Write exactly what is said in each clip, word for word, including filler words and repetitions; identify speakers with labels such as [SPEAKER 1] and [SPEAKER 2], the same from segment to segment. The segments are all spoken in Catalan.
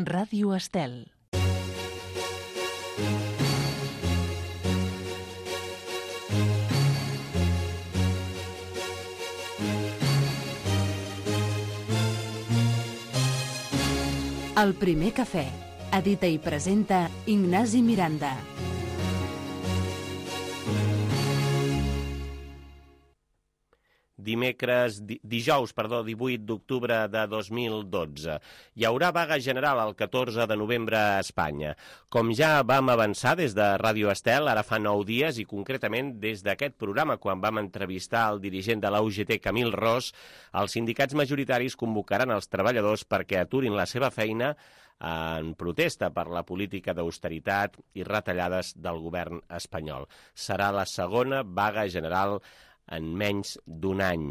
[SPEAKER 1] Ràdio Estel. El primer cafè. Edita i presenta Ignasi Miranda.
[SPEAKER 2] Dimecres, di, dijous, perdó, divuit d'octubre de dos mil dotze. Hi haurà vaga general el catorze de novembre a Espanya. Com ja vam avançar des de Ràdio Estel, ara fa nou dies, i concretament des d'aquest programa, quan vam entrevistar el dirigent de la U G T, Camil Ros, els sindicats majoritaris convocaran els treballadors perquè aturin la seva feina en protesta per la política d'austeritat i retallades del govern espanyol. Serà la segona vaga general en menys d'un any.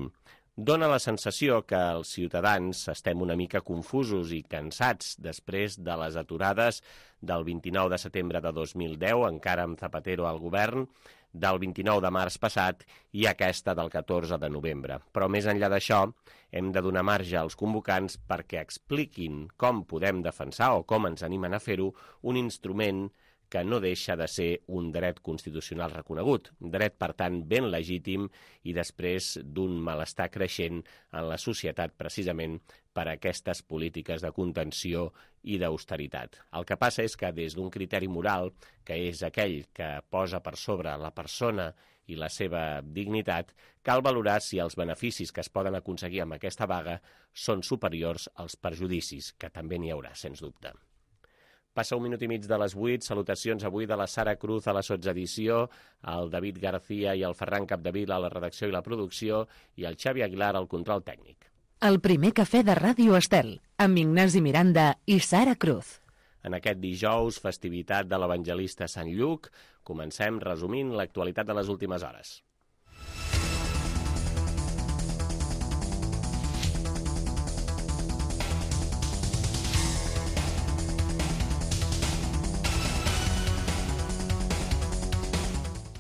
[SPEAKER 2] Dóna la sensació que els ciutadans estem una mica confusos i cansats després de les aturades del vint-i-nou de setembre de dos mil deu, encara amb Zapatero al govern, del vint-i-nou de març passat i aquesta del catorze de novembre. Però més enllà d'això, hem de donar marge als convocants perquè expliquin com podem defensar o com ens animen a fer-ho un instrument que no deixa de ser un dret constitucional reconegut, dret, per tant, ben legítim i després d'un malestar creixent en la societat precisament per a aquestes polítiques de contenció i d'austeritat. El que passa és que des d'un criteri moral, que és aquell que posa per sobre la persona i la seva dignitat, cal valorar si els beneficis que es poden aconseguir amb aquesta vaga són superiors als perjudicis, que també n'hi haurà, sens dubte. Passa un minut i mig de les vuit, salutacions avui de la Sara Cruz a la sotsedició, el David García i el Ferran Capdevila a la redacció i la producció i el Xavi Aguilar al control tècnic.
[SPEAKER 1] El primer cafè de Ràdio Estel, amb Ignasi Miranda i Sara Cruz.
[SPEAKER 2] En aquest dijous, festivitat de l'Evangelista Sant Lluc, comencem resumint l'actualitat de les últimes hores.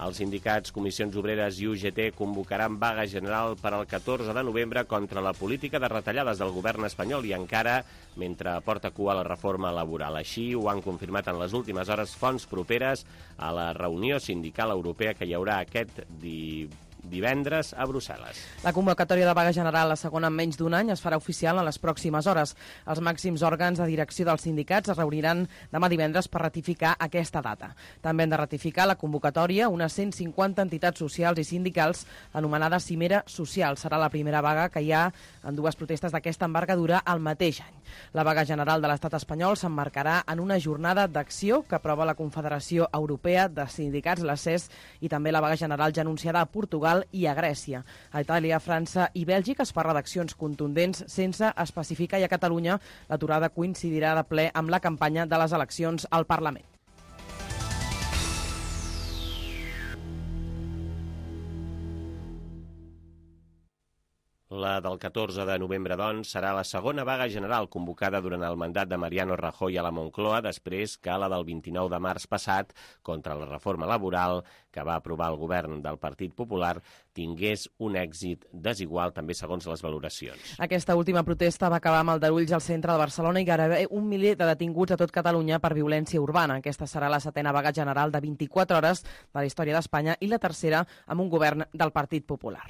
[SPEAKER 2] Els sindicats, comissions obreres i U G T convocaran vaga general per al catorze de novembre contra la política de retallades del govern espanyol i encara mentre porta cua la reforma laboral. Així ho han confirmat en les últimes hores fonts properes a la reunió sindical europea que hi haurà aquest di... divendres a Brussel·les.
[SPEAKER 3] La convocatòria de vaga general, la segona en menys d'un any, es farà oficial en les pròximes hores. Els màxims òrgans de direcció dels sindicats es reuniran demà divendres per ratificar aquesta data. També han de ratificar la convocatòria unes cent cinquanta entitats socials i sindicals, anomenada Cimera Social. Serà la primera vaga que hi ha en dues protestes d'aquesta envergadura al mateix any. La vaga general de l'estat espanyol s'emmarcarà en una jornada d'acció que aprova la Confederació Europea de Sindicats, la C E S, i també la vaga general ja anunciada a Portugal i a Grècia. A Itàlia, França i Bèlgica es parla d'accions contundents sense especificar, i a Catalunya l'aturada coincidirà de ple amb la campanya de les eleccions al Parlament.
[SPEAKER 2] La del catorze de novembre, doncs, serà la segona vaga general convocada durant el mandat de Mariano Rajoy a la Moncloa, després que la del vint-i-nou de març passat, contra la reforma laboral que va aprovar el govern del Partit Popular, tingués un èxit desigual, també segons les valoracions.
[SPEAKER 3] Aquesta última protesta va acabar amb aldarulls al centre de Barcelona i gairebé un miler de detinguts a tot Catalunya per violència urbana. Aquesta serà la setena vaga general de vint-i-quatre hores de la història d'Espanya i la tercera amb un govern del Partit Popular.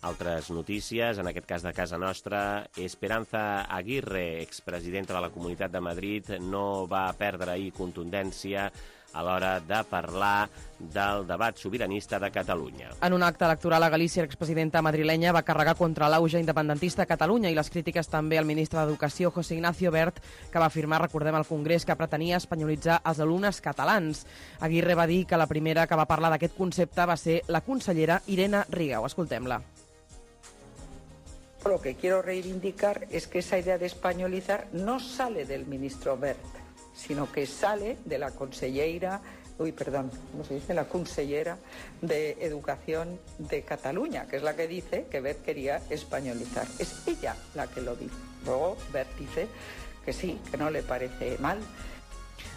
[SPEAKER 2] Altres notícies, en aquest cas de casa nostra, Esperanza Aguirre, expresidenta de la Comunitat de Madrid, no va perdre ahir contundència a l'hora de parlar del debat sobiranista de Catalunya.
[SPEAKER 3] En un acte electoral a Galícia, l'expresidenta madrilenya va carregar contra l'auge independentista a Catalunya i les crítiques també al ministre d'Educació, José Ignacio Wert, que va afirmar, recordem, al Congrés que pretenia espanyolitzar els alumnes catalans. Aguirre va dir que la primera que va parlar d'aquest concepte va ser la consellera Irene Rigau. Escoltem-la.
[SPEAKER 4] Lo que quiero reivindicar es que esa idea de españolizar no sale del ministro Wert, sino que sale de la consellera, uy, perdón, ¿cómo se dice? La consellera de Educación de Cataluña, que es la que dice que Wert quería españolizar. Es ella la que lo dice. Luego Wert dice que sí, que no le parece mal.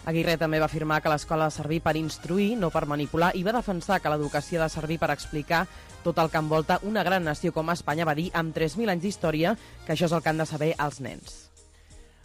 [SPEAKER 3] Aguirre també va afirmar que l'escola ha de servir per instruir, no per manipular, i va defensar que l'educació ha de servir per explicar tot el que envolta una gran nació com Espanya, va dir, amb tres mil anys d'història, que això és el que han de saber els nens.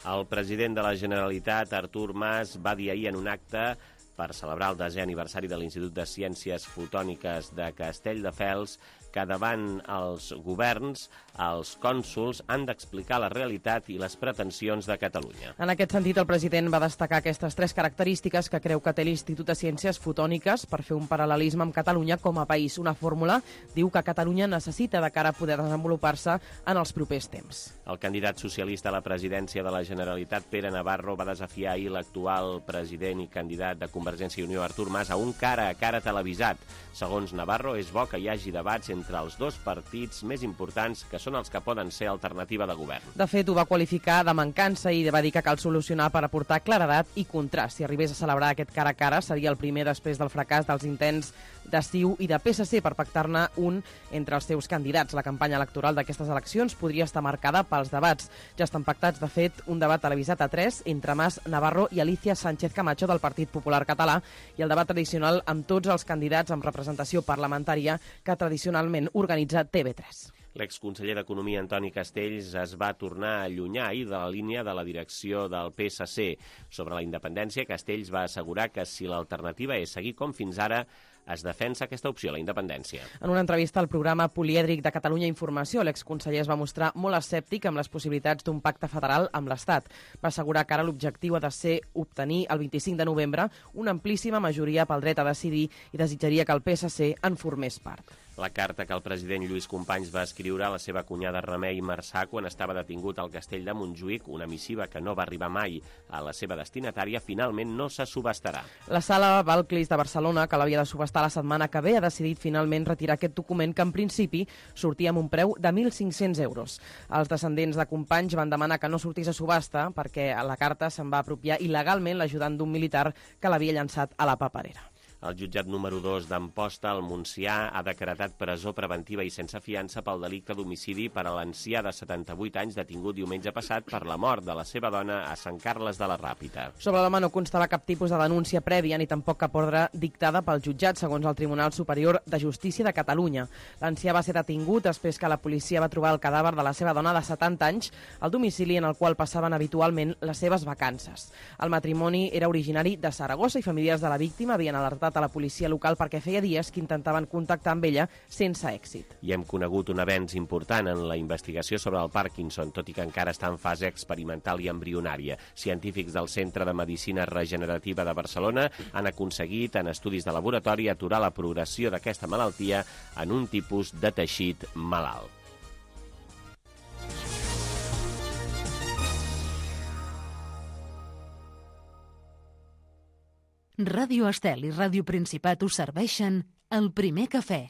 [SPEAKER 2] El president de la Generalitat, Artur Mas, va dir ahir en un acte per celebrar el desè aniversari de l'Institut de Ciències Fotòniques de Castelldefels que davant els governs, els cònsols han d'explicar la realitat i les pretensions de Catalunya.
[SPEAKER 3] En aquest sentit, el president va destacar aquestes tres característiques que creu que té l'Institut de Ciències Fotòniques per fer un paral·lelisme amb Catalunya com a país. Una fórmula, diu, que Catalunya necessita de cara a poder desenvolupar-se en els propers temps.
[SPEAKER 2] El candidat socialista a la presidència de la Generalitat, Pere Navarro, va desafiar ahir l'actual president i candidat de Convergència i Unió, Artur Mas, a un cara a cara televisat. Segons Navarro, és bo que hi hagi debats entre els dos partits més importants, que són els que poden ser alternativa de govern.
[SPEAKER 3] De fet, ho va qualificar de mancança i va dir que cal solucionar per aportar claredat i contrast. Si arribés a celebrar aquest cara a cara, seria el primer després del fracàs dels intents de C I U i de P S C per pactar-ne un entre els seus candidats. La campanya electoral d'aquestes eleccions podria estar marcada pels debats. Ja estan pactats, de fet, un debat televisat a tres entre Mas, Navarro i Alicia Sánchez Camacho del Partit Popular Català i el debat tradicional amb tots els candidats amb representació parlamentària que tradicionalment organitza T V tres.
[SPEAKER 2] L'exconseller d'Economia, Antoni Castells, es va tornar a allunyar ahir de la línia de la direcció del P S C. Sobre la independència, Castells va assegurar que si l'alternativa és seguir com fins ara, es defensa aquesta opció, la independència.
[SPEAKER 3] En una entrevista al programa Polièdric de Catalunya Informació, l'exconseller es va mostrar molt escèptic amb les possibilitats d'un pacte federal amb l'Estat. Va assegurar que ara l'objectiu ha de ser obtenir el vint-i-cinc de novembre una amplíssima majoria pel dret a decidir i desitjaria que el P S C en formés part.
[SPEAKER 2] La carta que el president Lluís Companys va escriure a la seva cunyada Remei Marçà quan estava detingut al castell de Montjuïc, una missiva que no va arribar mai a la seva destinatària, finalment no se subhastarà.
[SPEAKER 3] La sala Balclis de Barcelona, que l'havia de subhastar la setmana que ve, ha decidit finalment retirar aquest document que en principi sortia amb un preu de mil cinc-cents euros. Els descendents de Companys van demanar que no sortís a subhasta perquè a la carta se'n va apropiar il·legalment l'ajudant d'un militar que l'havia llançat a la paperera.
[SPEAKER 2] El jutjat número dos d'Amposta, al Montsià, ha decretat presó preventiva i sense fiança pel delicte d'homicidi per a l'ancià de setanta-vuit anys detingut diumenge passat per la mort de la seva dona a Sant Carles de la Ràpita.
[SPEAKER 3] Sobre l'home no constava cap tipus de denúncia prèvia ni tampoc cap ordre dictada pel jutjat, segons el Tribunal Superior de Justícia de Catalunya. L'ancià va ser detingut després que la policia va trobar el cadàver de la seva dona de setanta anys al domicili en el qual passaven habitualment les seves vacances. El matrimoni era originari de Saragossa i familiars de la víctima havien alertat a la policia local perquè feia dies que intentaven contactar amb ella sense èxit.
[SPEAKER 2] I hem conegut un avenç important en la investigació sobre el Parkinson, tot i que encara està en fase experimental i embrionària. Científics del Centre de Medicina Regenerativa de Barcelona han aconseguit, en estudis de laboratori, aturar la progressió d'aquesta malaltia en un tipus de teixit malalt.
[SPEAKER 1] Ràdio Estel i Ràdio Principat us serveixen El Primer Cafè.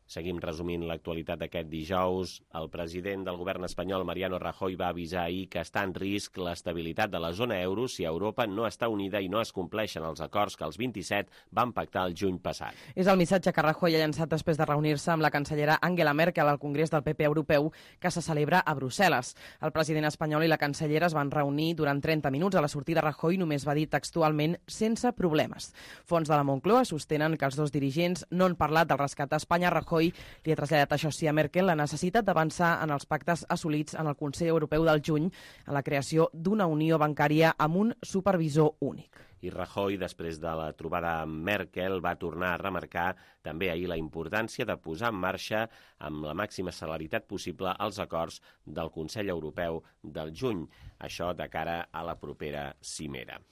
[SPEAKER 2] Seguim resumint l'actualitat d'aquest dijous. El president del govern espanyol, Mariano Rajoy, va avisar ahir que està en risc l'estabilitat de la zona euro si Europa no està unida i no es compleixen els acords que els vint-i-set van pactar el juny passat.
[SPEAKER 3] És el missatge que Rajoy ha llançat després de reunir-se amb la cancellera Angela Merkel al Congrés del P P europeu que se celebra a Brussel·les. El president espanyol i la cancellera es van reunir durant trenta minuts. A la sortida, Rajoy només va dir textualment sense problemes. Fonts de la Moncloa sostenen que els dos dirigents no han parlat del rescat a Espanya. Rajoy li ha traslladat, això sí, a Merkel la necessitat d'avançar en els pactes assolits en el Consell Europeu del juny en la creació d'una unió bancària amb un supervisor únic.
[SPEAKER 2] I Rajoy, després de la trobada amb Merkel, va tornar a remarcar també ahir la importància de posar en marxa amb la màxima celeritat possible els acords del Consell Europeu del juny, això de cara a la propera cimera.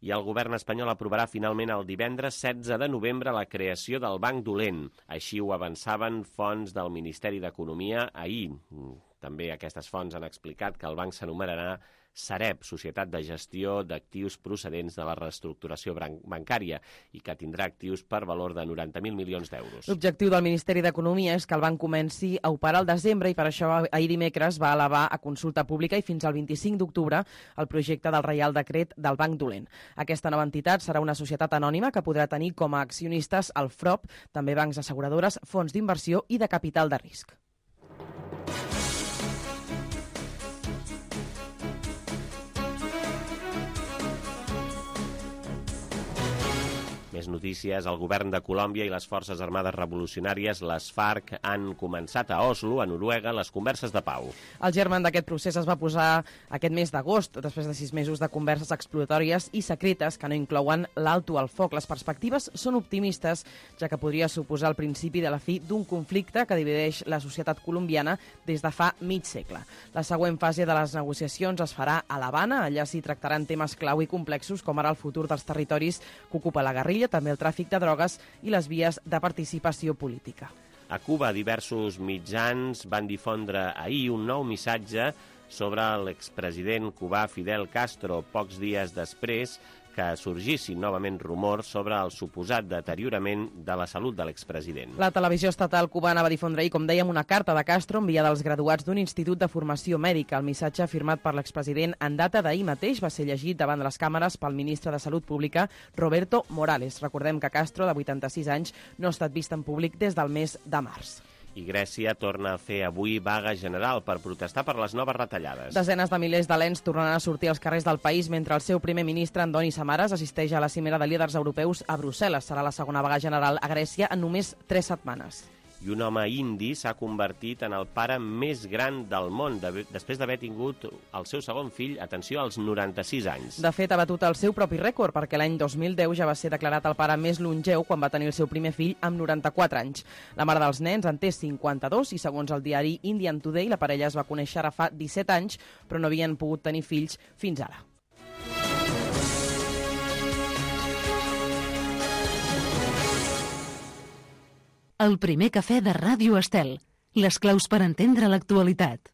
[SPEAKER 2] I el govern espanyol aprovarà finalment el divendres setze de novembre la creació del Banc Dolent. Així ho avançaven fonts del Ministeri d'Economia ahir. També aquestes fonts han explicat que el banc s'anomenarà Sareb, Societat de Gestió d'Actius Procedents de la Reestructuració Bancària, i que tindrà actius per valor de noranta mil milions d'euros.
[SPEAKER 3] L'objectiu del Ministeri d'Economia és que el banc comenci a operar al desembre i per això ahir dimecres va elevar a consulta pública i fins al vint-i-cinc d'octubre el projecte del Reial Decret del Banc Dolent. Aquesta nova entitat serà una societat anònima que podrà tenir com a accionistes el F R O P, també bancs asseguradores, fons d'inversió i de capital de risc.
[SPEAKER 2] Més notícies. El govern de Colòmbia i les Forces Armades Revolucionàries, les FARC, han començat a Oslo, a Noruega, les converses de pau.
[SPEAKER 3] El germen d'aquest procés es va posar aquest mes d'agost, després de sis mesos de converses exploratòries i secretes que no inclouen l'alto al foc. Les perspectives són optimistes, ja que podria suposar el principi de la fi d'un conflicte que divideix la societat colombiana des de fa mig segle. La següent fase de les negociacions es farà a l'Havana. Allà s'hi tractaran temes clau i complexos, com ara el futur dels territoris que ocupa la guerrilla, també el tràfic de drogues i les vies de participació política.
[SPEAKER 2] A Cuba, diversos mitjans van difondre ahir un nou missatge sobre l'expresident cubà Fidel Castro, pocs dies després que sorgissin novament rumors sobre el suposat deteriorament de la salut de l'expresident.
[SPEAKER 3] La televisió estatal cubana va difondre ahir, com dèiem, una carta de Castro enviada als graduats d'un institut de formació mèdica. El missatge firmat per l'expresident en data d'ahir mateix va ser llegit davant de les càmeres pel ministre de Salut Pública, Roberto Morales. Recordem que Castro, de vuitanta-sis anys, no ha estat vist en públic des del mes de març.
[SPEAKER 2] I Grècia torna a fer avui vaga general per protestar per les noves retallades.
[SPEAKER 3] Desenes de milers d'alens tornaran a sortir als carrers del país mentre el seu primer ministre, Andoni Samaras, assisteix a la cimera de líders europeus a Brussel·les. Serà la segona vaga general a Grècia en només tres setmanes.
[SPEAKER 2] I un home indi s'ha convertit en el pare més gran del món, de, després d'haver tingut el seu segon fill, atenció, als noranta-sis anys.
[SPEAKER 3] De fet, ha batut el seu propi rècord, perquè l'any dos mil deu ja va ser declarat el pare més longeu quan va tenir el seu primer fill amb noranta-quatre anys. La mare dels nens en té cinquanta-dos i, segons el diari Indian Today, la parella es va conèixer ara fa disset anys, però no havien pogut tenir fills fins ara.
[SPEAKER 1] El primer cafè de Ràdio Estel. Les claus per entendre l'actualitat.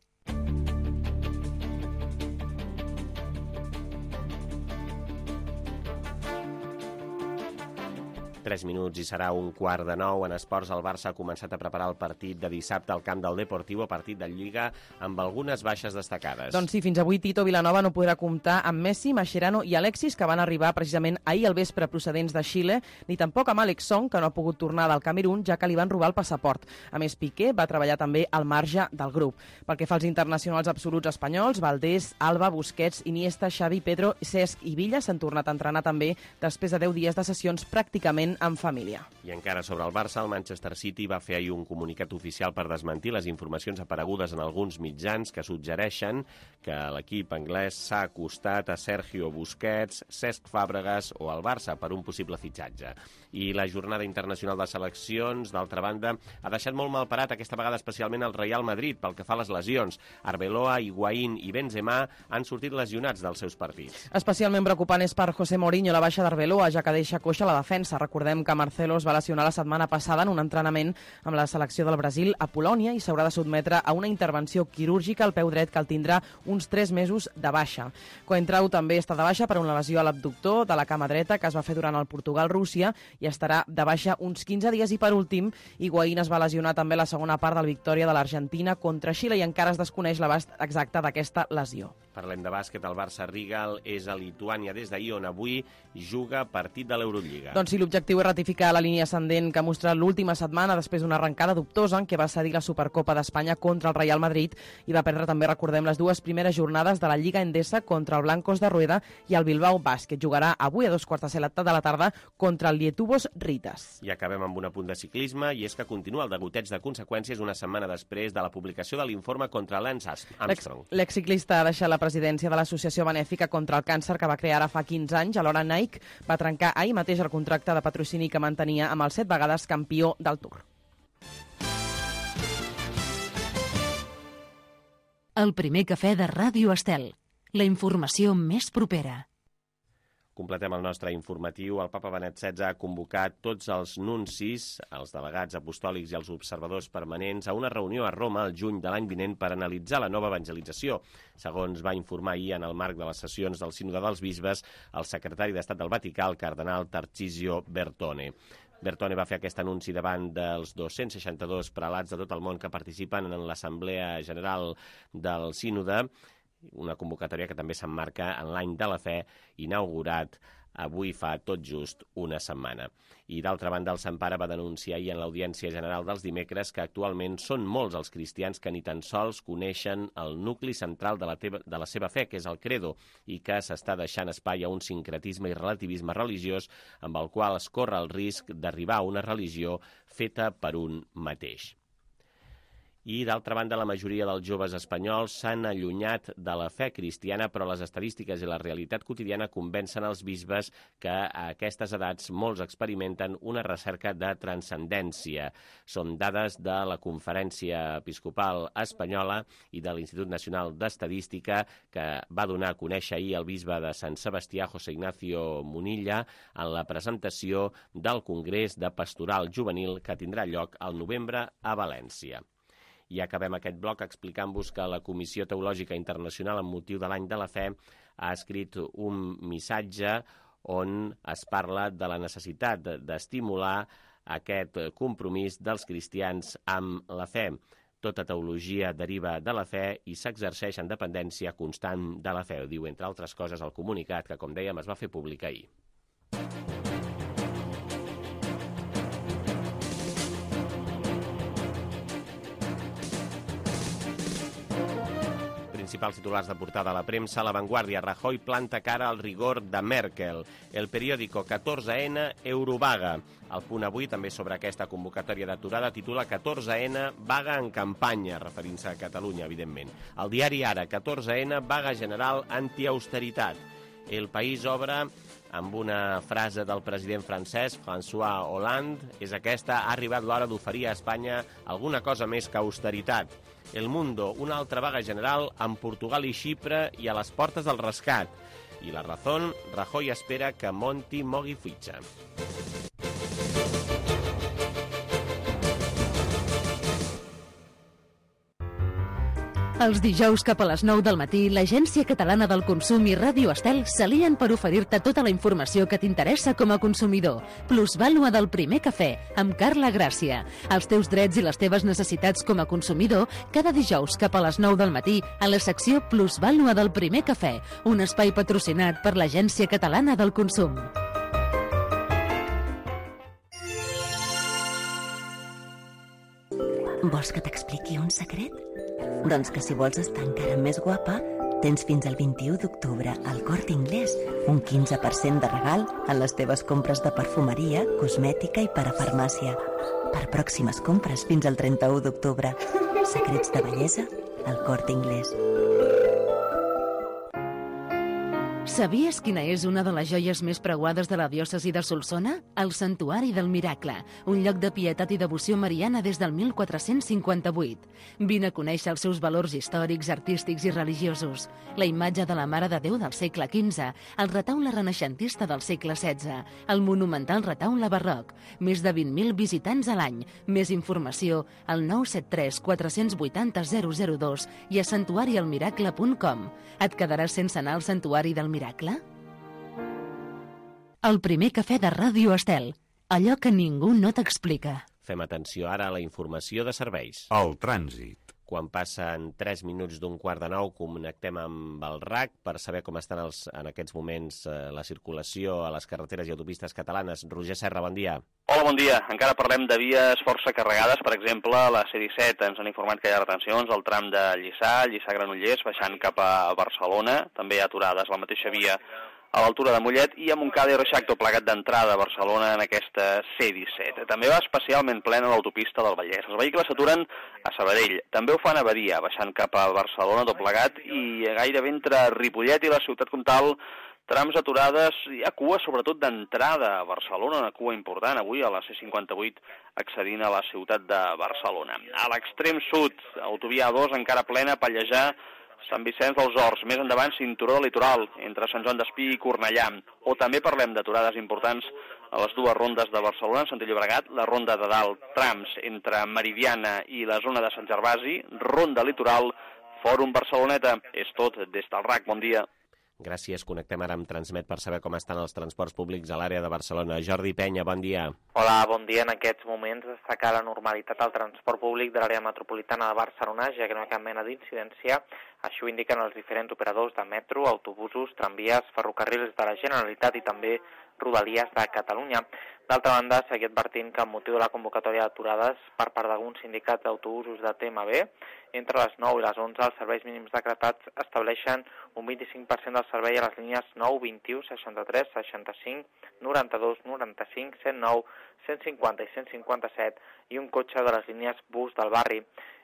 [SPEAKER 2] Tres minuts i serà un quart de nou. En esports, el Barça ha començat a preparar el partit de dissabte al camp del Deportivo, partit de Lliga, amb algunes baixes destacades.
[SPEAKER 3] Doncs sí, fins avui Tito Vilanova no podrà comptar amb Messi, Mascherano i Alexis, que van arribar precisament ahir al vespre procedents de Xile, ni tampoc amb Alex Song, que no ha pogut tornar del Camerún, ja que li van robar el passaport. A més, Piqué va treballar també al marge del grup. Pel que fa als internacionals absoluts espanyols, Valdés, Alba, Busquets, Iniesta, Xavi, Pedro, Cesc i Villa s'han tornat a entrenar també després de deu dies de sessions pràcticament en família.
[SPEAKER 2] I encara sobre el Barça, el Manchester City va fer ahir un comunicat oficial per desmentir les informacions aparegudes en alguns mitjans que suggereixen que l'equip anglès s'ha acostat a Sergio Busquets, Cesc Fàbregas o al Barça per un possible fitxatge. I la jornada internacional de seleccions, d'altra banda, ha deixat molt mal parat aquesta vegada especialment el Real Madrid pel que fa a les lesions. Arbeloa, Higuaín i Benzema han sortit lesionats dels seus partits.
[SPEAKER 3] Especialment preocupant és per José Mourinho la baixa d'Arbeloa, ja que deixa coixa la defensa. Recordem que Marcelo es va lesionar la setmana passada en un entrenament amb la selecció del Brasil a Polònia i s'haurà de sotmetre a una intervenció quirúrgica al peu dret que el tindrà uns tres mesos de baixa. Coentrao també està de baixa per una lesió a l'abductor de la cama dreta que es va fer durant el Portugal-Rússia i estarà de baixa uns quinze dies. I per últim, Higuaín es va lesionar també la segona part del victòria de l'Argentina contra Xile i encara es desconeix l'abast exacte d'aquesta lesió.
[SPEAKER 2] Parlem de bàsquet. El Barça Rigal és a Lituània des d'ahir, on avui juga partit de l'Eurolliga.
[SPEAKER 3] Doncs sí, l'objectiu és ratificar la línia ascendent que ha mostrat l'última setmana després d'una arrencada dubtosa en què va cedir la Supercopa d'Espanya contra el Real Madrid i va perdre també, recordem, les dues primeres jornades de la Lliga Endesa contra el Blancos de Rueda i el Bilbao Bàsquet. Jugarà avui a dos quarts de set de la tarda contra el Lietuvos Ritas.
[SPEAKER 2] I acabem amb un apunt de ciclisme, i és que continua el degoteig de conseqüències una setmana després de la publicació de l'informe contra Lance Armstrong.
[SPEAKER 3] L'exciclista ha deixat la presidència de l'Associació Benèfica contra el Càncer que va crear ara fa quinze anys. Alhora Nike va trencar ahir mateix el contracte de patrocini que mantenia amb el set vegades campió del Tour.
[SPEAKER 1] El primer cafè de Ràdio Estel. La informació més propera.
[SPEAKER 2] Completem el nostre informatiu. El papa Benet setze ha convocat tots els nuncis, els delegats apostòlics i els observadors permanents a una reunió a Roma el juny de l'any vinent per analitzar la nova evangelització. Segons va informar ahir en el marc de les sessions del Sínode dels Bisbes el secretari d'Estat del Vaticà, el cardenal Tarcisio Bertone. Bertone va fer aquest anunci davant dels dos-cents seixanta-dos prelats de tot el món que participen en l'Assemblea General del Sínode, una convocatòria que també s'emmarca en l'any de la fe inaugurat avui fa tot just una setmana. I d'altra banda, el Sant Pare va denunciar ahir en l'Audiència General dels dimecres que actualment són molts els cristians que ni tan sols coneixen el nucli central de la, teva, de la seva fe, que és el credo, i que s'està deixant espai a un sincretisme i relativisme religiós amb el qual es corre el risc d'arribar a una religió feta per un mateix. I, d'altra banda, la majoria dels joves espanyols s'han allunyat de la fe cristiana, però les estadístiques i la realitat quotidiana convencen els bisbes que a aquestes edats molts experimenten una recerca de transcendència. Són dades de la Conferència Episcopal Espanyola i de l'Institut Nacional d'Estadística que va donar a conèixer ahir el bisbe de Sant Sebastià, José Ignacio Munilla, en la presentació del Congrés de Pastoral Juvenil que tindrà lloc al novembre a València. I acabem aquest bloc explicant-vos que la Comissió Teològica Internacional amb motiu de l'Any de la Fe ha escrit un missatge on es parla de la necessitat d'estimular aquest compromís dels cristians amb la fe. Tota teologia deriva de la fe i s'exerceix en dependència constant de la fe, diu, entre altres coses, el comunicat que, com dèiem, es va fer públic ahir. Principals titulars de portada a la premsa, La Vanguardia, Rajoy planta cara al rigor de Merkel. El periòdico catorze ena, Eurovaga. El Punt Avui, també sobre aquesta convocatòria d'aturada, titula catorze ena, vaga en campanya, referint-se a Catalunya, evidentment. El diari Ara, catorze ena, vaga general antiausteritat. El País obre amb una frase del president francès, François Hollande, és aquesta: ha arribat l'hora d'oferir a Espanya alguna cosa més que austeritat. El Mundo, una altra vaga general amb Portugal i Xipre i a les portes del rescat. I La Razón, Rajoy espera que Monti mogui fitxa.
[SPEAKER 1] Els dijous cap a les nou del matí, l'Agència Catalana del Consum i Ràdio Estel s'alien per oferir-te tota la informació que t'interessa com a consumidor. Plusvàlua del primer cafè, amb Carla Gràcia. Els teus drets i les teves necessitats com a consumidor, cada dijous cap a les nou del matí, a la secció Plusvàlua del primer cafè, un espai patrocinat per l'Agència Catalana del Consum.
[SPEAKER 5] Vols que t'expliqui un secret? Doncs que si vols estar encara més guapa, tens fins al vint-i-u d'octubre al Corte Inglés un quinze per cent de regal en les teves compres de perfumeria, cosmètica i parafarmàcia. Per pròximes compres fins al trenta-u d'octubre. Secrets de bellesa al Corte Inglés.
[SPEAKER 1] Sabies quina és una de les joies més preuades de la diòcesi de Solsona? El Santuari del Miracle, un lloc de pietat i devoció mariana des del mil quatre-cents cinquanta-vuit. Vine a conèixer els seus valors històrics, artístics i religiosos. La imatge de la Mare de Déu del segle quinze, el retaule renaixentista del segle setze, el monumental retaule barroc, més de vint mil visitants a l'any. Més informació al nou set tres quatre vuit zero zero zero dos i a santuari el miracle punt com. Et quedaràs sense anar al Santuari del Miracle? El primer cafè de Ràdio Estel. Allò que ningú no t'explica.
[SPEAKER 2] Fem atenció ara a la informació de serveis.
[SPEAKER 6] El trànsit.
[SPEAKER 2] Quan passen tres minuts d'un quart de nou, connectem amb el R A C per saber com estan els, en aquests moments eh, la circulació a les carreteres i autopistes catalanes. Roger Serra, bon dia.
[SPEAKER 7] Hola, bon dia. Encara parlem de vies força carregades. Per exemple, la C disset ens han informat que hi ha retencions al tram de Lliçà, Lliçà-Granollers, baixant cap a Barcelona. També hi ha aturades la mateixa via a l'altura de Mollet i a Montcada i Reixac, tot plegat d'entrada a Barcelona en aquesta C disset. També va especialment plena l'autopista del Vallès. Els vehicles s'aturen a Sabadell. També ho fan a Badia, baixant cap a Barcelona, tot plegat, i gairebé entre Ripollet i la Ciutat Comtal, trams aturades. Hi ha cua, sobretot d'entrada a Barcelona, una cua important avui a la C cinquanta-vuit accedint a la ciutat de Barcelona. A l'extrem sud, autovia A dos encara plena, Pallejà, Sant Vicenç dels Horts, més endavant cinturó del litoral, entre Sant Joan d'Espí i Cornellà. O també parlem d'aturades importants a les dues rondes de Barcelona, en sentit Llobregat, la ronda de dalt, trams entre Meridiana i la zona de Sant Gervasi, ronda litoral, Fòrum Barceloneta. És tot des del R A C. Bon dia.
[SPEAKER 2] Gràcies. Connectem ara amb Transmet per saber com estan els transports públics a l'àrea de Barcelona. Jordi Penya, bon dia.
[SPEAKER 6] Hola, bon dia. En aquests moments destacar la normalitat al transport públic de l'àrea metropolitana de Barcelona, ja que no hi ha cap mena d'incidència. Això ho indiquen els diferents operadors de metro, autobusos, tramvies, ferrocarrils de la Generalitat i també Rodalies de Catalunya. D'altra banda, seguir advertint que amb motiu de la convocatòria d'aturades per part d'alguns sindicats d'autobusos de T M B, entre les nou i les onze els serveis mínims decretats estableixen un vint-i-cinc per cent del servei a les línies nou, vint-i-u, seixanta-tres, seixanta-cinc, noranta-dos, noranta-cinc, cent nou, cent cinquanta i cent cinquanta-set i un cotxe de les línies bus del barri.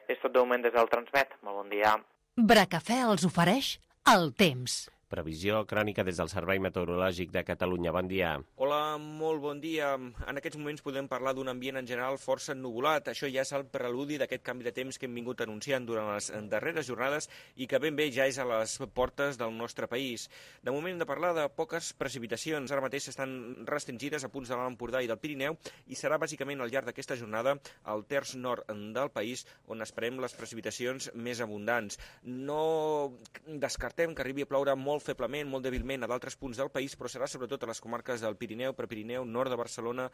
[SPEAKER 6] És tot de moment des del Transmet. Molt bon dia.
[SPEAKER 1] Bracafè els ofereix el temps.
[SPEAKER 2] Previsió crònica des del Servei Meteorològic de Catalunya. Bon dia.
[SPEAKER 8] Hola, molt bon dia. En aquests moments podem parlar d'un ambient en general força ennuvolat. Això ja és el preludi d'aquest canvi de temps que hem vingut anunciant durant les darreres jornades i que ben bé ja és a les portes del nostre país. De moment hem de parlar de poques precipitacions. Ara mateix estan restringides a punts de l'Alt Empordà i del Pirineu i serà bàsicament al llarg d'aquesta jornada al terç nord del país on esperem les precipitacions més abundants. No descartem que arribi a ploure molt feblement, molt dèbilment a d'altres punts del país, però serà sobretot a les comarques del Pirineu, Prepirineu, nord de Barcelona,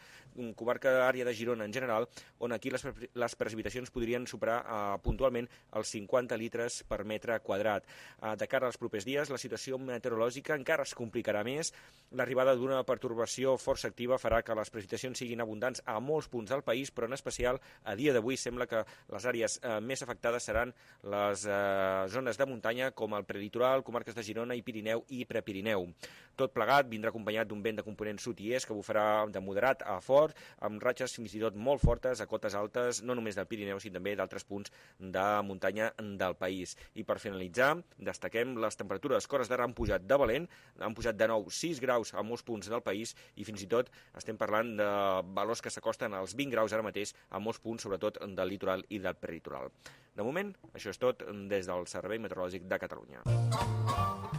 [SPEAKER 8] comarca àrea de Girona en general, on aquí les, les precipitacions podrien superar uh, puntualment els cinquanta litres per metre quadrat. Uh, de cara als propers dies, la situació meteorològica encara es complicarà més. L'arribada d'una pertorbació força activa farà que les precipitacions siguin abundants a molts punts del país, però en especial a dia d'avui sembla que les àrees uh, més afectades seran les uh, zones de muntanya com el prelitoral, comarques de Girona i Pirineu i Prepirineu. Tot plegat vindrà acompanyat d'un vent de component sud i est que bufarà de moderat a fort, amb ratxes fins i tot molt fortes a cotes altes, no només del Pirineu, sinó també d'altres punts de muntanya del país. I per finalitzar, destaquem les temperatures que hores d'ara han pujat de valent, han pujat de nou sis graus a molts punts del país i fins i tot estem parlant de valors que s'acosten als vint graus ara mateix a molts punts, sobretot del litoral i del prelitoral. De moment, això és tot des del Servei Meteorològic de Catalunya.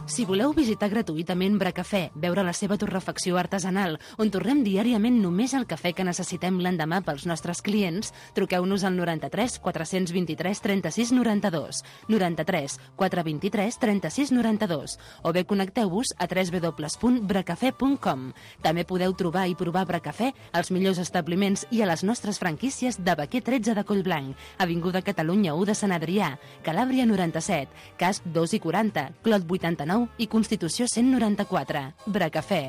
[SPEAKER 1] Si voleu visitar gratuïtament Bracafè, veure la seva torrefacció artesanal, on torrem diàriament només el cafè que necessitem l'endemà pels nostres clients, truqueu-nos al noranta-tres quatre vint-i-tres trenta-sis noranta-dos, noranta-tres quatre vint-i-tres trenta-sis noranta-dos, o bé connecteu-vos a w w w punt bracafè punt com. També podeu trobar i provar Bracafè als millors establiments i a les nostres franquícies de Baquer tretze de Collblanc, Avinguda Catalunya u de Sant Adrià, Calàbria noranta-set, Casp dos i quaranta, Clot vuitanta-nou i Constitució cent noranta-quatre. Bracafè.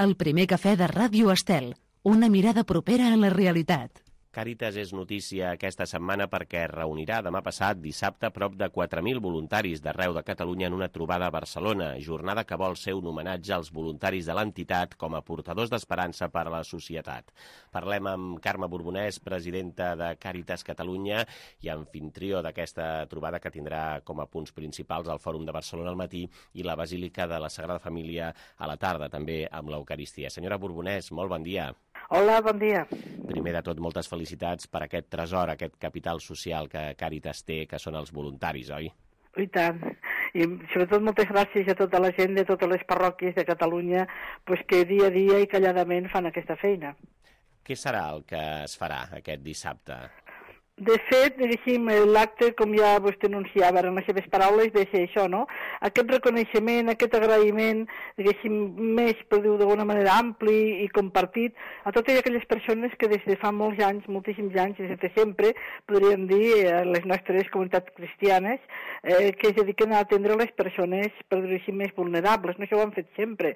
[SPEAKER 1] El primer cafè de Ràdio Estel. Una mirada propera a la realitat.
[SPEAKER 2] Càritas és notícia aquesta setmana perquè reunirà demà passat, dissabte, prop de quatre mil voluntaris d'arreu de Catalunya en una trobada a Barcelona, jornada que vol ser un homenatge als voluntaris de l'entitat com a portadors d'esperança per a la societat. Parlem amb Carme Borbonès, presidenta de Càritas Catalunya i anfitrió d'aquesta trobada que tindrà com a punts principals el Fòrum de Barcelona al matí i la Basílica de la Sagrada Família a la tarda, també amb l'Eucaristia. Senyora Borbonès, molt bon dia.
[SPEAKER 9] Hola, bon dia.
[SPEAKER 2] Primer de tot, moltes felicitats per aquest tresor, aquest capital social que Càritas té, que són els voluntaris, oi?
[SPEAKER 9] I tant. I sobretot moltes gràcies a tota la gent de totes les parròquies de Catalunya pues, que dia a dia i calladament fan aquesta feina.
[SPEAKER 2] Què serà el que es farà aquest dissabte?
[SPEAKER 9] De fet, diguéssim, l'acte, com ja vostè anunciava en les seves paraules, ve ser això, no? Aquest reconeixement, aquest agraïment, diguéssim, més, per dir-ho d'alguna manera, ampli i compartit a totes aquelles persones que des de fa molts anys, moltíssims anys, des de sempre, podríem dir, les nostres comunitats cristianes, eh, que es dediquen a atendre les persones, per dir-ho així, més vulnerables. No, això ho han fet sempre.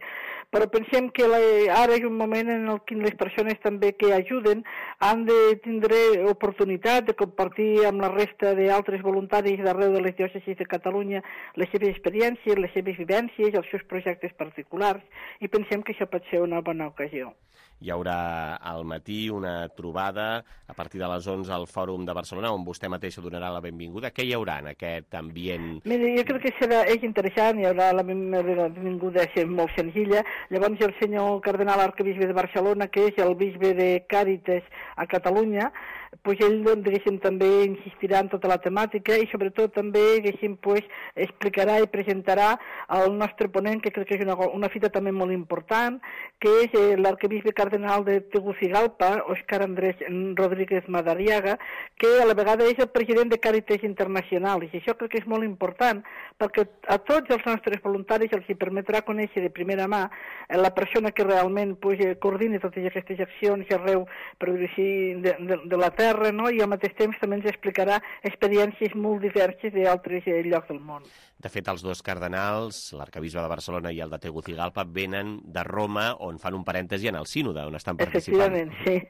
[SPEAKER 9] Però pensem que la, ara és un moment en el que les persones també que ajuden han de tindre oportunitat de compartir amb la resta d'altres voluntaris d'arreu de les diòcesis de Catalunya les seves experiències, les seves vivències, els seus projectes particulars, i pensem que això pot ser una bona ocasió.
[SPEAKER 2] Hi haurà al matí una trobada a partir de les onze al Fòrum de Barcelona, on vostè mateixa donarà la benvinguda. Què hi haurà en aquest ambient?
[SPEAKER 9] Mira, jo crec que serà, és interessant, hi haurà la benvinguda molt senzilla. Llavors el senyor cardenal arquebisbe de Barcelona, que és el bisbe de Càritas a Catalunya, pues ell diguéssim, també insistirà en tota la temàtica i sobretot també diguéssim, pues, explicarà i presentarà el nostre ponent, que crec que és una, una fita també molt important, que és eh, l'arquebisbe cardenal de Tegucigalpa, Òscar Andrés Rodríguez Madariaga, que a la vegada és el president de Càritas Internacional, i això crec que és molt important, perquè a tots els nostres voluntaris els hi permetrà conèixer de primera mà eh, la persona que realment pues, eh, coordina totes aquestes accions arreu, per dir així, de, de, de la terra, no? I al mateix temps també ens explicarà experiències molt diverses d'altres eh, llocs del món.
[SPEAKER 2] De fet, els dos cardenals, l'arquebisbe de Barcelona i el de Tegucigalpa, venen de Roma, on fan un parèntesi en el sínode, on estan participant.
[SPEAKER 9] Efectivament, sí.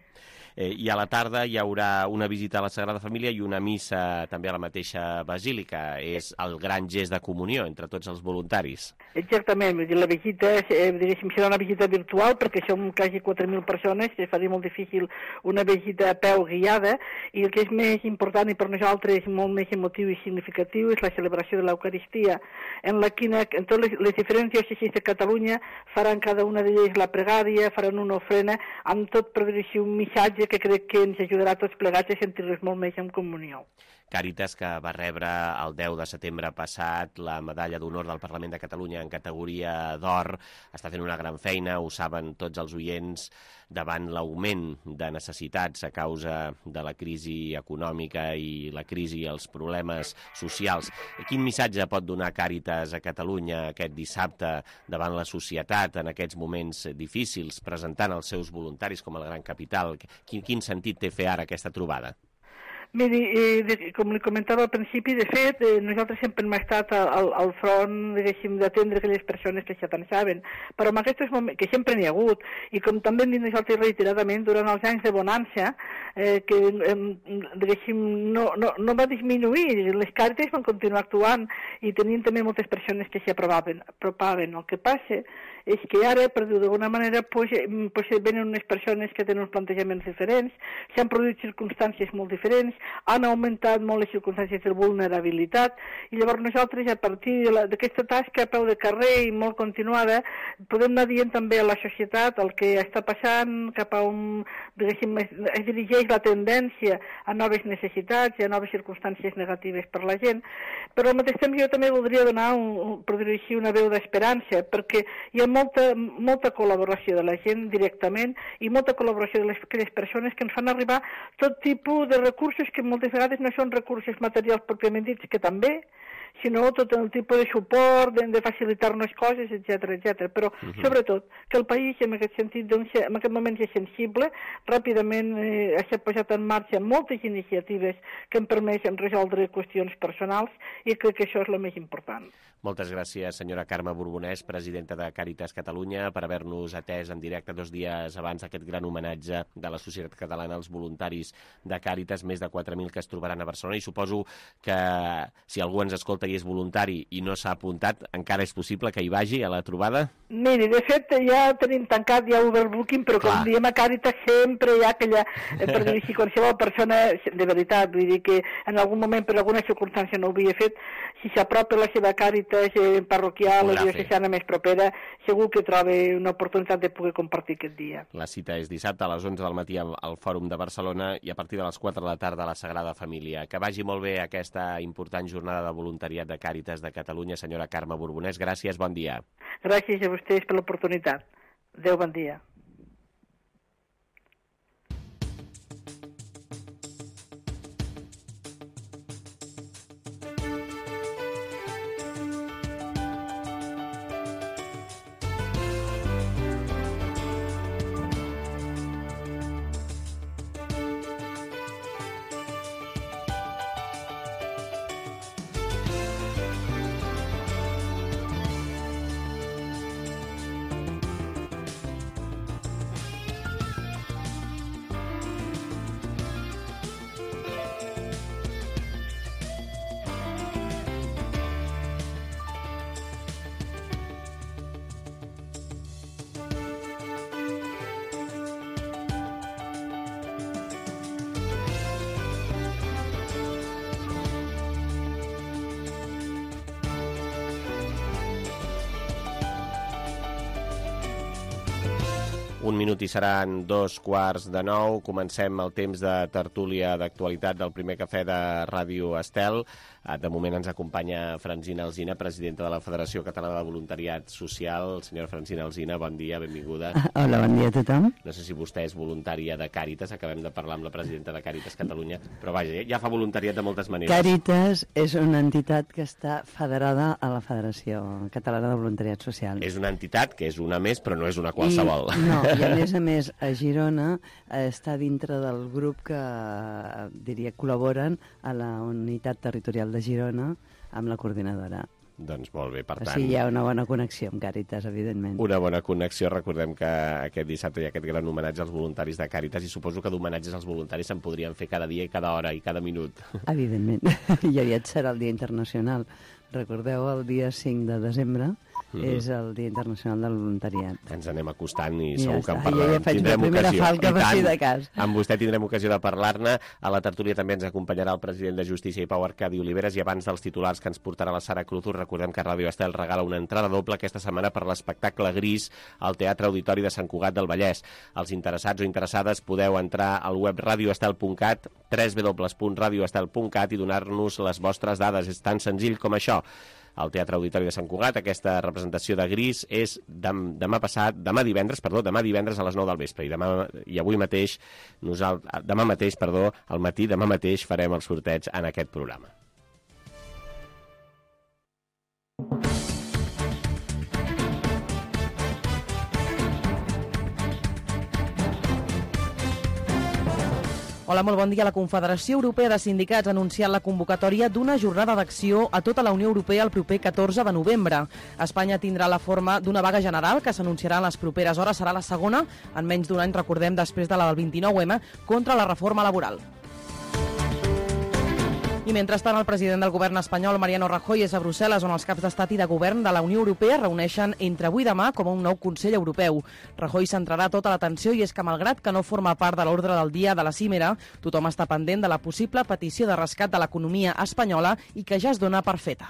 [SPEAKER 2] Eh, I a la tarda hi haurà una visita a la Sagrada Família i una missa també a la mateixa basílica. És el gran gest de comunió entre tots els voluntaris.
[SPEAKER 9] Exactament, vull dir, la visita eh, diguéssim, serà una visita virtual perquè som quasi quatre mil persones, que faria molt difícil una visita a peu guiada, i el que és més important i per nosaltres molt més emotiu i significatiu és la celebració de l'Eucaristia, en la quina en totes les, les diferents diòcesis de Catalunya faran cada una d'elles la pregària, faran una ofrena, amb tot per dir-hi un missatge que crec que ens ajudarà a tots plegats a sentir-nos molt més en comunió.
[SPEAKER 2] Càritas, que va rebre el deu de setembre passat la medalla d'honor del Parlament de Catalunya en categoria d'or, està fent una gran feina, ho saben tots els oients, davant l'augment de necessitats a causa de la crisi econòmica i la crisi i els problemes socials. Quin missatge pot donar Càritas a Catalunya aquest dissabte davant la societat en aquests moments difícils, presentant els seus voluntaris com el gran capital? Quin, quin sentit té fer ara aquesta trobada?
[SPEAKER 9] Miri, eh, com li comentava al principi, de fet, eh, nosaltres sempre hem estat al, al front, diguéssim, d'atendre aquelles persones que ja tant saben, però en aquests moments, que sempre n'hi ha hagut, i com també hem dit nosaltres reiteradament, durant els anys de bonança, eh, que, eh, diguéssim, no, no, no va disminuir, les Càritas van continuar actuant i tenien també moltes persones que s'hi apropaven. El que passa és que ara, per dir-ho d'alguna manera, pues, pues venen unes persones que tenen uns plantejaments diferents, s'han produït circumstàncies molt diferents, han augmentat molt les circumstàncies de vulnerabilitat, i llavors nosaltres, a partir d'aquesta tasca a peu de carrer i molt continuada, podem anar dient també a la societat el que està passant, cap a on, diguéssim, es dirigeix la tendència a noves necessitats i a noves circumstàncies negatives per la gent, però al mateix temps jo també voldria donar, un, per dir-ho així, una veu d'esperança, perquè hi ha molta, molta col·laboració de la gent directament i molta col·laboració de les, de les persones que ens fan arribar tot tipus de recursos que moltes vegades no són recursos materials pròpiament dits, que també, sinó tot el tipus de suport, de, de facilitar-nos coses, etcètera, etcètera. Però, uh -huh. sobretot, que el país, en aquest sentit, doncs, en aquest moment és sensible, ràpidament eh, s'ha posat en marxa moltes iniciatives que han permès resoldre qüestions personals i crec que això és el més important.
[SPEAKER 2] Moltes gràcies, senyora Carme Borbonès, presidenta de Càritas Catalunya, per haver-nos atès en directe dos dies abans aquest gran homenatge de la societat catalana als voluntaris de Càritas, més de quatre mil que es trobaran a Barcelona, i suposo que si algú ens escolta i és voluntari i no s'ha apuntat, encara és possible que hi vagi a la trobada?
[SPEAKER 9] Miri, de fet, ja tenim tancat ja overbooking, però Clar. Com diem a Càritas sempre hi ha aquella, per dir així, qualsevol persona, de veritat, vull dir que en algun moment per alguna circumstància no ho havia fet, si s'apropa la seva Càritas eh, parroquial o diocesana més propera, segur que troba una oportunitat de poder compartir aquest dia.
[SPEAKER 2] La cita és dissabte a les onze del matí al, al Fòrum de Barcelona i a partir de les quatre de la tarda a la Sagrada Família. Que vagi molt bé aquesta important jornada de voluntariat de Càritas de Catalunya. Senyora Carme Borbonès, gràcies, bon dia.
[SPEAKER 9] Gràcies a vostès per l'oportunitat. Adéu, bon dia.
[SPEAKER 2] Un minut i seran dos quarts de nou. Comencem el temps de tertúlia d'actualitat del primer cafè de Ràdio Estel. De moment ens acompanya Francina Alsina, presidenta de la Federació Catalana de Voluntariat Social. Senyora Francina Alsina, bon dia, benvinguda.
[SPEAKER 10] Hola, bon dia a tothom.
[SPEAKER 2] No sé si vostè és voluntària de Càritas, acabem de parlar amb la presidenta de Càritas Catalunya, però vaja, ja fa voluntariat de moltes maneres.
[SPEAKER 10] Càritas és una entitat que està federada a la Federació Catalana de Voluntariat Social.
[SPEAKER 2] És una entitat que és una més, però no és una qualsevol.
[SPEAKER 10] I, no, i a més a més, a Girona eh, està dintre del grup que, diria, col·laboren a la unitat territorial de Girona amb la coordinadora.
[SPEAKER 2] Doncs molt bé, per tant...
[SPEAKER 10] O sigui, hi ha una bona connexió amb Càritas, evidentment.
[SPEAKER 2] Una bona connexió. Recordem que aquest dissabte hi ha aquest gran homenatge als voluntaris de Càritas i suposo que d'homenatges als voluntaris se'n podrien fer cada dia i cada hora i cada minut.
[SPEAKER 10] Evidentment. I aviat serà el Dia Internacional. Recordeu, el dia cinc de desembre mm -hmm. és el Dia Internacional del Voluntariat.
[SPEAKER 2] Ens anem acostant i
[SPEAKER 10] ja
[SPEAKER 2] segur
[SPEAKER 10] està.
[SPEAKER 2] que en parlarem.
[SPEAKER 10] Jo ja faig la primera falca per si de cas.
[SPEAKER 2] Amb vostè tindrem ocasió de parlar-ne. A la tertúlia també ens acompanyarà el president de Justícia i Pau, Arcadi Oliveres, i abans dels titulars que ens portarà la Sara Cruz, recordem que Ràdio Estel regala una entrada doble aquesta setmana per l'espectacle Gris al Teatre Auditori de Sant Cugat del Vallès. Els interessats o interessades podeu entrar al web radio estel punt cat, w w w punt radio estel punt cat, i donar-nos les vostres dades. És tan senzill com això. Al Teatre Auditori de Sant Cugat, aquesta representació de Gris és dem, demà passat, demà divendres, perdó, demà divendres a les nou del vespre, i demà i avui mateix, nosaltres, demà mateix, perdó, al matí, demà mateix farem el sorteig en aquest programa.
[SPEAKER 3] Hola, molt bon dia. La Confederació Europea de Sindicats ha anunciat la convocatòria d'una jornada d'acció a tota la Unió Europea el proper catorze de novembre. Espanya tindrà la forma d'una vaga general que s'anunciarà en les properes hores. Serà la segona en menys d'un any, recordem, després de la del vint-i-nou eme, contra la reforma laboral. I mentrestant, el president del govern espanyol, Mariano Rajoy, és a Brussel·les, on els caps d'estat i de govern de la Unió Europea reuneixen entre avui i demà com a un nou Consell Europeu. Rajoy centrarà tota l'atenció i és que, malgrat que no forma part de l'ordre del dia de la cimera, tothom està pendent de la possible petició de rescat de l'economia espanyola i que ja es dona per feta.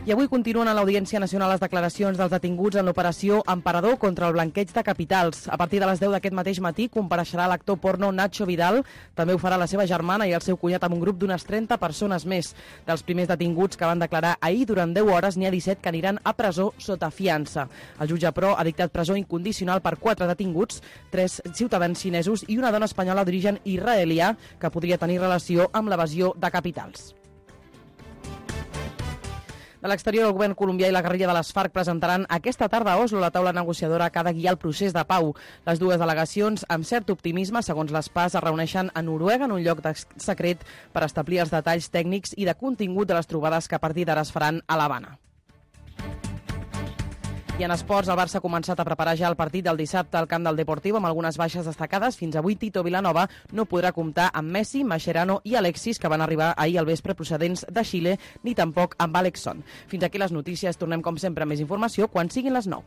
[SPEAKER 3] I avui continuen a l'Audiència Nacional les declaracions dels detinguts en l'operació Emperador contra el blanqueig de capitals. A partir de les deu d'aquest mateix matí compareixerà l'actor porno Nacho Vidal. També ho farà la seva germana i el seu cunyat amb un grup d'unes trenta persones més. Dels primers detinguts que van declarar ahir durant deu hores, n'hi ha disset que aniran a presó sota fiança. El jutge, però, ha dictat presó incondicional per quatre detinguts, tres ciutadans xinesos i una dona espanyola d'origen israelià que podria tenir relació amb l'evasió de capitals. De l'exterior, el govern colombià i la guerrilla de les FARC presentaran aquesta tarda a Oslo la taula negociadora que ha de guiar el procés de pau. Les dues delegacions, amb cert optimisme, segons les PAS, es reuneixen a Noruega en un lloc secret per establir els detalls tècnics i de contingut de les trobades que a partir d'ara es faran a l'Havana. I en esports, el Barça ha començat a preparar ja el partit del dissabte al camp del Deportiu amb algunes baixes destacades. Fins avui, Tito Vilanova no podrà comptar amb Messi, Mascherano i Alexis, que van arribar ahir al vespre procedents de Xile, ni tampoc amb Alexson. Fins aquí les notícies. Tornem, com sempre, amb més informació quan siguin les nou.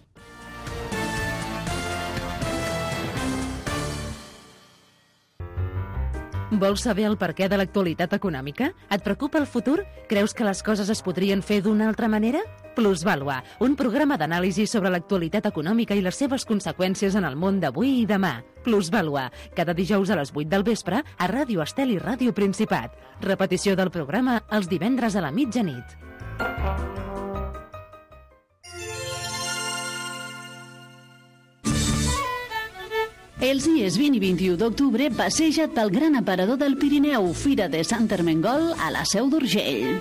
[SPEAKER 1] Vols saber el perquè de l'actualitat econòmica? Et preocupa el futur? Creus que les coses es podrien fer d'una altra manera? Plusvàlua, un programa d'anàlisi sobre l'actualitat econòmica i les seves conseqüències en el món d'avui i demà. Plusvàlua, cada dijous a les vuit del vespre a Ràdio Estel i Ràdio Principat. Repetició del programa els divendres a la mitjanit.
[SPEAKER 11] Els dies vint i vint-i-u d'octubre passeja't pel gran aparador del Pirineu, Fira de Sant Ermengol a la Seu d'Urgell.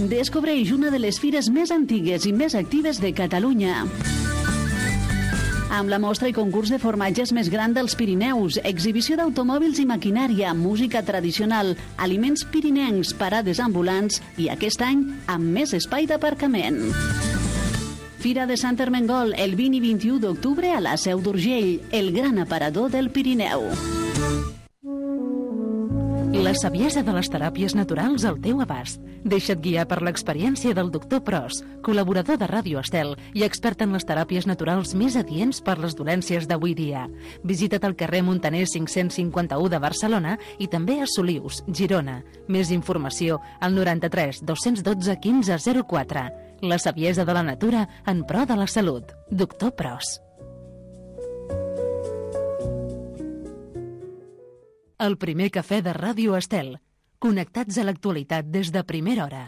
[SPEAKER 11] Descobreix una de les fires més antigues i més actives de Catalunya. Amb la mostra i concurs de formatges més gran dels Pirineus, exhibició d'automòbils i maquinària, música tradicional, aliments pirinencs, parades ambulants i aquest any amb més espai d'aparcament. Fira de Sant Ermengol, el vint i vint-i-u d'octubre a la Seu d'Urgell, el gran aparador del Pirineu.
[SPEAKER 1] La saviesa de les teràpies naturals al teu abast. Deixa't guiar per l'experiència del doctor Pros, col·laborador de Ràdio Estel i expert en les teràpies naturals més adients per les dolències d'avui dia. Visita't al carrer Montaner cinc-cents cinquanta-u de Barcelona i també a Solius, Girona. Més informació al noranta-tres dos-cents dotze quinze zero quatre. La saviesa de la natura en pro de la salut. Doctor Pros. El primer cafè de Ràdio Estel. Connectats a l'actualitat des de primera hora.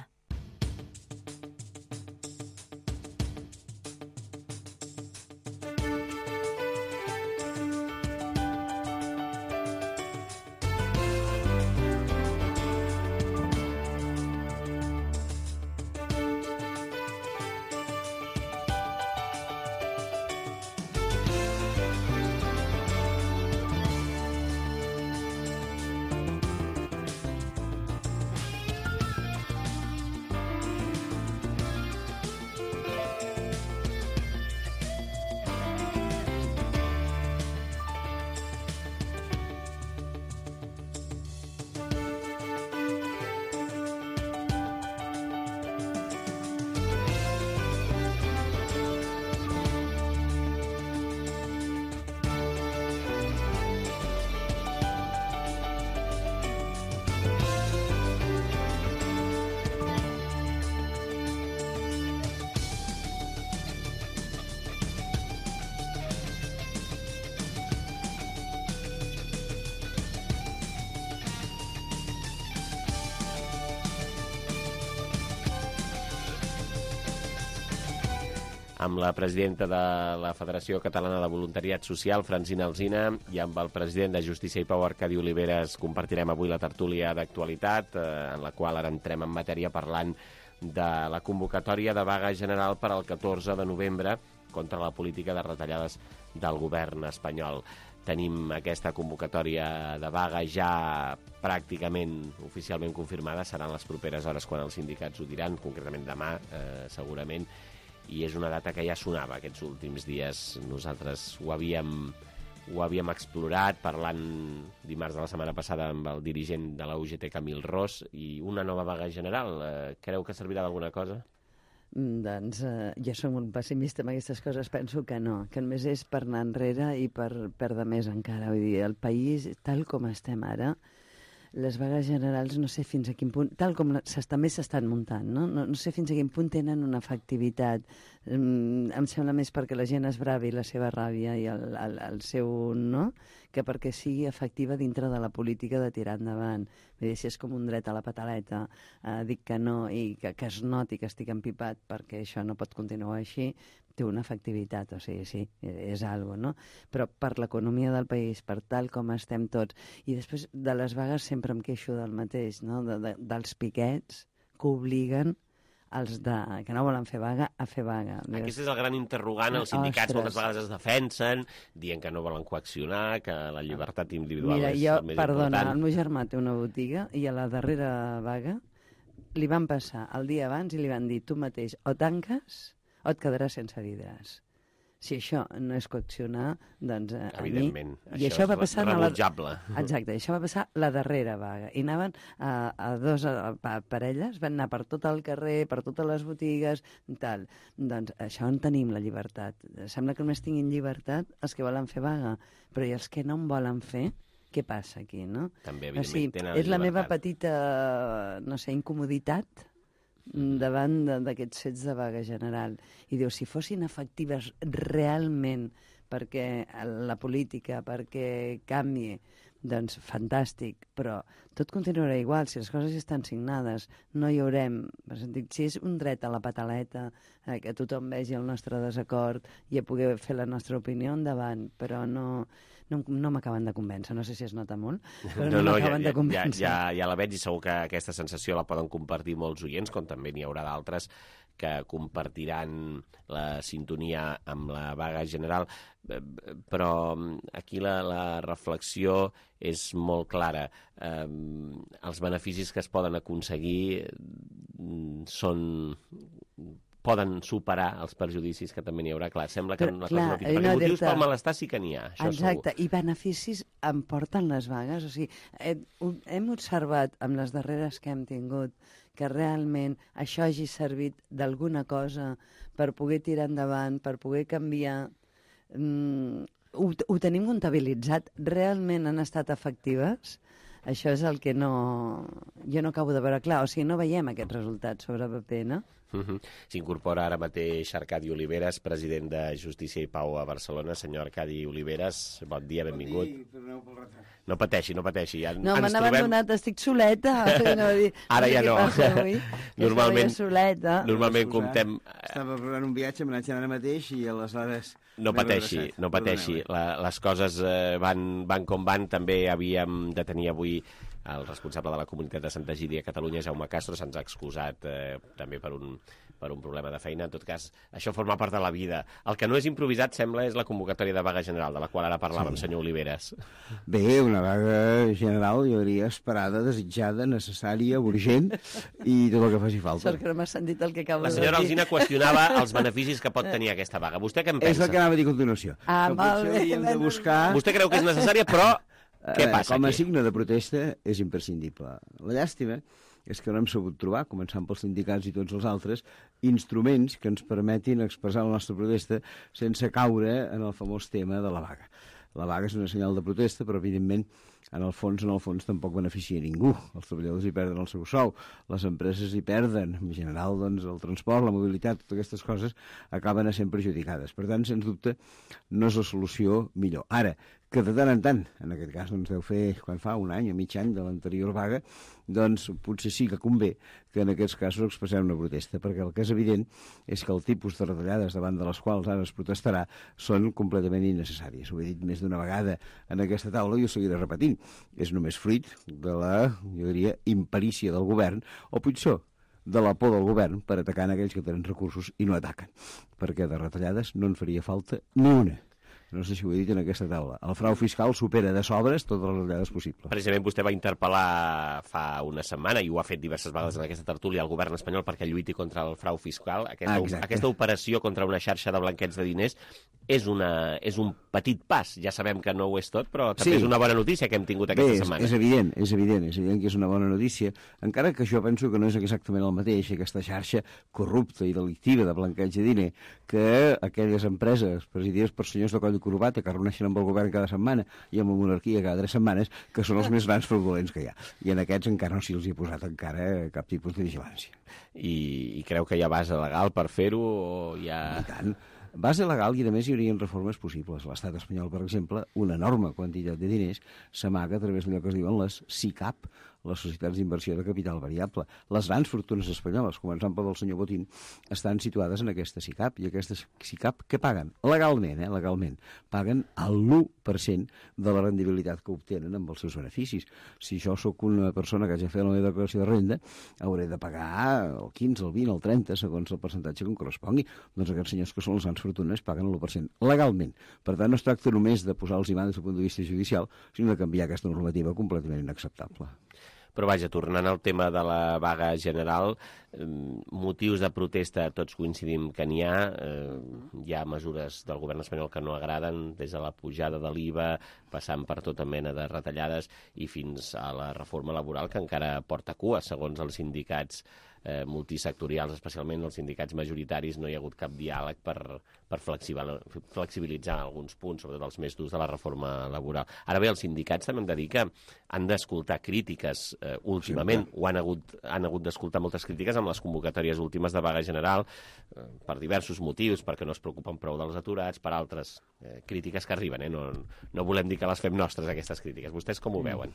[SPEAKER 2] amb la presidenta de la Federació Catalana de Voluntariat Social, Francina Alsina, i amb el president de Justícia i Pau, Arcadi Oliveres, compartirem avui la tertúlia d'actualitat, eh, en la qual ara entrem en matèria parlant de la convocatòria de vaga general per al catorze de novembre contra la política de retallades del govern espanyol. Tenim aquesta convocatòria de vaga ja pràcticament oficialment confirmada, seran les properes hores quan els sindicats ho diran, concretament demà, eh, segurament, i és una data que ja sonava aquests últims dies. Nosaltres ho havíem, ho havíem explorat parlant dimarts de la setmana passada amb el dirigent de la U G T, Camil Ros, i una nova vaga general. Eh, creu que servirà d'alguna cosa?
[SPEAKER 10] Doncs eh, jo soc molt pessimista amb aquestes coses, penso que no, que només és per anar enrere i per perdre més encara. Vull dir, el país, tal com estem ara, les vagues generals no sé fins a quin punt, tal com també s'estan muntant, no? No, no sé fins a quin punt tenen una efectivitat. Mm, em sembla més perquè la gent es bravi la seva ràbia i el, el, el seu no, que perquè sigui efectiva dintre de la política de tirar endavant. Vull dir, si és com un dret a la pataleta, eh, dic que no i que, que es noti que estic empipat perquè això no pot continuar així, té una efectivitat, o sigui, sí, és algo, no? Però per l'economia del país, per tal com estem tots, i després de les vagues sempre em queixo del mateix, no? De, de, dels piquets que obliguen els de, que no volen fer vaga a fer vaga.
[SPEAKER 2] Aquest és el gran interrogant. Els sindicats moltes vegades es defensen, dient que no volen coaccionar, que la llibertat individual
[SPEAKER 10] Mira,
[SPEAKER 2] és
[SPEAKER 10] jo,
[SPEAKER 2] el més
[SPEAKER 10] perdona,
[SPEAKER 2] important.
[SPEAKER 10] el meu germà té una botiga i a la darrera vaga li van passar el dia abans i li van dir tu mateix o tanques o et quedaràs sense vidres. Si això no és coaccionar, doncs a
[SPEAKER 2] Evidentment,
[SPEAKER 10] mi... I
[SPEAKER 2] això
[SPEAKER 10] això va
[SPEAKER 2] és
[SPEAKER 10] passar
[SPEAKER 2] rebutjable.
[SPEAKER 10] La... Exacte, això va passar la darrera vaga. I anaven a, a dos a, a parelles, van anar per tot el carrer, per totes les botigues, tal. Doncs això en tenim la llibertat. Sembla que només tinguin llibertat els que volen fer vaga, però i els que no en volen fer, què passa aquí, no?
[SPEAKER 2] També, evidentment,
[SPEAKER 10] o sigui,
[SPEAKER 2] tenen la
[SPEAKER 10] és la
[SPEAKER 2] llibertat.
[SPEAKER 10] meva petita, no sé, incomoditat davant d'aquests fets de vaga general. I diu, si fossin efectives realment perquè la política, perquè canvi, doncs fantàstic, però tot continuarà igual. Si les coses estan signades, no hi haurem... Si és un dret a la pataleta, eh, que tothom vegi el nostre desacord i a poder fer la nostra opinió endavant, però no... No, no m'acaben de convèncer, no sé si es nota molt, però no, no, no m'acaben
[SPEAKER 2] ja,
[SPEAKER 10] de convèncer.
[SPEAKER 2] Ja, ja, ja la veig i segur que aquesta sensació la poden compartir molts oients, com també n'hi haurà d'altres que compartiran la sintonia amb la vaga general, però aquí la, la reflexió és molt clara. Eh, els beneficis que es poden aconseguir són poden superar els perjudicis que també n'hi haurà. Clar, sembla que
[SPEAKER 10] Però,
[SPEAKER 2] la
[SPEAKER 10] clar,
[SPEAKER 2] cosa no tindrà. Perquè
[SPEAKER 10] no
[SPEAKER 2] motius
[SPEAKER 10] dir-te-
[SPEAKER 2] pel malestar sí que n'hi ha, això
[SPEAKER 10] Exacte,
[SPEAKER 2] segur.
[SPEAKER 10] i beneficis em porten les vagues. O sigui, hem, hem observat amb les darreres que hem tingut que realment això hagi servit d'alguna cosa per poder tirar endavant, per poder canviar. Mm, ho, ho tenim comptabilitzat. Realment han estat efectives? Això és el que no... jo no acabo de veure clar. O sigui, no veiem aquests resultats sobre paper, no?
[SPEAKER 2] Uh-huh. S'incorpora ara mateix Arcadi Oliveres, president de Justícia i Pau a Barcelona. Senyor Arcadi Oliveres, bon dia, benvingut.
[SPEAKER 12] Bon dia, perdoneu pel retard.
[SPEAKER 2] No pateixi, no pateixi. Ja
[SPEAKER 10] No,
[SPEAKER 2] ens
[SPEAKER 10] m'han
[SPEAKER 2] trobem...
[SPEAKER 10] abandonat, estic soleta. No, dir,
[SPEAKER 2] Ara ja
[SPEAKER 10] sé
[SPEAKER 2] no.
[SPEAKER 10] què passa avui, que
[SPEAKER 2] Normalment,
[SPEAKER 10] estava jo soleta.
[SPEAKER 2] normalment
[SPEAKER 12] Excusar,
[SPEAKER 2] comptem...
[SPEAKER 12] Estava preparant un viatge, me n'haig ara mateix i aleshores...
[SPEAKER 2] No
[SPEAKER 12] m'he
[SPEAKER 2] pateixi,
[SPEAKER 12] redreçat.
[SPEAKER 2] no pateixi.
[SPEAKER 12] Perdoneu, eh?
[SPEAKER 2] La, les coses eh, van, van com van. També havíem de tenir avui el responsable de la comunitat de Santa Egídia a Catalunya, Jaume Castro, se'ns ha excusat eh, també per un, per un problema de feina. En tot cas, això forma part de la vida. El que no és improvisat, sembla, és la convocatòria de vaga general, de la qual ara parlàvem, sí. Senyor Oliveres.
[SPEAKER 12] Bé, una vaga general, jo diria, esperada, desitjada, necessària, urgent i tot el que faci falta.
[SPEAKER 10] Sort que no m'ha sentit el que acabo
[SPEAKER 2] La
[SPEAKER 10] de dir.
[SPEAKER 2] senyora Alsina qüestionava els beneficis que pot tenir aquesta vaga. Vostè què en pensa?
[SPEAKER 12] És el que anava a dir a continuació.
[SPEAKER 10] Ah,
[SPEAKER 12] que
[SPEAKER 10] molt
[SPEAKER 12] potser
[SPEAKER 10] bé,
[SPEAKER 12] hauríem de
[SPEAKER 10] menys
[SPEAKER 12] buscar...
[SPEAKER 2] Vostè creu que és necessària, però què
[SPEAKER 12] Eh,
[SPEAKER 2] passa
[SPEAKER 12] Com a
[SPEAKER 2] aquí?
[SPEAKER 12] signe de protesta és imprescindible. La llàstima és que no hem sabut trobar, començant pels sindicats i tots els altres, instruments que ens permetin expressar la nostra protesta sense caure en el famós tema de la vaga. La vaga és una senyal de protesta, però evidentment en el fons, en el fons tampoc beneficia a ningú. Els treballadors hi perden el seu sou, les empreses hi perden, en general doncs, el transport, la mobilitat, totes aquestes coses acaben sent perjudicades. Per tant, sens dubte, no és la solució millor. Ara, que de tant en tant, en aquest cas doncs deu fer, quan fa un any o mig any de l'anterior vaga, doncs potser sí que convé que en aquests casos expressem una protesta, perquè el que és evident és que el tipus de retallades davant de les quals ara es protestarà són completament innecessàries. Ho he dit més d'una vegada en aquesta taula i ho seguiré repetint. És només fruit de la, jo diria, imperícia del govern, o pitjor, de la por del govern per atacar en aquells que tenen recursos i no ataquen, perquè de retallades no en faria falta ni una. No sé si ho he dit en aquesta taula. El frau fiscal supera de sobres totes les retallades possibles.
[SPEAKER 2] Precisament vostè va interpel·lar fa una setmana, i ho ha fet diverses vegades en aquesta tertúlia, al govern espanyol perquè lluiti contra el frau fiscal. Aquesta,
[SPEAKER 12] Exacte.
[SPEAKER 2] aquesta operació contra una xarxa de blanqueig de diners és, una, és un petit pas. Ja sabem que no ho és tot, però també
[SPEAKER 12] Sí.
[SPEAKER 2] és una bona notícia que hem tingut
[SPEAKER 12] Bé,
[SPEAKER 2] aquesta
[SPEAKER 12] és,
[SPEAKER 2] setmana.
[SPEAKER 12] és evident, és evident, és evident que és una bona notícia, encara que jo penso que no és exactament el mateix, aquesta xarxa corrupta i delictiva de blanqueig de diner, que aquelles empreses presidides per senyors de coll i corbata que reuneixen amb el govern cada setmana i amb la monarquia cada tres setmanes, que són els més grans fraudulents que hi ha. I en aquests encara no se'ls hi ha posat encara cap tipus de vigilància.
[SPEAKER 2] I, I creu que hi ha base legal per fer-ho o hi ha...
[SPEAKER 12] I tant. Base legal i, a més, hi haurien reformes possibles. L'estat espanyol, per exemple, una enorme quantitat de diners s'amaga a través d'allò que es diuen les S I C A P, les societats d'inversió de capital variable. Les grans fortunes espanyoles, començant pel del senyor Botín, estan situades en aquesta S I C A P, i aquestes S I C A P què paguen? Legalment, eh? Legalment. Paguen el l'u per cent de la rendibilitat que obtenen amb els seus beneficis. Si jo sóc una persona que hagi fet la meva declaració de renda, hauré de pagar el quinze, el vint, el trenta, segons el percentatge que em correspongui. Doncs aquests senyors que són les grans fortunes paguen l'u per cent legalment. Per tant, no es tracta només de posar els imants des del punt de vista judicial, sinó de canviar aquesta normativa completament inacceptable.
[SPEAKER 2] Però vaja, tornant al tema de la vaga general, eh, motius de protesta tots coincidim que n'hi ha. Eh, hi ha mesures del govern espanyol que no agraden, des de la pujada de l'I V A, passant per tota mena de retallades i fins a la reforma laboral, que encara porta cua, segons els sindicats eh, multisectorials, especialment els sindicats majoritaris. No hi ha hagut cap diàleg per, per flexibilitzar alguns punts, sobretot els més durs de la reforma laboral. Ara bé, els sindicats també hem de dir que han d'escoltar crítiques eh, últimament, sí, o han hagut, han hagut d'escoltar moltes crítiques amb les convocatòries últimes de vaga general, eh, per diversos motius, perquè no es preocupen prou dels aturats, per altres eh, crítiques que arriben. Eh? No, no volem dir que les fem nostres, aquestes crítiques. Vostès com ho veuen?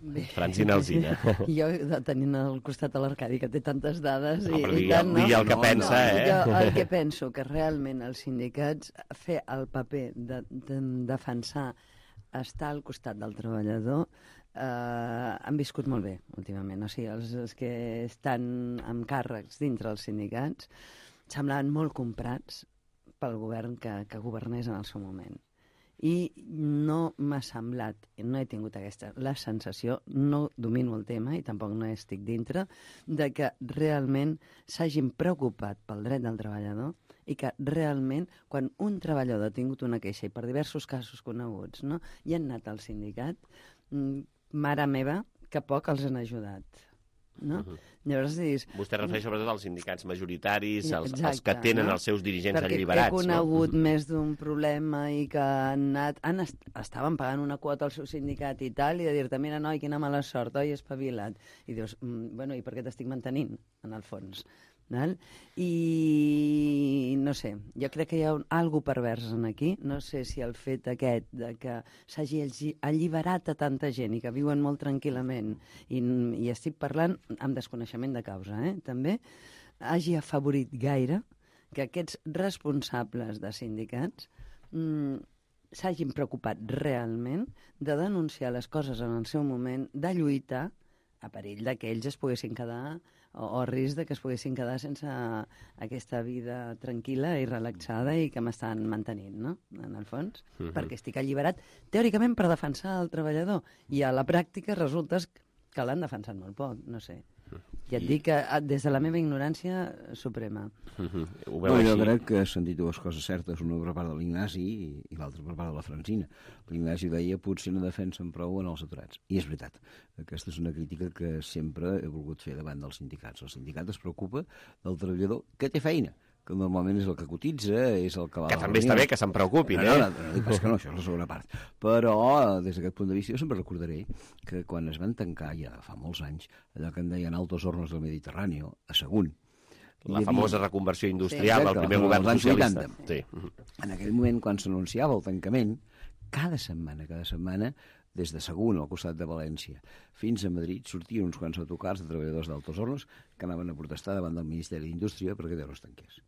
[SPEAKER 10] Bé.
[SPEAKER 2] Francina Alsina.
[SPEAKER 10] Jo, tenint al costat a l'Arcadi, que té tantes dades...
[SPEAKER 2] No,
[SPEAKER 10] i,
[SPEAKER 2] però
[SPEAKER 10] i
[SPEAKER 2] digui,
[SPEAKER 10] tant, no?
[SPEAKER 2] digui el que pensa,
[SPEAKER 10] no,
[SPEAKER 2] eh?
[SPEAKER 10] Jo el que penso que realment els sindicats fer el paper de, de defensar, estar al costat del treballador, eh, han viscut molt bé últimament. O sigui, els, els que estan amb càrrecs dintre els sindicats semblaven molt comprats pel govern que, que governés en el seu moment. I no m'ha semblat, no he tingut aquesta, la sensació, no domino el tema i tampoc no estic dintre, de que realment s'hagin preocupat pel dret del treballador i que realment, quan un treballador ha tingut una queixa, i per diversos casos coneguts, no, i han anat al sindicat, mare meva, que poc els han ajudat. No? Uh-huh. Llavors dius...
[SPEAKER 2] Vostè refereix sobretot als sindicats majoritaris, els, Exacte, els que tenen no? els seus dirigents
[SPEAKER 10] Perquè
[SPEAKER 2] alliberats.
[SPEAKER 10] Perquè he conegut no? més d'un problema i que han anat, han est estaven pagant una quota al seu sindicat i tal, i de dir-te, mira, noi, quina mala sort, oi, espavila't. I dius, mm, bueno, i per què t'estic mantenint, en el fons? Val? I no sé, jo crec que hi ha un, algo pervers en aquí, no sé si el fet aquest de que s'hagi alliberat a tanta gent i que viuen molt tranquil·lament, i, i estic parlant amb desconeixement de causa, eh? també hagi afavorit gaire que aquests responsables de sindicats mm, s'hagin preocupat realment de denunciar les coses en el seu moment, de lluitar a perill de que ells es poguessin quedar o, o a risc de que es poguessin quedar sense aquesta vida tranquil·la i relaxada i que m'estan mantenint, no?, en el fons, uh-huh. perquè estic alliberat teòricament per defensar el treballador i a la pràctica resulta que l'han defensat molt poc, no sé. Ja et dic que des de la meva ignorància suprema.
[SPEAKER 2] Uh-huh. Ho
[SPEAKER 12] veu no, jo crec que s'han dit dues coses certes, una per part de l'Ignasi i, i l'altra per part de la Francina. L'Ignasi deia potser no defensen prou en els aturats. I és veritat. Aquesta és una crítica que sempre he volgut fer davant dels sindicats. El sindicat es preocupa del treballador que té feina, que normalment és el que cotitza, és el que va...
[SPEAKER 2] Que també està bé que se'n preocupin,
[SPEAKER 12] no,
[SPEAKER 2] eh?
[SPEAKER 12] No, no, no, no, que no, això és la segona part. Però, des d'aquest punt de vista, jo sempre recordaré que quan es van tancar, ja fa molts anys, allò que en deien Altos Hornos del Mediterrani, a Sagunt...
[SPEAKER 2] La havia... famosa reconversió industrial, sí, el primer govern socialista. Sí.
[SPEAKER 12] En aquell moment, quan s'anunciava el tancament, cada setmana, cada setmana, des de Sagunt, al costat de València, fins a Madrid, sortien uns quants autocars de treballadors d'Altos Hornos que anaven a protestar davant del Ministeri d'Indústria perquè Déu no es tanqués.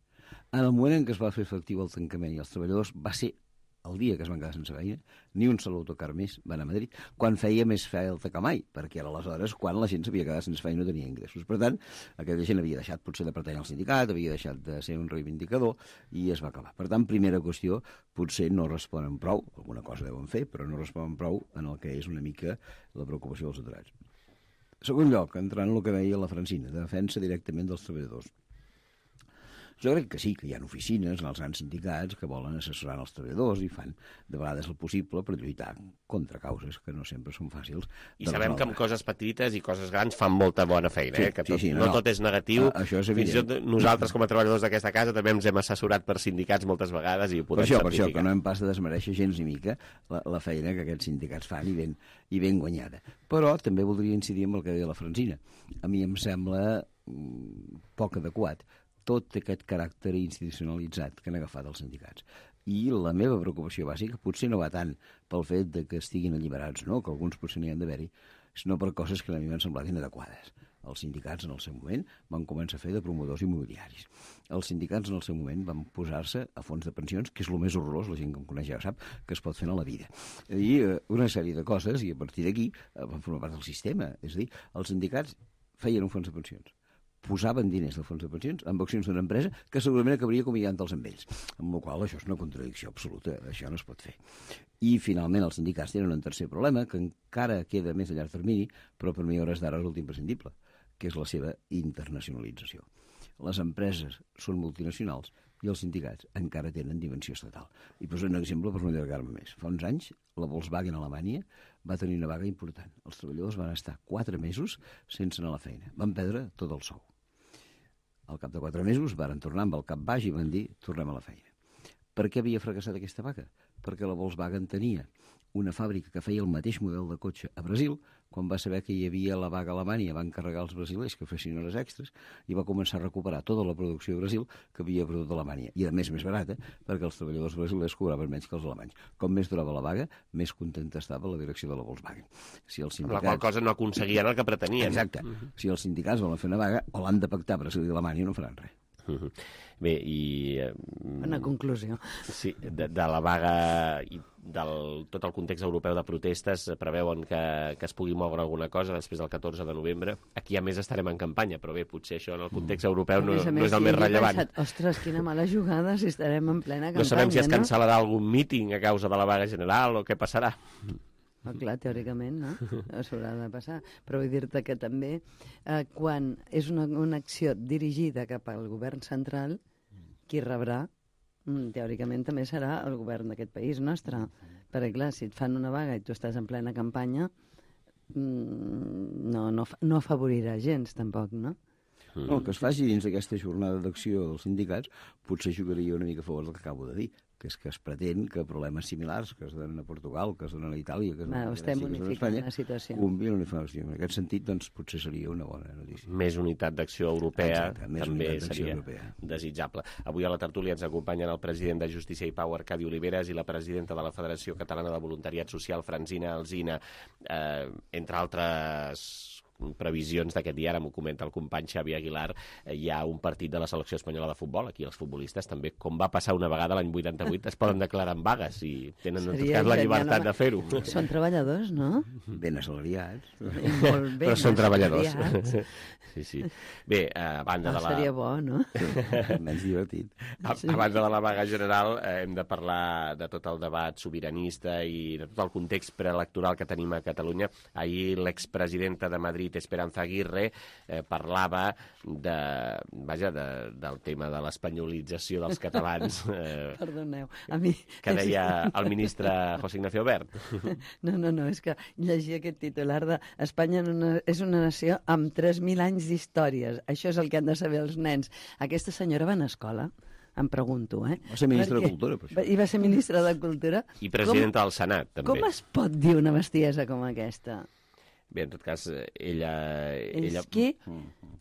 [SPEAKER 12] En el moment en què es va fer efectiu el tancament i els treballadors va ser el dia que es van quedar sense feina, ni un sol autocar més van a Madrid, quan feia més falta que mai, perquè era aleshores quan la gent s'havia quedat sense feina i no tenia ingressos. Per tant, aquella gent havia deixat potser de pertànyer al sindicat, havia deixat de ser un reivindicador i es va acabar. Per tant, primera qüestió, potser no responen prou, alguna cosa deuen fer, però no responen prou en el que és una mica la preocupació dels aturats. Segon lloc, entrant en el que deia la Francina, de defensa directament dels treballadors. Jo crec que sí, que hi ha oficines en els grans sindicats que volen assessorar els treballadors i fan de vegades el possible per lluitar contra causes que no sempre són fàcils.
[SPEAKER 2] I sabem que amb coses petites i coses grans fan molta bona feina, sí, eh? que tot, sí, sí, no, no tot és negatiu.
[SPEAKER 12] Uh, això és evident.
[SPEAKER 2] Fins i tot nosaltres, com a treballadors d'aquesta casa, també ens hem assessorat per sindicats moltes vegades i ho podem
[SPEAKER 12] per això,
[SPEAKER 2] certificar.
[SPEAKER 12] Per això, que no hem pas de desmereixer gens ni mica la, la feina que aquests sindicats fan i ben, i ben guanyada. Però també voldria incidir en el que deia la Francina. A mi em sembla mm, poc adequat tot aquest caràcter institucionalitzat que han agafat els sindicats. I la meva preocupació bàsica potser no va tant pel fet de que estiguin alliberats, no?, que alguns potser n'hi han d'haver-hi, sinó per coses que a mi m'han semblat inadequades. Els sindicats en el seu moment van començar a fer de promotors immobiliaris. Els sindicats en el seu moment van posar-se a fons de pensions, que és el més horrorós, la gent que em coneix ja sap, que es pot fer a la vida. I eh, una sèrie de coses, i a partir d'aquí eh, van formar part del sistema. És a dir, els sindicats feien un fons de pensions, posaven diners del fons de pensions amb accions d'una empresa que segurament acabaria acomiadant-los amb ells. Amb la qual això és una contradicció absoluta, això no es pot fer. I finalment els sindicats tenen un tercer problema que encara queda més a llarg termini, però per mi a hores d'ara resulta imprescindible, que és la seva internacionalització. Les empreses són multinacionals i els sindicats encara tenen dimensió estatal. I poso un exemple per no allargar-me més. Fa uns anys, la Volkswagen a Alemanya va tenir una vaga important. Els treballadors van estar quatre mesos sense anar a la feina. Van perdre tot el sou. Al cap de quatre mesos varen tornar amb el cap baix i van dir tornem a la feina. Per què havia fracassat aquesta vaga? Perquè la Volkswagen tenia una fàbrica que feia el mateix model de cotxe a Brasil. Quan va saber que hi havia la vaga a Alemanya van carregar els brasilers que fessin hores extres i va començar a recuperar tota la producció de Brasil que havia perdut a Alemanya. I a més més barata perquè els treballadors brasilers cobraven menys que els alemanys. Com més durava la vaga, més contenta estava la direcció de la Volkswagen. Si els sindicats...
[SPEAKER 2] Amb la qual cosa no aconseguien el que pretenien.
[SPEAKER 12] Exacte. Uh-huh. Si els sindicats volen fer una vaga, o l'han de pactar Brasil i Alemanya, no faran res.
[SPEAKER 2] Uh-huh. Bé, i...
[SPEAKER 10] Una conclusió.
[SPEAKER 2] Sí, de, de la vaga i del tot el context europeu de protestes preveuen que, que es pugui moure alguna cosa després del catorze de novembre. Aquí, a més, estarem en campanya, però bé, potser això en el context europeu no,
[SPEAKER 10] més,
[SPEAKER 2] no és el més rellevant.
[SPEAKER 10] Pensat, ostres, quina mala jugada si estarem en plena campanya,
[SPEAKER 2] no sabem si es
[SPEAKER 10] no?
[SPEAKER 2] cancel·larà algun míting a causa de la vaga general o què passarà.
[SPEAKER 10] Oh, clar, teòricament, no? S'haurà de passar. Però vull dir-te que també, eh, quan és una, una acció dirigida cap al govern central, qui rebrà, teòricament també serà el govern d'aquest país nostre. Perquè, clar, si et fan una vaga i tu estàs en plena campanya, no, no, no afavorirà gens, tampoc, no?
[SPEAKER 12] No, el que es faci dins d'aquesta jornada d'acció dels sindicats potser jugaria una mica a favor del que acabo de dir, que és que es pretén que problemes similars que es donen a Portugal, que es donen a Itàlia, que es donen a Grècia, que es donen a Espanya, la situació. Convien una situació. En aquest sentit, doncs, potser seria una bona notícia.
[SPEAKER 2] Més unitat d'acció europea
[SPEAKER 12] Exacte, més
[SPEAKER 2] també seria
[SPEAKER 12] europea.
[SPEAKER 2] desitjable. Avui a la tertúlia ens acompanyen el president de Justícia i Pau, Arcadi Oliveres, i la presidenta de la Federació Catalana de Voluntariat Social, Francina Alsina, eh, entre altres previsions d'aquest dia, ara m'ho comenta el company Xavi Aguilar, eh, hi ha un partit de la selecció espanyola de futbol, aquí els futbolistes també, com va passar una vegada l'any vuitanta-vuit, es poden declarar en vagues i tenen en tot cas la llibertat de fer-ho.
[SPEAKER 10] Són treballadors, no?
[SPEAKER 12] Ben assalariats.
[SPEAKER 10] Molt ben
[SPEAKER 2] Però són treballadors.
[SPEAKER 10] assalariats.
[SPEAKER 2] Sí, sí. Bé, a banda de la...
[SPEAKER 10] Seria bo, no?
[SPEAKER 12] Menys divertit.
[SPEAKER 2] A, a banda de la vaga general, eh, hem de parlar de tot el debat sobiranista i de tot el context preelectoral que tenim a Catalunya. Ahir l'expresidenta de Madrid, Esperanza Aguirre, eh, parlava de, vaja, de, del tema de l'espanyolització dels catalans. Eh,
[SPEAKER 10] Perdoneu, a mi...
[SPEAKER 2] Que deia el ministre José Ignacio Wert.
[SPEAKER 10] No, no, no, és que llegia aquest titular de Espanya és una nació amb tres mil anys d'històries. Això és el que han de saber els nens. Aquesta senyora va a escola? Em pregunto, eh?
[SPEAKER 12] Va ser ministra de Cultura, per això.
[SPEAKER 10] I va ser ministra de Cultura.
[SPEAKER 2] I presidenta com, del Senat, també.
[SPEAKER 10] Com es pot dir una bestiesa com aquesta?
[SPEAKER 2] Bé, en tot cas, ella...
[SPEAKER 10] És
[SPEAKER 2] ella
[SPEAKER 10] que...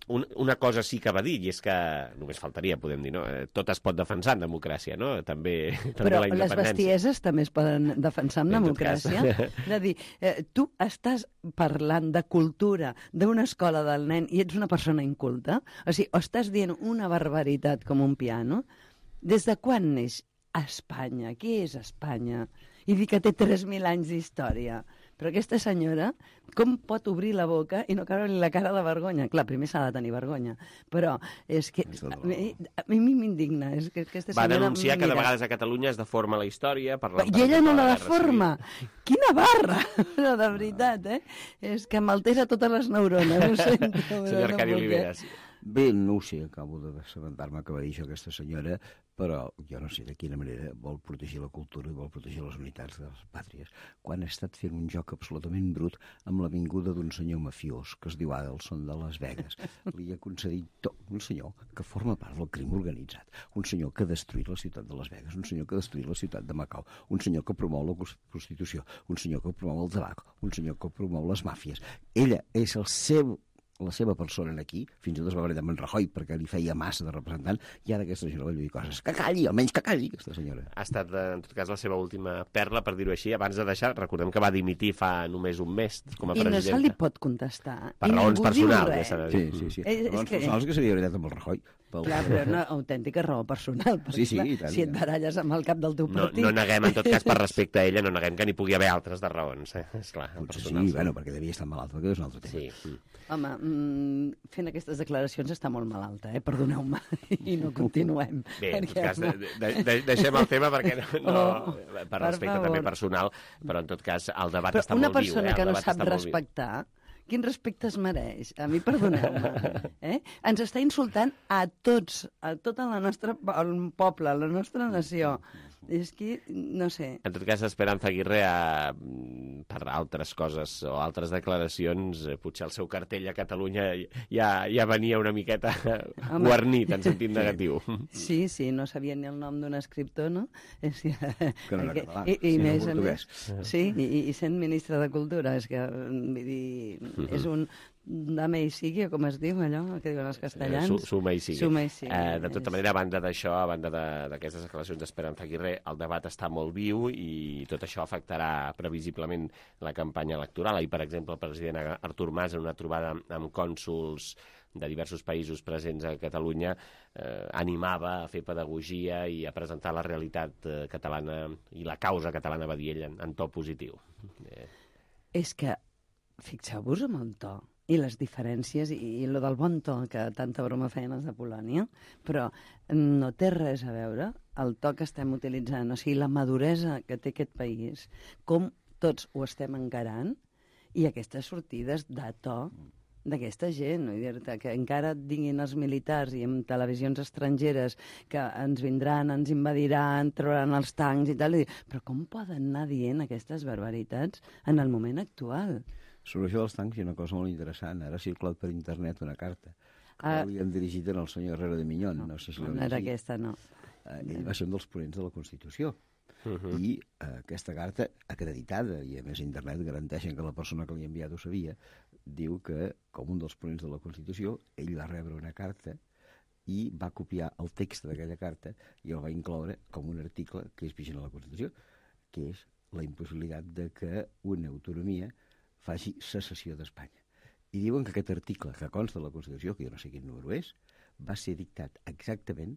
[SPEAKER 2] Un, una cosa sí que va dir, i és que només faltaria, podem dir, no? Tot es pot defensar en democràcia, no? També, també
[SPEAKER 10] Però
[SPEAKER 2] la independència.
[SPEAKER 10] les bestieses també es poden defensar en, en democràcia. És a dir, eh, tu estàs parlant de cultura d'una escola del nen i ets una persona inculta? O sigui, o estàs dient una barbaritat com un piano? Des de quan neix Espanya? Què és Espanya? I dir que té tres mil anys d'història. Però aquesta senyora, com pot obrir la boca i no caure-li la cara de vergonya? Clar, primer s'ha de tenir vergonya, però és que a mi, a mi m'indigna. És que aquesta
[SPEAKER 2] Va
[SPEAKER 10] senyora,
[SPEAKER 2] denunciar que de
[SPEAKER 10] mira,
[SPEAKER 2] vegades a Catalunya es deforma la història.
[SPEAKER 10] I ella no la deforma. Quina barra! No, de veritat, eh? És que m'altera totes les neurones. Ho sento.
[SPEAKER 2] Senyor Arcadi Oliveres.
[SPEAKER 12] Bé, no ho sé, acabo d'assabentar-me que va dir això aquesta senyora, però jo no sé de quina manera vol protegir la cultura i vol protegir les unitats de les pàtries, quan ha estat fent un joc absolutament brut amb la vinguda d'un senyor mafiós que es diu Adelson de Las Vegas. Li ha concedit tot. Un senyor que forma part del crim organitzat, un senyor que ha destruït la ciutat de Las Vegas, un senyor que ha destruït la ciutat de Macau, un senyor que promou la prostitució, un senyor que promou el tabac, un senyor que promou les màfies. Ella és el seu la seva persona aquí, fins i tot es va barallar amb en Rajoy perquè li feia massa de representant, i ara aquesta senyora va lluir coses. Que calli, almenys que calli, aquesta senyora.
[SPEAKER 2] Ha estat, en tot cas, la seva última perla, per dir-ho així, abans de deixar. Recordem que va dimitir fa només un mes com a
[SPEAKER 10] I
[SPEAKER 2] presidenta.
[SPEAKER 10] I no se li pot contestar.
[SPEAKER 2] Per
[SPEAKER 10] I
[SPEAKER 2] raons personals.
[SPEAKER 12] Sí, sí, sí.
[SPEAKER 10] És,
[SPEAKER 12] raons
[SPEAKER 10] és que...
[SPEAKER 12] personals que s'havia barallat amb el Rajoy.
[SPEAKER 10] Pel... Clar, però una autèntica raó personal.
[SPEAKER 12] Sí, sí,
[SPEAKER 10] clar,
[SPEAKER 12] i tant,
[SPEAKER 10] si et baralles amb el cap del teu partit...
[SPEAKER 2] No, no neguem, en tot cas, per respecte a ella, no neguem que n'hi pugui haver altres de raons. Eh? Esclar,
[SPEAKER 12] personal, sí, sí, bueno, perquè devia estar malalt, perquè és un altre tema.
[SPEAKER 2] Sí.
[SPEAKER 10] Home, mm, fent aquestes declaracions està molt malalta, eh? Perdoneu-me, i no continuem.
[SPEAKER 2] Bé, en tot cas, de, de, de, deixem el tema perquè no, no
[SPEAKER 10] oh,
[SPEAKER 2] per respecte per també personal, però en tot cas el debat
[SPEAKER 10] però
[SPEAKER 2] està molt viu.
[SPEAKER 10] Una persona
[SPEAKER 2] eh?
[SPEAKER 10] que no sap respectar, quin respecte es mereix? A mi, perdoneu-me. Eh? Ens està insultant a tots, a tota la nostra el poble, a la nostra nació. És que, no sé...
[SPEAKER 2] En tot cas, Esperanza Aguirre, ha, per altres coses o altres declaracions, potser el seu cartell a Catalunya ja, ja venia una miqueta Home. guarnit, en sentit negatiu.
[SPEAKER 10] Sí, sí, no sabia ni el nom d'un escriptor, no? És que,
[SPEAKER 12] que no era català,
[SPEAKER 10] I, i
[SPEAKER 12] sí,
[SPEAKER 10] més,
[SPEAKER 12] no
[SPEAKER 10] a més, sí, i, i sent ministre de Cultura, és que, vull dir, mm-hmm. és un... dame i sigui, o com es diu allò, que diuen els castellans.
[SPEAKER 2] Eh, suma i sigui.
[SPEAKER 10] Suma i sigui.
[SPEAKER 2] Eh, de tota manera, a banda d'això, a banda d'aquestes declaracions d'Esperanza Aguirre, el debat està molt viu i tot això afectarà previsiblement la campanya electoral. Ahir, per exemple, el president Artur Mas, en una trobada amb cònsols de diversos països presents a Catalunya, eh, animava a fer pedagogia i a presentar la realitat eh, catalana i la causa catalana, va dir ell, en, en to positiu. Eh.
[SPEAKER 10] És que, fixeu-vos amb el to i les diferències i, i lo del bon to, que tanta broma feien els de Polònia, però no té res a veure el to que estem utilitzant, o sigui, la maduresa que té aquest país, com tots ho estem encarant, i aquestes sortides de to d'aquesta gent, no? Dir-te que encara et diguin els militars i en televisions estrangeres que ens vindran, ens invadiran, trauran els tancs i tal, i dir, però com poden anar dient aquestes barbaritats en el moment actual?
[SPEAKER 12] Sobre això dels tancs hi ha una cosa molt interessant. Ara ha circulat per internet una carta que
[SPEAKER 10] Ah.
[SPEAKER 12] li han dirigit al senyor Herrero de Miñón. No, sé si
[SPEAKER 10] No era aquesta, no.
[SPEAKER 12] Eh, ell va ser un dels ponents de la Constitució.
[SPEAKER 2] Uh-huh.
[SPEAKER 12] I eh, aquesta carta, acreditada, i a més internet garanteixen que la persona que li ha enviat ho sabia, diu que, com un dels ponents de la Constitució, ell va rebre una carta i va copiar el text d'aquella carta i el va incloure com un article que és vigent a la Constitució, que és la impossibilitat de que una autonomia faci secessió d'Espanya. I diuen que aquest article que consta de la Constitució, que jo no sé quin número és, va ser dictat exactament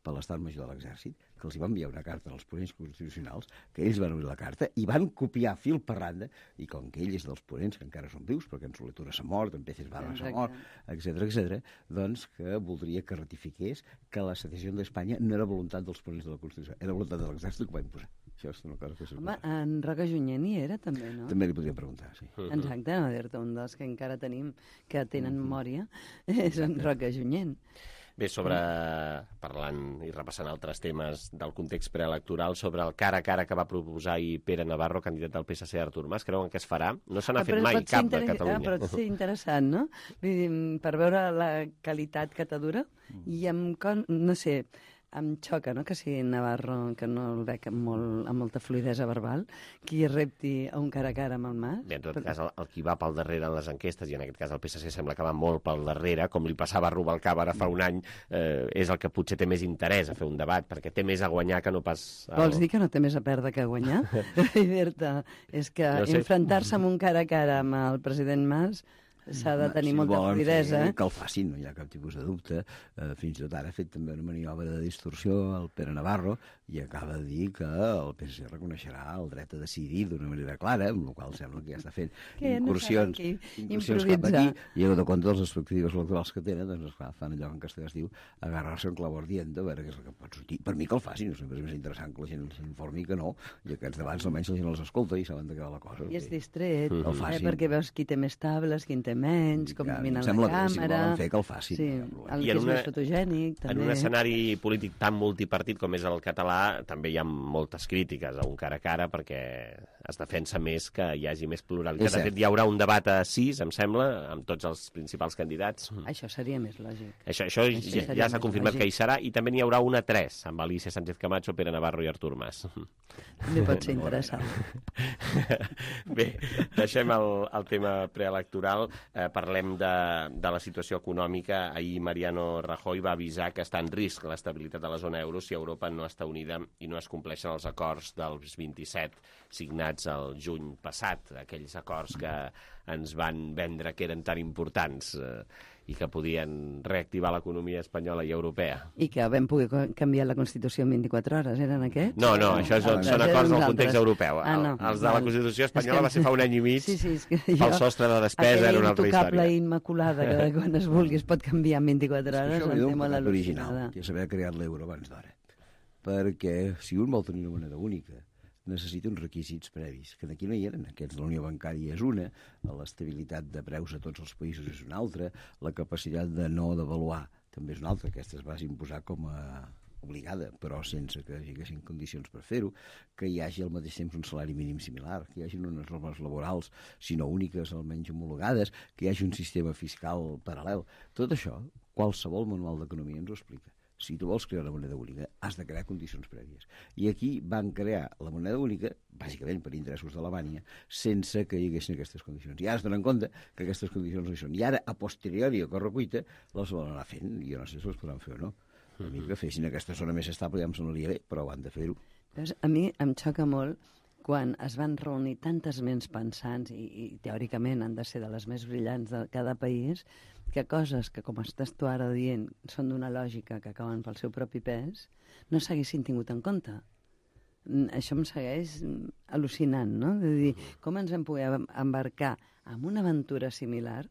[SPEAKER 12] per l'Estat Major de l'Exèrcit, que els hi va enviar una carta als ponents constitucionals, que ells van obrir la carta i van copiar fil per randa, i com que ell és dels ponents que encara són vius, perquè en Soletura s'ha mort, en Peces Barra s'ha mort, etcètera, etcètera, doncs que voldria que ratifiqués que la secessió d'Espanya no era voluntat dels ponents de la Constitució, era voluntat de l'Exèrcit que ho va imposar. Això és una cosa que
[SPEAKER 10] Home, en Roca Junyent hi era, també, no?
[SPEAKER 12] També li podria preguntar, sí.
[SPEAKER 10] Exacte, a dir-te, un dels que encara tenim, que tenen memòria, és en Roca Junyent.
[SPEAKER 2] Bé, sobre, parlant i repassant altres temes del context preelectoral, sobre el cara a cara que va proposar ahir Pere Navarro, candidat del P S C Artur Mas, creuen que es farà? No se n'ha fet mai cap de Catalunya.
[SPEAKER 10] Ah, però pot ser interessant, no? Vull dir, per veure la qualitat que t'adura, i amb, con... no sé, em xoca, no?, que sigui Navarro, que no el veig amb, molt, amb molta fluidesa verbal, qui repti a un cara a cara amb el Mas.
[SPEAKER 2] Bé, en tot
[SPEAKER 10] però...
[SPEAKER 2] cas, el, el qui va pel darrere en les enquestes, i en aquest cas el P S C sembla que va molt pel darrere, com li passava a Rubalcaba ara fa un any, eh, és el que potser té més interès a fer un debat, perquè té més a guanyar que no pas... El...
[SPEAKER 10] Vols dir que no té més a perdre que a guanyar? I dir-te, és que
[SPEAKER 2] No sé.
[SPEAKER 10] enfrontar-se amb un cara a cara amb el president Mas s'ha de tenir
[SPEAKER 12] si
[SPEAKER 10] molta
[SPEAKER 12] volen
[SPEAKER 10] fluidesa.
[SPEAKER 12] fer, que el facin, no hi ha cap tipus de dubte. Eh, fins i tot ara ha fet també una maniobra de distorsió al Pere Navarro i acaba de dir que el P S C reconeixerà el dret a decidir d'una manera clara, amb la qual sembla que ja està fent
[SPEAKER 10] Que no
[SPEAKER 12] incursions,
[SPEAKER 10] saben aquí
[SPEAKER 12] incursions cap
[SPEAKER 10] improvisar.
[SPEAKER 12] aquí, i a de compte dels expectatius electorals que tenen, doncs esclar, fan allò que en castellà es diu agarrar-se en clau ardiente, a veure què és el que pot sortir. Per mi que el facin, no sempre és més interessant que la gent s'informi que no, i aquests debats almenys la gent els escolta i saben de què va la cosa.
[SPEAKER 10] I és distret,
[SPEAKER 12] Mm. El
[SPEAKER 10] eh,
[SPEAKER 12] facin.
[SPEAKER 10] perquè veus qui té més tables, qui en té menys, com
[SPEAKER 12] Ja,
[SPEAKER 10] mira
[SPEAKER 12] em
[SPEAKER 10] la
[SPEAKER 12] sembla bé, si
[SPEAKER 10] càmera...
[SPEAKER 12] volen fer que el facin,
[SPEAKER 10] Sí,
[SPEAKER 12] no hi ha problema.
[SPEAKER 10] el
[SPEAKER 2] I
[SPEAKER 10] que
[SPEAKER 2] en
[SPEAKER 10] és
[SPEAKER 2] una-
[SPEAKER 10] més fotogènic, també.
[SPEAKER 2] En un escenari polític tan multipartit com és el català, també hi ha moltes crítiques a un cara a cara, perquè es defensa més que hi hagi més pluralitat.
[SPEAKER 12] És
[SPEAKER 2] De
[SPEAKER 12] cert.
[SPEAKER 2] fet, hi haurà un debat a sis, em sembla, amb tots els principals candidats.
[SPEAKER 10] Això seria més lògic.
[SPEAKER 2] Això, això
[SPEAKER 10] Això
[SPEAKER 2] ja,
[SPEAKER 10] seria
[SPEAKER 2] ja s'ha
[SPEAKER 10] més
[SPEAKER 2] confirmat
[SPEAKER 10] lògic.
[SPEAKER 2] que hi serà, i també n'hi haurà una a tres, amb Alicia Sánchez Camacho, Pere Navarro i Artur Mas.
[SPEAKER 10] També pot ser interessant.
[SPEAKER 2] Bé, deixem el, el tema preelectoral, eh, parlem de, de la situació econòmica. Ahir Mariano Rajoy va avisar que està en risc l'estabilitat de la zona euro si Europa no està unida i no es compleixen els acords dels vint-i-set signats el juny passat, aquells acords que ens van vendre que eren tan importants eh, i que podien reactivar l'economia espanyola i europea.
[SPEAKER 10] I que vam poder co- canviar la Constitució en vint-i-quatre hores, eren aquests?
[SPEAKER 2] No, no, això són,
[SPEAKER 10] Altres,
[SPEAKER 2] són
[SPEAKER 10] eren
[SPEAKER 2] acords
[SPEAKER 10] uns
[SPEAKER 2] del context
[SPEAKER 10] altres.
[SPEAKER 2] europeu.
[SPEAKER 10] Ah, no.
[SPEAKER 2] Els de la
[SPEAKER 10] Val.
[SPEAKER 2] Constitució
[SPEAKER 10] És
[SPEAKER 2] espanyola
[SPEAKER 10] que-
[SPEAKER 2] va ser fa un any i mig,
[SPEAKER 10] sí, sí, és que
[SPEAKER 2] pel sostre de despesa era una altra
[SPEAKER 10] Aquella intocable
[SPEAKER 2] història.
[SPEAKER 10] i immaculada que quan es vulgui es pot canviar en vint-i-quatre
[SPEAKER 12] És que
[SPEAKER 10] hores,
[SPEAKER 12] això
[SPEAKER 10] em
[SPEAKER 12] ve
[SPEAKER 10] té
[SPEAKER 12] d'un
[SPEAKER 10] molt
[SPEAKER 12] pecat original,
[SPEAKER 10] al·lucinada.
[SPEAKER 12] que és haver creat l'euro abans d'hora. Perquè si un vol tenir una moneda única, necessita uns requisits previs, que d'aquí no hi eren. Aquests de la Unió Bancària és una, l'estabilitat de preus a tots els països és una altra, la capacitat de no devaluar també és una altra. Aquesta es va imposar com a obligada, però sense que hi haguessin condicions per fer-ho, que hi hagi al mateix temps un salari mínim similar, que hi hagi unes normes laborals, si no úniques, almenys homologades, que hi hagi un sistema fiscal paral·lel. Tot això, qualsevol manual d'economia ens ho explica. si tu vols crear una moneda única, has de crear condicions prèvies. I aquí van crear la moneda única, bàsicament per interessos d'Alemanya, sense que hi haguessin aquestes condicions. I ara es donen compte que aquestes condicions no hi són. I ara, a posteriori, a correcuita, les volen anar fent. Jo no sé si les podran fer o no. A mi que fessin aquesta zona més estable ja em sonaria bé, però han de fer-ho.
[SPEAKER 10] A mi em xoca molt quan es van reunir tantes ments pensants i, i teòricament han de ser de les més brillants de cada país, que coses que, com estàs tu ara dient, són d'una lògica que acaben pel seu propi pes, no s'haguessin tingut en compte. Això em segueix al·lucinant, no? De dir, com ens hem pogut embarcar en una aventura similar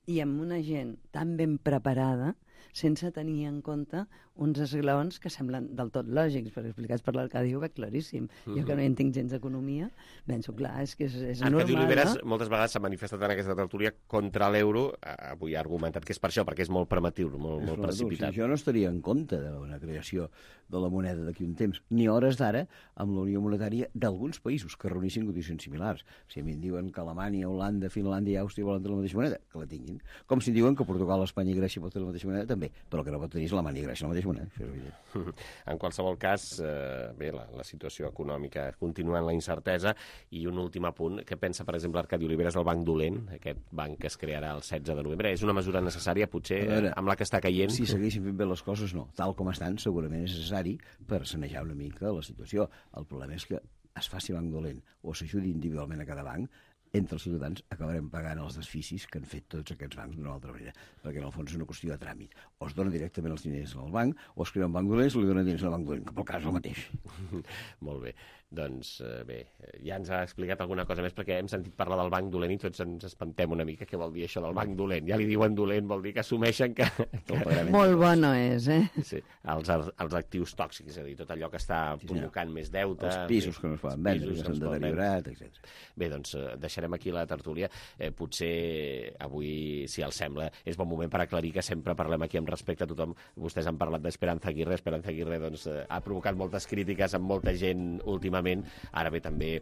[SPEAKER 10] i amb una gent tan ben preparada sense tenir en compte uns esglaons que semblen del tot lògics, perquè explicats per l'Arcadi ho veig claríssim. Mm-hmm. Jo que no hi entenc gens d'economia, penso, clar, és que és, és normal,
[SPEAKER 2] Arcadi Oliveres
[SPEAKER 10] no?
[SPEAKER 2] moltes vegades s'ha manifestat en aquesta tertúlia contra l'euro, avui ha argumentat que és per això, perquè és molt prematiu, molt, molt precipitat.
[SPEAKER 12] Sí, jo no estaria en compte de la creació de la moneda d'aquí un temps, ni hores d'ara amb la Unió Monetària d'alguns països que reunissin condicions similars. Si a mi em diuen que Alemanya, Holanda, Finlàndia i Àustria volen tenir la mateixa moneda, que la tinguin. Com si diuen que Portugal, Espanya i Grècia poden tenir la mateixa moneda, també, però que no pot tenir Alemanya i Grècia la mateixa moneda. Això és evident.
[SPEAKER 2] En qualsevol cas, eh, bé, la, la situació econòmica continua en la incertesa. I un últim apunt, què pensa, per exemple, Arcadi Oliveres del Banc Dolent, aquest banc que es crearà el setze de novembre? És una mesura necessària, potser, veure, amb la que està caient?
[SPEAKER 12] Si s'haguessin fet bé les coses, no. Tal com estan, segurament és necessari per sanejar una mica la situació. El problema és que es faci banc dolent o s'ajudi individualment a cada banc, entre els ciutadans acabarem pagant els desficis que han fet tots aquests bancs d'una altra manera, perquè en el fons és una qüestió de tràmit. O es donen directament els diners al banc, o es crea un banc dolent i li donen diners al banc dolent, que pel cas és el mateix.
[SPEAKER 2] Molt bé. Doncs bé, ja ens ha explicat alguna cosa més, perquè hem sentit parlar del banc dolent i tots ens espantem una mica què vol dir això del banc dolent. Ja li diuen dolent, vol dir que assumeixen que... que
[SPEAKER 10] molt bo no és, eh?
[SPEAKER 2] Sí, els, els actius tòxics, és a dir, tot allò que està sí, provocant sí, més deute...
[SPEAKER 12] Els pisos que no es poden vendre, que s'han deteriorat, etcètera.
[SPEAKER 2] Bé, doncs deixarem aquí la tertúlia. Eh, potser avui, si els sembla, és bon moment per aclarir que sempre parlem aquí amb respecte a tothom. Vostès han parlat d'Esperanza Aguirre. Esperanza Aguirre doncs, ha provocat moltes crítiques amb molta gent últimament. Ara bé, també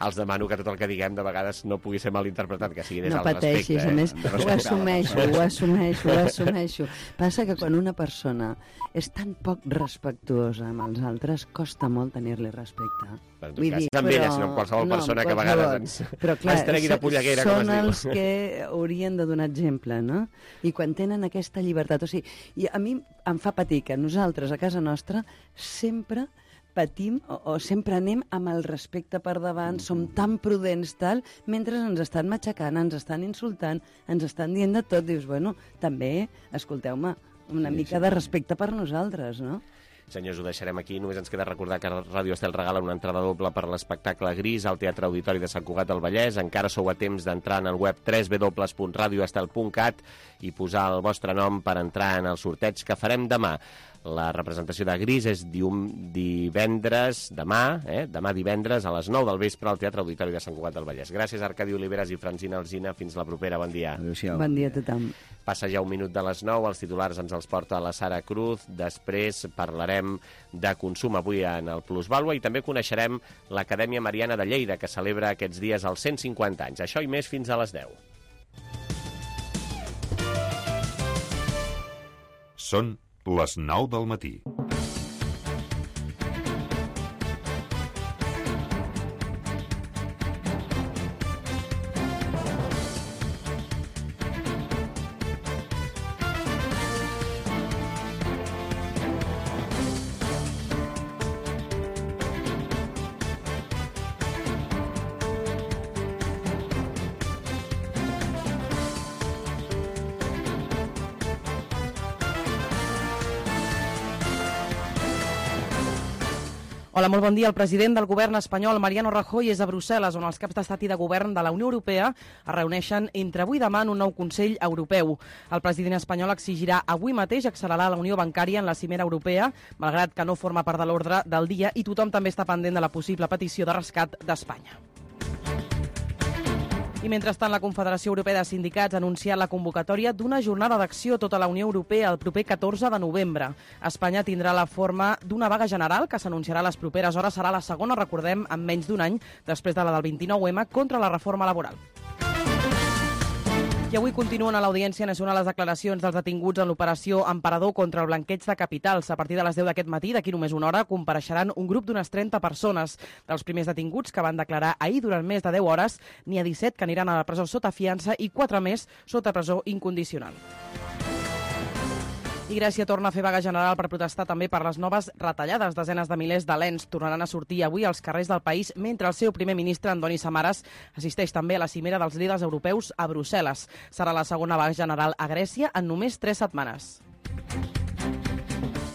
[SPEAKER 2] els demano que tot el que diguem de vegades no pugui ser malinterpretat, que sigui des
[SPEAKER 10] no
[SPEAKER 2] del respecte.
[SPEAKER 10] No pateixis, a més, eh? ho assumeixo, ho assumeixo, ho assumeixo. Passa que quan una persona és tan poc respectuosa amb els altres, costa molt tenir-li respecte.
[SPEAKER 2] Però en tot cas, no amb ella, sinó amb qualsevol no, persona que a vegades ens,
[SPEAKER 10] però, clar,
[SPEAKER 2] ens tregui de polleguera, com es diu.
[SPEAKER 10] Són els que haurien de donar exemple, no? I quan tenen aquesta llibertat, o sigui, i a mi em fa patir que nosaltres a casa nostra sempre patim o, o sempre anem amb el respecte per davant, mm. som tan prudents, tal, mentre ens estan matxacant, ens estan insultant, ens estan dient de tot. Dius, bueno, també, escolteu-me, una sí, mica sí. de respecte per nosaltres, no?
[SPEAKER 2] Senyors, ho deixarem aquí. Només ens queda recordar que Ràdio Estel regala una entrada doble per l'espectacle Gris al Teatre Auditori de Sant Cugat del Vallès. Encara sou a temps d'entrar en el web w w w punt radio estel punt cat i posar el vostre nom per entrar en el sorteig que farem demà. La representació de Gris és divendres, demà, eh? demà divendres a les nou del vespre al Teatre Auditori de Sant Cugat del Vallès. Gràcies, Arcadi Oliveres i Francina Alsina. Fins la propera. Bon dia.
[SPEAKER 12] Adéu-siau.
[SPEAKER 10] Bon dia a tothom.
[SPEAKER 2] Passa ja un minut de les nou. Els titulars ens els porta la Sara Cruz. Després parlarem de consum avui en el Plusvàlua i també coneixerem l'Acadèmia Mariana de Lleida, que celebra aquests dies els cent cinquanta anys. Això i més fins a les deu.
[SPEAKER 13] Són les nou del matí.
[SPEAKER 3] Hola, molt bon dia. El president del govern espanyol, Mariano Rajoy, és a Brussel·les, on els caps d'estat i de govern de la Unió Europea es reuneixen entre avui i demà en un nou Consell Europeu. El president espanyol exigirà avui mateix accelerar la unió bancària en la cimera europea, malgrat que no forma part de l'ordre del dia, i tothom també està pendent de la possible petició de rescat d'Espanya. I mentrestant, la Confederació Europea de Sindicats ha anunciat la convocatòria d'una jornada d'acció a tota la Unió Europea el proper catorze de novembre. Espanya tindrà la forma d'una vaga general que s'anunciarà a les properes hores. Serà la segona, recordem, en menys d'un any, després de la del vint-i-nou ema, contra la reforma laboral. I avui continuen a l'Audiència Nacional les declaracions dels detinguts en l'operació Emperador contra el blanqueig de capitals. A partir de les deu d'aquest matí, d'aquí només una hora, compareixeran un grup d'unes trenta persones. Dels primers detinguts que van declarar ahir durant més de deu hores, n'hi ha disset que aniran a la presó sota fiança i quatre més sota presó incondicional. I Grècia torna a fer vaga general per protestar també per les noves retallades. Desenes de milers d'alens tornaran a sortir avui als carrers del país, mentre el seu primer ministre, Andoni Samaras, assisteix també a la cimera dels líders europeus a Brussel·les. Serà la segona vaga general a Grècia en només tres setmanes.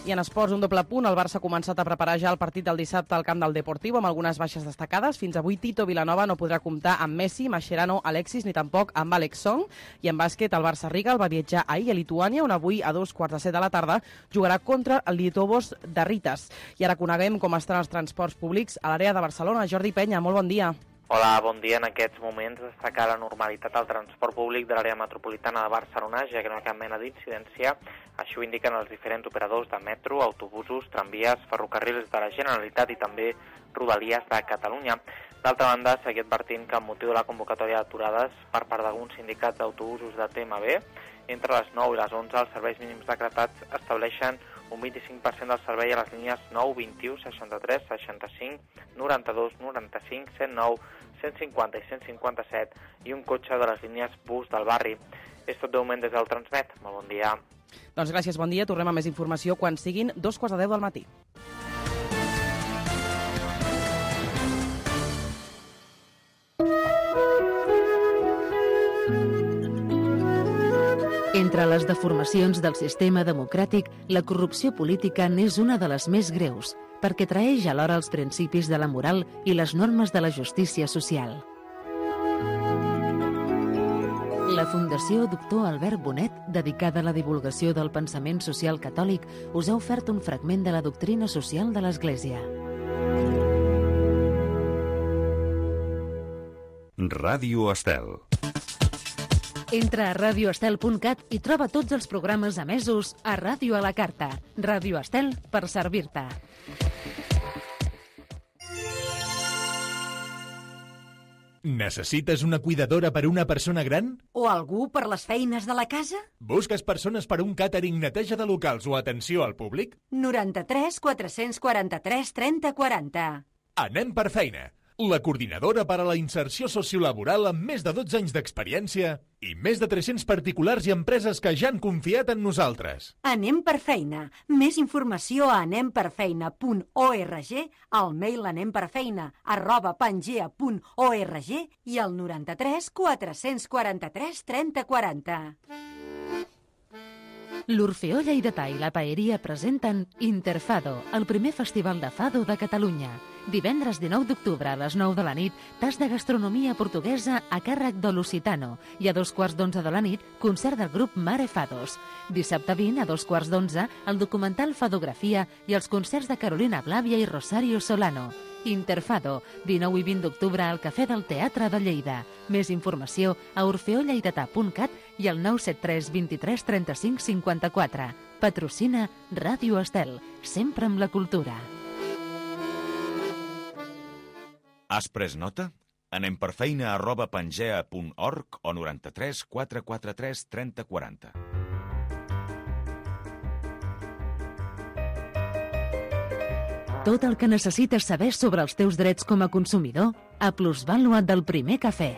[SPEAKER 3] I en esports, un doble punt. El Barça ha començat a preparar ja el partit del dissabte al camp del Deportivo amb algunes baixes destacades. Fins avui Tito Vilanova no podrà comptar amb Messi, Mascherano, Alexis ni tampoc amb Alex Song. I en bàsquet, el Barça Rigal va viatjar ahir a Lituània, on avui a dos quarts de set de la tarda jugarà contra el Lietuvos de Ritas. I ara coneguem com estan els transports públics a l'àrea de Barcelona. Jordi Penya, molt bon dia.
[SPEAKER 6] Hola, bon dia. En aquests moments destaca la normalitat al transport públic de l'àrea metropolitana de Barcelona, ja que no hi ha cap mena d'incidència. Així ho indiquen els diferents operadors de metro, autobusos, tramvies, ferrocarrils de la Generalitat i també Rodalies de Catalunya. D'altra banda, seguir advertint que amb motiu de la convocatòria d'aturades per part d'alguns sindicats d'autobusos de T M B, entre les nou i les onze els serveis mínims decretats estableixen un vint-i-cinc per cent del servei a les línies nou, vint-i-u, seixanta-tres, seixanta-cinc, noranta-dos, noranta-cinc, cent nou, cent cinquanta i cent cinquanta-set i un cotxe de les línies bus del barri. És tot de moment des del Transmet. Molt bon dia.
[SPEAKER 3] Doncs gràcies, bon dia. Tornem a més informació quan siguin dos quarts de deu del matí.
[SPEAKER 1] Entre les deformacions del sistema democràtic, la corrupció política n'és una de les més greus, perquè traeix alhora els principis de la moral i les normes de la justícia social. La Fundació Doctor Albert Bonet, dedicada a la divulgació del pensament social catòlic, us ha ofert un fragment de la doctrina social de l'Església.
[SPEAKER 13] Ràdio Estel.
[SPEAKER 1] Entra a radio estel punt cat i troba tots els programes emesos a Ràdio a la Carta. Ràdio Estel, per servir-te.
[SPEAKER 14] Necessites una cuidadora per a una persona gran?
[SPEAKER 15] O algú per les feines de la casa?
[SPEAKER 14] Busques persones per a un càtering, neteja de locals o atenció al públic?
[SPEAKER 15] noranta-tres quatre-cents quaranta-tres trenta quaranta.
[SPEAKER 14] Anem per feina. La coordinadora per a la inserció sociolaboral amb més de dotze anys d'experiència i més de tres-cents particulars i empreses que ja han confiat en nosaltres.
[SPEAKER 15] Anem per feina. Més informació a anem per feina punt org, al mail anemperfeina arroba pangea punt org i al noranta-tres quatre-cents quaranta-tres trenta quaranta.
[SPEAKER 1] L'Orfeó Lleidatà i la Paeria presenten Interfado, el primer festival de fado de Catalunya. Divendres dinou d'octubre a les nou de la nit, tas de gastronomia portuguesa a càrrec de l'Occitano i a dos quarts d'onze de la nit, concert del grup Mare Fados. Dissabte vint a dos quarts d'onze, el documental Fadografia i els concerts de Carolina Blàvia i Rosario Solano. Interfado, dinou i vint d'octubre al Cafè del Teatre de Lleida. Més informació a orfeó lleidatà punt cat i al nou set tres vint-i-tres trenta-cinc cinquanta-quatre. Patrocina Ràdio Estel, sempre amb la cultura.
[SPEAKER 16] Has pres nota? Anem per feina arroba pangea punt org o noranta-tres quatre quaranta-tres trenta quaranta.
[SPEAKER 1] Tot el que necessites saber sobre els teus drets com a consumidor a Plusvàlua del Primer Cafè.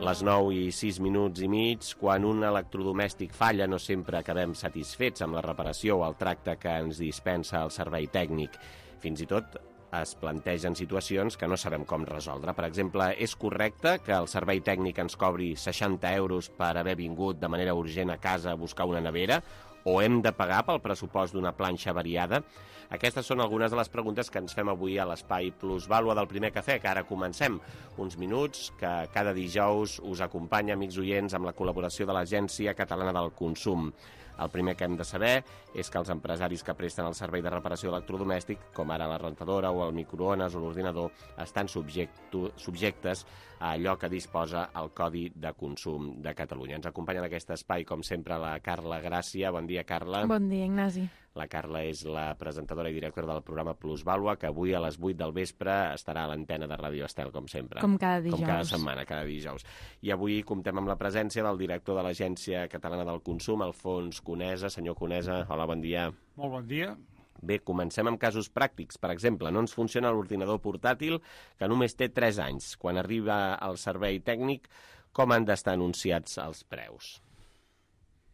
[SPEAKER 2] Les nou i sis minuts i mig, quan un electrodomèstic falla, no sempre acabem satisfets amb la reparació o el tracte que ens dispensa el servei tècnic. Fins i tot es plantegen situacions que no sabem com resoldre. Per exemple, és correcte que el servei tècnic ens cobri seixanta euros per haver vingut de manera urgent a casa a buscar una nevera? o hem de pagar pel pressupost d'una planxa variada? Aquestes són algunes de les preguntes que ens fem avui a l'Espai Plusvàlua del Primer Cafè, que ara comencem. Uns minuts que cada dijous us acompanya, amics oients, amb la col·laboració de l'Agència Catalana del Consum. El primer que hem de saber és que els empresaris que presten el servei de reparació electrodomèstic, com ara la rentadora o el microones o l'ordinador, estan subjectu, subjectes a allò que disposa el Codi de Consum de Catalunya. Ens acompanya en aquest espai, com sempre, la Carla Gràcia. Bon dia, Carla.
[SPEAKER 17] Bon dia, Ignasi.
[SPEAKER 2] La Carla és la presentadora i directora del programa Plusvàlua, que avui a les vuit del vespre estarà a l'antena de Ràdio Estel, com sempre.
[SPEAKER 17] Com cada dijous.
[SPEAKER 2] Com cada setmana, cada dijous. I avui comptem amb la presència del director de l'Agència Catalana del Consum, Alfons Conesa. Senyor Conesa, hola, bon dia.
[SPEAKER 18] Molt bon dia.
[SPEAKER 2] Bé, comencem amb casos pràctics. Per exemple, no ens funciona l'ordinador portàtil, que només té tres anys. Quan arriba al servei tècnic, com han d'estar anunciats els preus?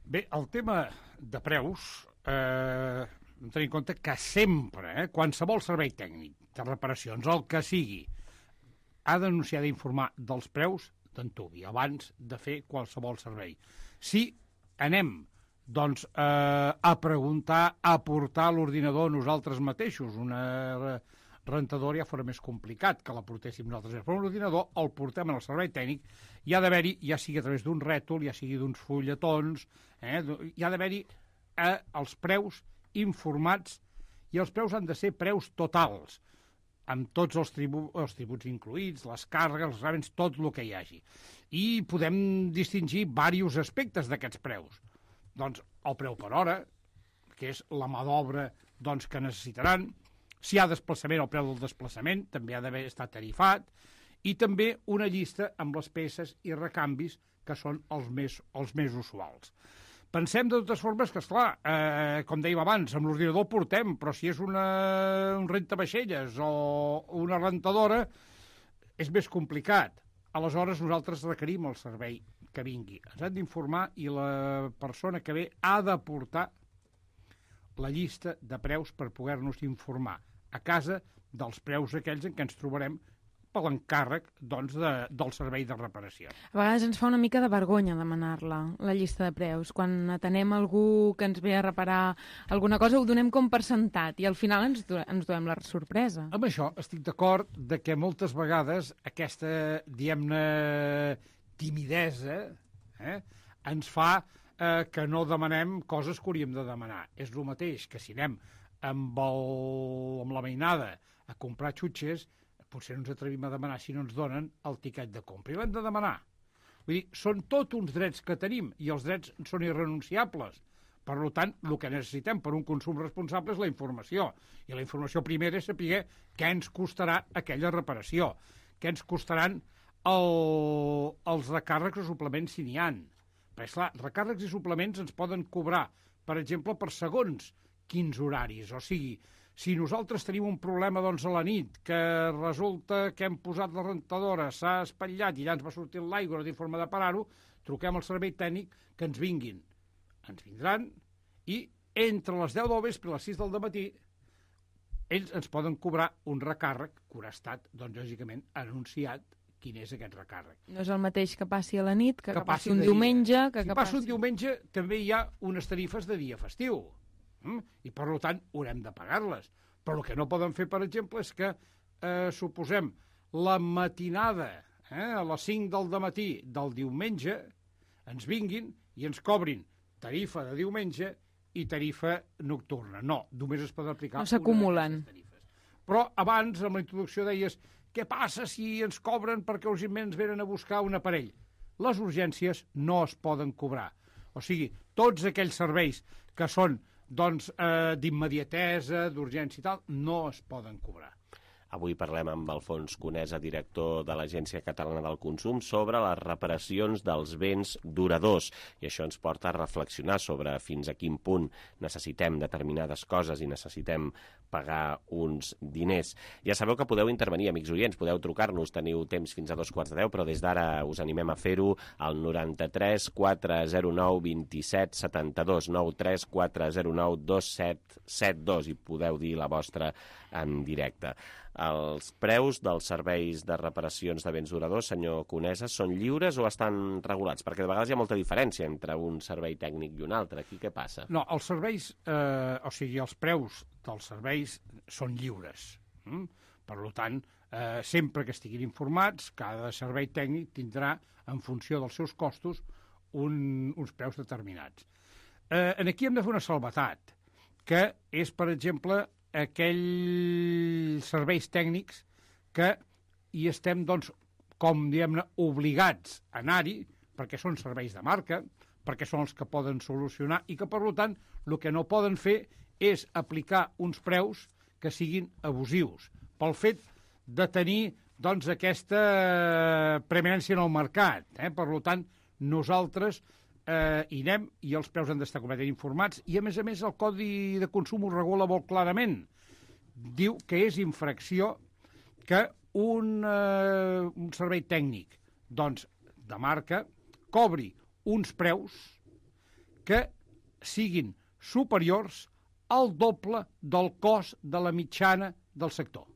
[SPEAKER 18] Bé, el tema de preus, eh, hem de tenir en compte que sempre, eh, qualsevol servei tècnic de reparacions, el que sigui, ha d'anunciar, d'informar dels preus d'antuvi, abans de fer qualsevol servei. Si anem doncs, eh, a preguntar, a portar l'ordinador nosaltres mateixos, una rentadora ja fora més complicat que la portéssim nosaltres. Però l'ordinador el portem en el servei tècnic, hi ha d'haver-hi, ja sigui a través d'un rètol, ja sigui d'uns fulletons, eh, hi ha d'haver-hi eh, els preus informats, i els preus han de ser preus totals, amb tots els, tribu els tributs incluïts, les càrregues, els gravamen, tot el que hi hagi. I podem distingir diversos aspectes d'aquests preus. Doncs el preu per hora, que és la mà d'obra doncs, que necessitaran. Si hi ha desplaçament, el preu del desplaçament també ha d'haver estat tarifat, i també una llista amb les peces i recanvis que són els més, els més usuals. Pensem de totes formes que, esclar, eh, com dèiem abans, amb l'ordinador portem, però si és una, un rentavaixelles o una rentadora, és més complicat. Aleshores, nosaltres requerim el servei que vingui. Ens han d'informar i la persona que ve ha de portar la llista de preus per poder-nos informar a casa dels preus aquells en què ens trobarem per l'encàrrec doncs, de, del servei de reparació.
[SPEAKER 17] A vegades ens fa una mica de vergonya demanar-la, la llista de preus. Quan atenem algú que ens ve a reparar alguna cosa, ho donem com per sentat i al final ens, ens donem la sorpresa.
[SPEAKER 18] Amb això estic d'acord de que moltes vegades aquesta, diguem-ne, timidesa eh, ens fa eh, que no demanem coses que hauríem de demanar. És el mateix que si anem amb, el, amb la mainada a comprar xutxes, potser no ens atrevim a demanar si no ens donen el tiquet de compra. I l'hem de demanar. Vull dir, són tots uns drets que tenim i els drets són irrenunciables. Per tant, el que necessitem per un consum responsable és la informació. I la informació primera és saber què ens costarà aquella reparació, què ens costaran el, els recàrrecs o suplements si n'hi ha. Perquè, esclar, recàrrecs i suplements ens poden cobrar, per exemple, per segons quins horaris. O sigui, si nosaltres tenim un problema doncs, a la nit, que resulta que hem posat la rentadora, s'ha espatllat i ja ens va sortir l'aigua, no té forma de parar-ho, truquem al servei tècnic que ens vinguin. Ens vindran i entre les deu del vespre i les sis del dematí ells ens poden cobrar un recàrrec que haurà estat, doncs, lògicament, anunciat quin és aquest recàrrec.
[SPEAKER 17] No és el mateix que passi a la nit, que, que, que passi un
[SPEAKER 18] dia.
[SPEAKER 17] diumenge... Que
[SPEAKER 18] si
[SPEAKER 17] que
[SPEAKER 18] passa
[SPEAKER 17] passi...
[SPEAKER 18] un diumenge també hi ha unes tarifes de dia festiu. I, per tant, haurem de pagar-les. Però el que no poden fer, per exemple, és que, eh, suposem, la matinada, eh, a les cinc del dematí del diumenge, ens vinguin i ens cobrin tarifa de diumenge i tarifa nocturna. No, només es pot aplicar...
[SPEAKER 17] No s'acumulen.
[SPEAKER 18] Però abans, amb la introducció, deies què passa si ens cobren perquè urgentment ens venen a buscar un aparell? Les urgències no es poden cobrar. O sigui, tots aquells serveis que són doncs, eh, d'immediatesa, d'urgència i tal, no es poden cobrar.
[SPEAKER 2] Avui parlem amb Alfons Conesa, director de l'Agència Catalana del Consum, sobre les reparacions dels béns duradors. I això ens porta a reflexionar sobre fins a quin punt necessitem determinades coses i necessitem pagar uns diners. Ja sabeu que podeu intervenir, amics oients, podeu trucar-nos, teniu temps fins a dos quarts de deu, però des d'ara us animem a fer-ho al noranta-tres quatre zero nou vint-i-set setanta-dos, nou tres quatre zero nou dos set set dos, i podeu dir la vostra en directe. Els preus dels serveis de reparacions de béns duradors, senyor Conesa, són lliures o estan regulats? Perquè de vegades hi ha molta diferència entre un servei tècnic i un altre. Aquí què passa?
[SPEAKER 18] No, els serveis, eh, o sigui, els preus dels serveis són lliures. Mm? Per tant, eh, sempre que estiguin informats, cada servei tècnic tindrà, en funció dels seus costos, un, uns preus determinats. Eh, aquí hem de fer una salvetat, que és, per exemple, aquells serveis tècnics que hi estem, doncs, com diguem-ne, obligats a anar-hi, perquè són serveis de marca, perquè són els que poden solucionar i que, per tant, el que no poden fer és aplicar uns preus que siguin abusius, pel fet de tenir, doncs, aquesta preeminència en el mercat. Eh? Per tant, nosaltres eh, hi anem i els preus han d'estar completament informats i, a més a més, el Codi de Consum ho regula molt clarament. Diu que és infracció que un, eh, un servei tècnic, doncs, de marca, cobri uns preus que siguin superiors al doble del cost de la mitjana del sector.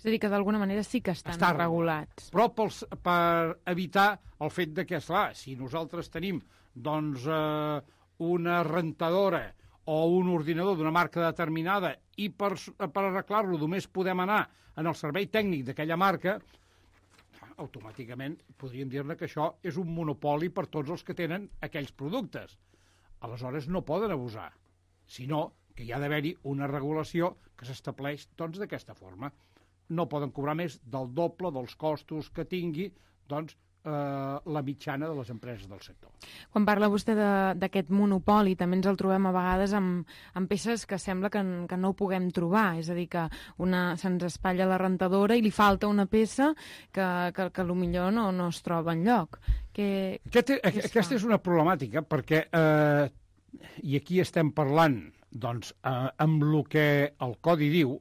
[SPEAKER 17] És a dir, que d'alguna manera sí que estan
[SPEAKER 18] Està
[SPEAKER 17] regulats.
[SPEAKER 18] Però pels, per evitar el fet de que, esclar, si nosaltres tenim doncs, eh, una rentadora o un ordinador d'una marca determinada i per, per arreglar-lo només podem anar en el servei tècnic d'aquella marca, automàticament podríem dir-ne que això és un monopoli per tots els que tenen aquells productes. Aleshores no poden abusar, sinó que hi ha d'haver-hi una regulació que s'estableix doncs, d'aquesta forma. No poden cobrar més del doble dels costos que tingui doncs, eh, la mitjana de les empreses del sector.
[SPEAKER 17] Quan parla vostè d'aquest monopoli, també ens el trobem a vegades amb, amb peces que sembla que, que no ho puguem trobar, és a dir, que una, se'ns espatlla la rentadora i li falta una peça que, que, que potser no, no es troba enlloc. Que,
[SPEAKER 18] Aquest, que aquesta és una problemàtica, perquè, eh, i aquí estem parlant doncs, eh, amb el que el Codi diu,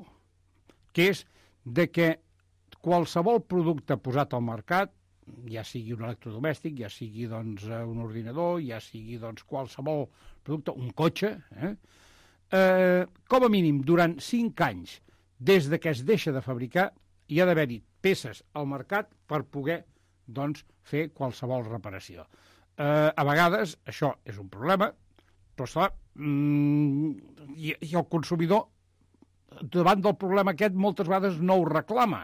[SPEAKER 18] que és de que qualsevol producte posat al mercat, ja sigui un electrodomèstic, ja sigui doncs, un ordinador, ja sigui doncs, qualsevol producte, un cotxe, eh? Eh, com a mínim durant cinc anys, des de que es deixa de fabricar, hi ha d'haver-hi peces al mercat per poder doncs, fer qualsevol reparació. Eh, a vegades això és un problema, però clar, mm, i, i el consumidor davant del problema aquest moltes vegades no ho reclama,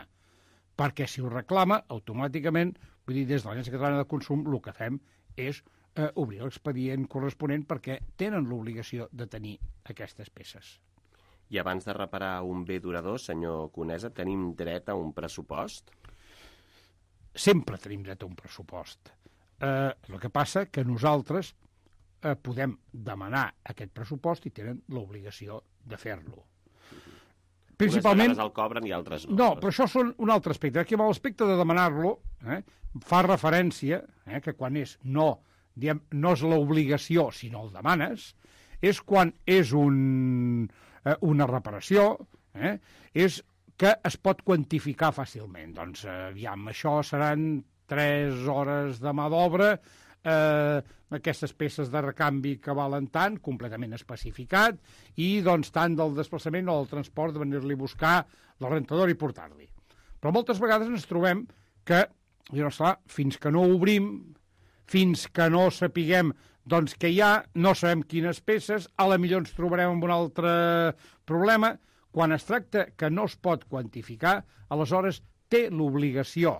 [SPEAKER 18] perquè si ho reclama, automàticament, vull dir, des de l'Agència Catalana de Consum, el que fem és eh, obrir l'expedient corresponent perquè tenen l'obligació de tenir aquestes peces.
[SPEAKER 2] I abans de reparar un bé durador, senyor Conesa, tenim dret a un pressupost?
[SPEAKER 18] Sempre tenim dret a un pressupost. Eh, el que passa que nosaltres eh, podem demanar aquest pressupost i tenen l'obligació de fer-lo.
[SPEAKER 2] Principalment, unes vegades el cobren i altres no.
[SPEAKER 18] No, però això són un altre aspecte. Aquí amb l'aspecte de demanar-lo eh, fa referència eh, que quan és no, diem, no és l'obligació, sinó el demanes, és quan és un, eh, una reparació, eh, és que es pot quantificar fàcilment. Doncs, eh, aviam, això seran tres hores de mà d'obra, eh, aquestes peces de recanvi que valen tant, completament especificat, i doncs tant del desplaçament o del transport de venir-li a buscar la rentadora i portar-li. Però moltes vegades ens trobem que, doncs, clar, fins que no obrim, fins que no sapiguem doncs, que hi ha, no sabem quines peces, a la millor ens trobarem amb un altre problema. Quan es tracta que no es pot quantificar, aleshores té l'obligació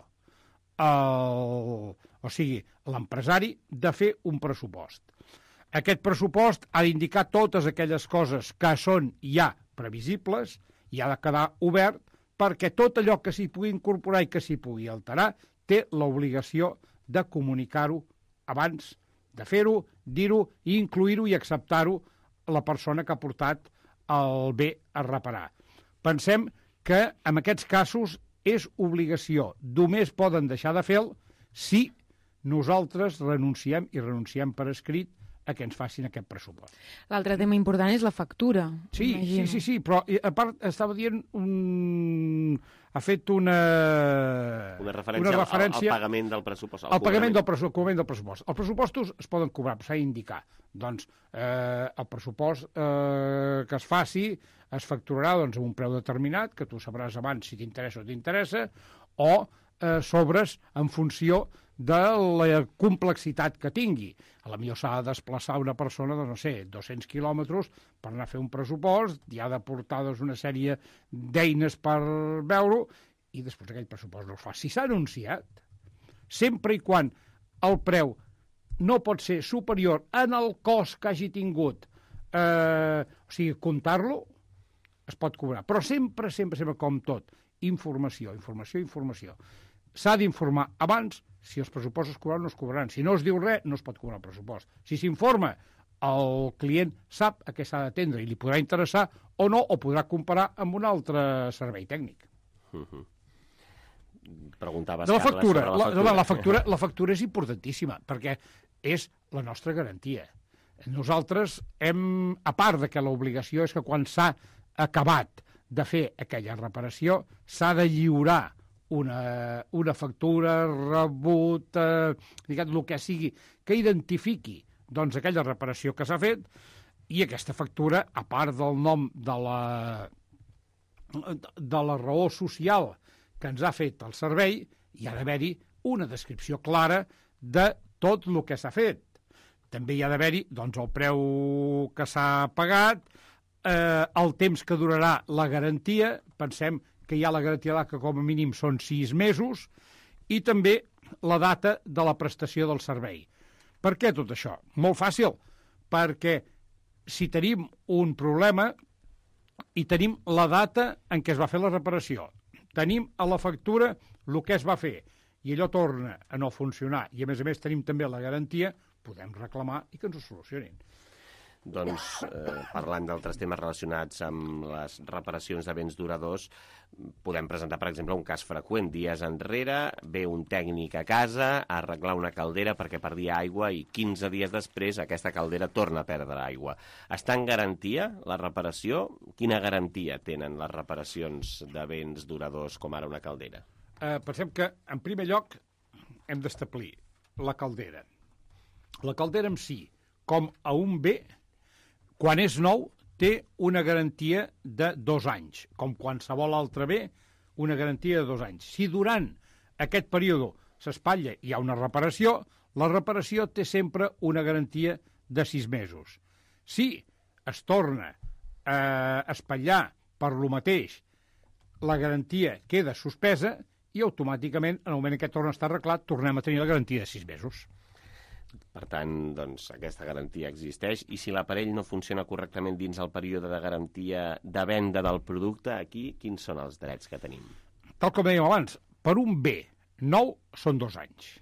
[SPEAKER 18] el, o sigui, l'empresari de fer un pressupost. Aquest pressupost ha d'indicar totes aquelles coses que són ja previsibles i ha de quedar obert perquè tot allò que s'hi pugui incorporar i que s'hi pugui alterar té l'obligació de comunicar-ho abans de fer-ho, dir-ho i incluir-ho i acceptar-ho la persona que ha portat el bé a reparar. Pensem que en aquests casos és obligació. Només poden deixar de fer-lo si nosaltres renunciem i renunciem per escrit a que ens facin aquest pressupost.
[SPEAKER 17] L'altre tema important és la factura.
[SPEAKER 18] Sí, sí, sí, sí, però a part estava dient un... ha fet una...
[SPEAKER 2] Una referència,
[SPEAKER 18] una referència
[SPEAKER 2] al, al pagament del pressupost.
[SPEAKER 18] Al pagament del, pressu... del pressupost. Els pressupostos es poden cobrar, s'ha d'indicar. Doncs eh, el pressupost eh, que es faci es facturarà doncs, amb un preu determinat, que tu sabràs abans si t'interessa o t'interessa, o eh, sobres en funció de la complexitat que tingui. A la millor s'ha de desplaçar una persona de, no sé, dos-cents quilòmetres per anar a fer un pressupost, i ha de portar doncs, una sèrie d'eines per veure-ho, i després aquell pressupost no es fa. Si s'ha anunciat, sempre i quan el preu no pot ser superior en el cost que hagi tingut, eh, o sigui, comptar-lo, es pot cobrar. Però sempre, sempre, sempre, com tot, informació, informació, informació. S'ha d'informar abans. Si els pressupostos es cobraran, no es cobraran. Si no es diu res, no es pot cobrar el pressupost. Si s'informa, el client sap a què s'ha d'atendre i li podrà interessar o no, o podrà comparar amb un altre servei tècnic.
[SPEAKER 2] Uh-huh. Preguntaves,
[SPEAKER 18] de la factura.
[SPEAKER 2] Carles,
[SPEAKER 18] la,
[SPEAKER 2] la,
[SPEAKER 18] la, factura la factura és importantíssima, perquè és la nostra garantia. Nosaltres hem, a part de que l'obligació és que quan s'ha acabat de fer aquella reparació, s'ha de lliurar Una, una factura, rebut, eh, diguem, el que sigui, que identifiqui doncs, aquella reparació que s'ha fet, i aquesta factura, a part del nom de la, de la raó social que ens ha fet el servei, hi ha d'haver-hi una descripció clara de tot el que s'ha fet. També hi ha d'haver-hi doncs, el preu que s'ha pagat, eh, el temps que durarà la garantia, pensem que hi ha la garantia que com a mínim són sis mesos, i també la data de la prestació del servei. Per què tot això? Molt fàcil, perquè si tenim un problema i tenim la data en què es va fer la reparació, tenim a la factura el que es va fer, i allò torna a no funcionar, i a més a més tenim també la garantia, podem reclamar i que ens ho solucionin.
[SPEAKER 2] Doncs, eh, parlant d'altres temes relacionats amb les reparacions de béns duradors, podem presentar, per exemple, un cas freqüent. Dies enrere ve un tècnic a casa a arreglar una caldera perquè perdia aigua i quinze dies després aquesta caldera torna a perdre aigua. Està en garantia la reparació? Quina garantia tenen les reparacions de béns duradors com ara una caldera?
[SPEAKER 18] Eh, pensem que, en primer lloc, hem d'establir la caldera. La caldera en si, com a un bé, quan és nou, té una garantia de dos anys, com qualsevol altre bé, una garantia de dos anys. Si durant aquest període s'espatlla i hi ha una reparació, la reparació té sempre una garantia de sis mesos. Si es torna a espatllar per lo mateix, la garantia queda suspesa i automàticament, en el moment en què torna a estar arreglat, tornem a tenir la garantia de sis mesos.
[SPEAKER 2] Per tant, doncs, aquesta garantia existeix, i si l'aparell no funciona correctament dins el període de garantia de venda del producte, aquí quins són els drets que tenim?
[SPEAKER 18] Tal com dèiem abans, per un bé nou són dos anys.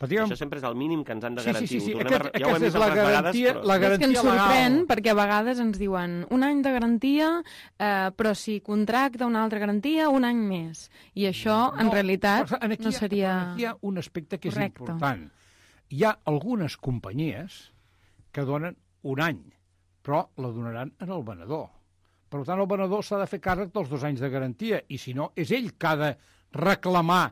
[SPEAKER 2] Diguem... Això sempre és el mínim que ens han de garantir.
[SPEAKER 18] Sí, sí, sí.
[SPEAKER 2] Aquest,
[SPEAKER 18] a... ja aquesta és la garantia, vegades, però...
[SPEAKER 17] la garantia és que ens sorprèn legal. Perquè a vegades ens diuen un any de garantia, eh, però si contracta una altra garantia, un any més. I això, no, en realitat,
[SPEAKER 18] aquí
[SPEAKER 17] no seria
[SPEAKER 18] Aquí hi ha un aspecte que és
[SPEAKER 17] correcte.
[SPEAKER 18] important. Hi ha algunes companyies que donen un any, però la donaran en el venedor. Per tant, el venedor s'ha de fer càrrec dels dos anys de garantia, i si no, és ell que ha de reclamar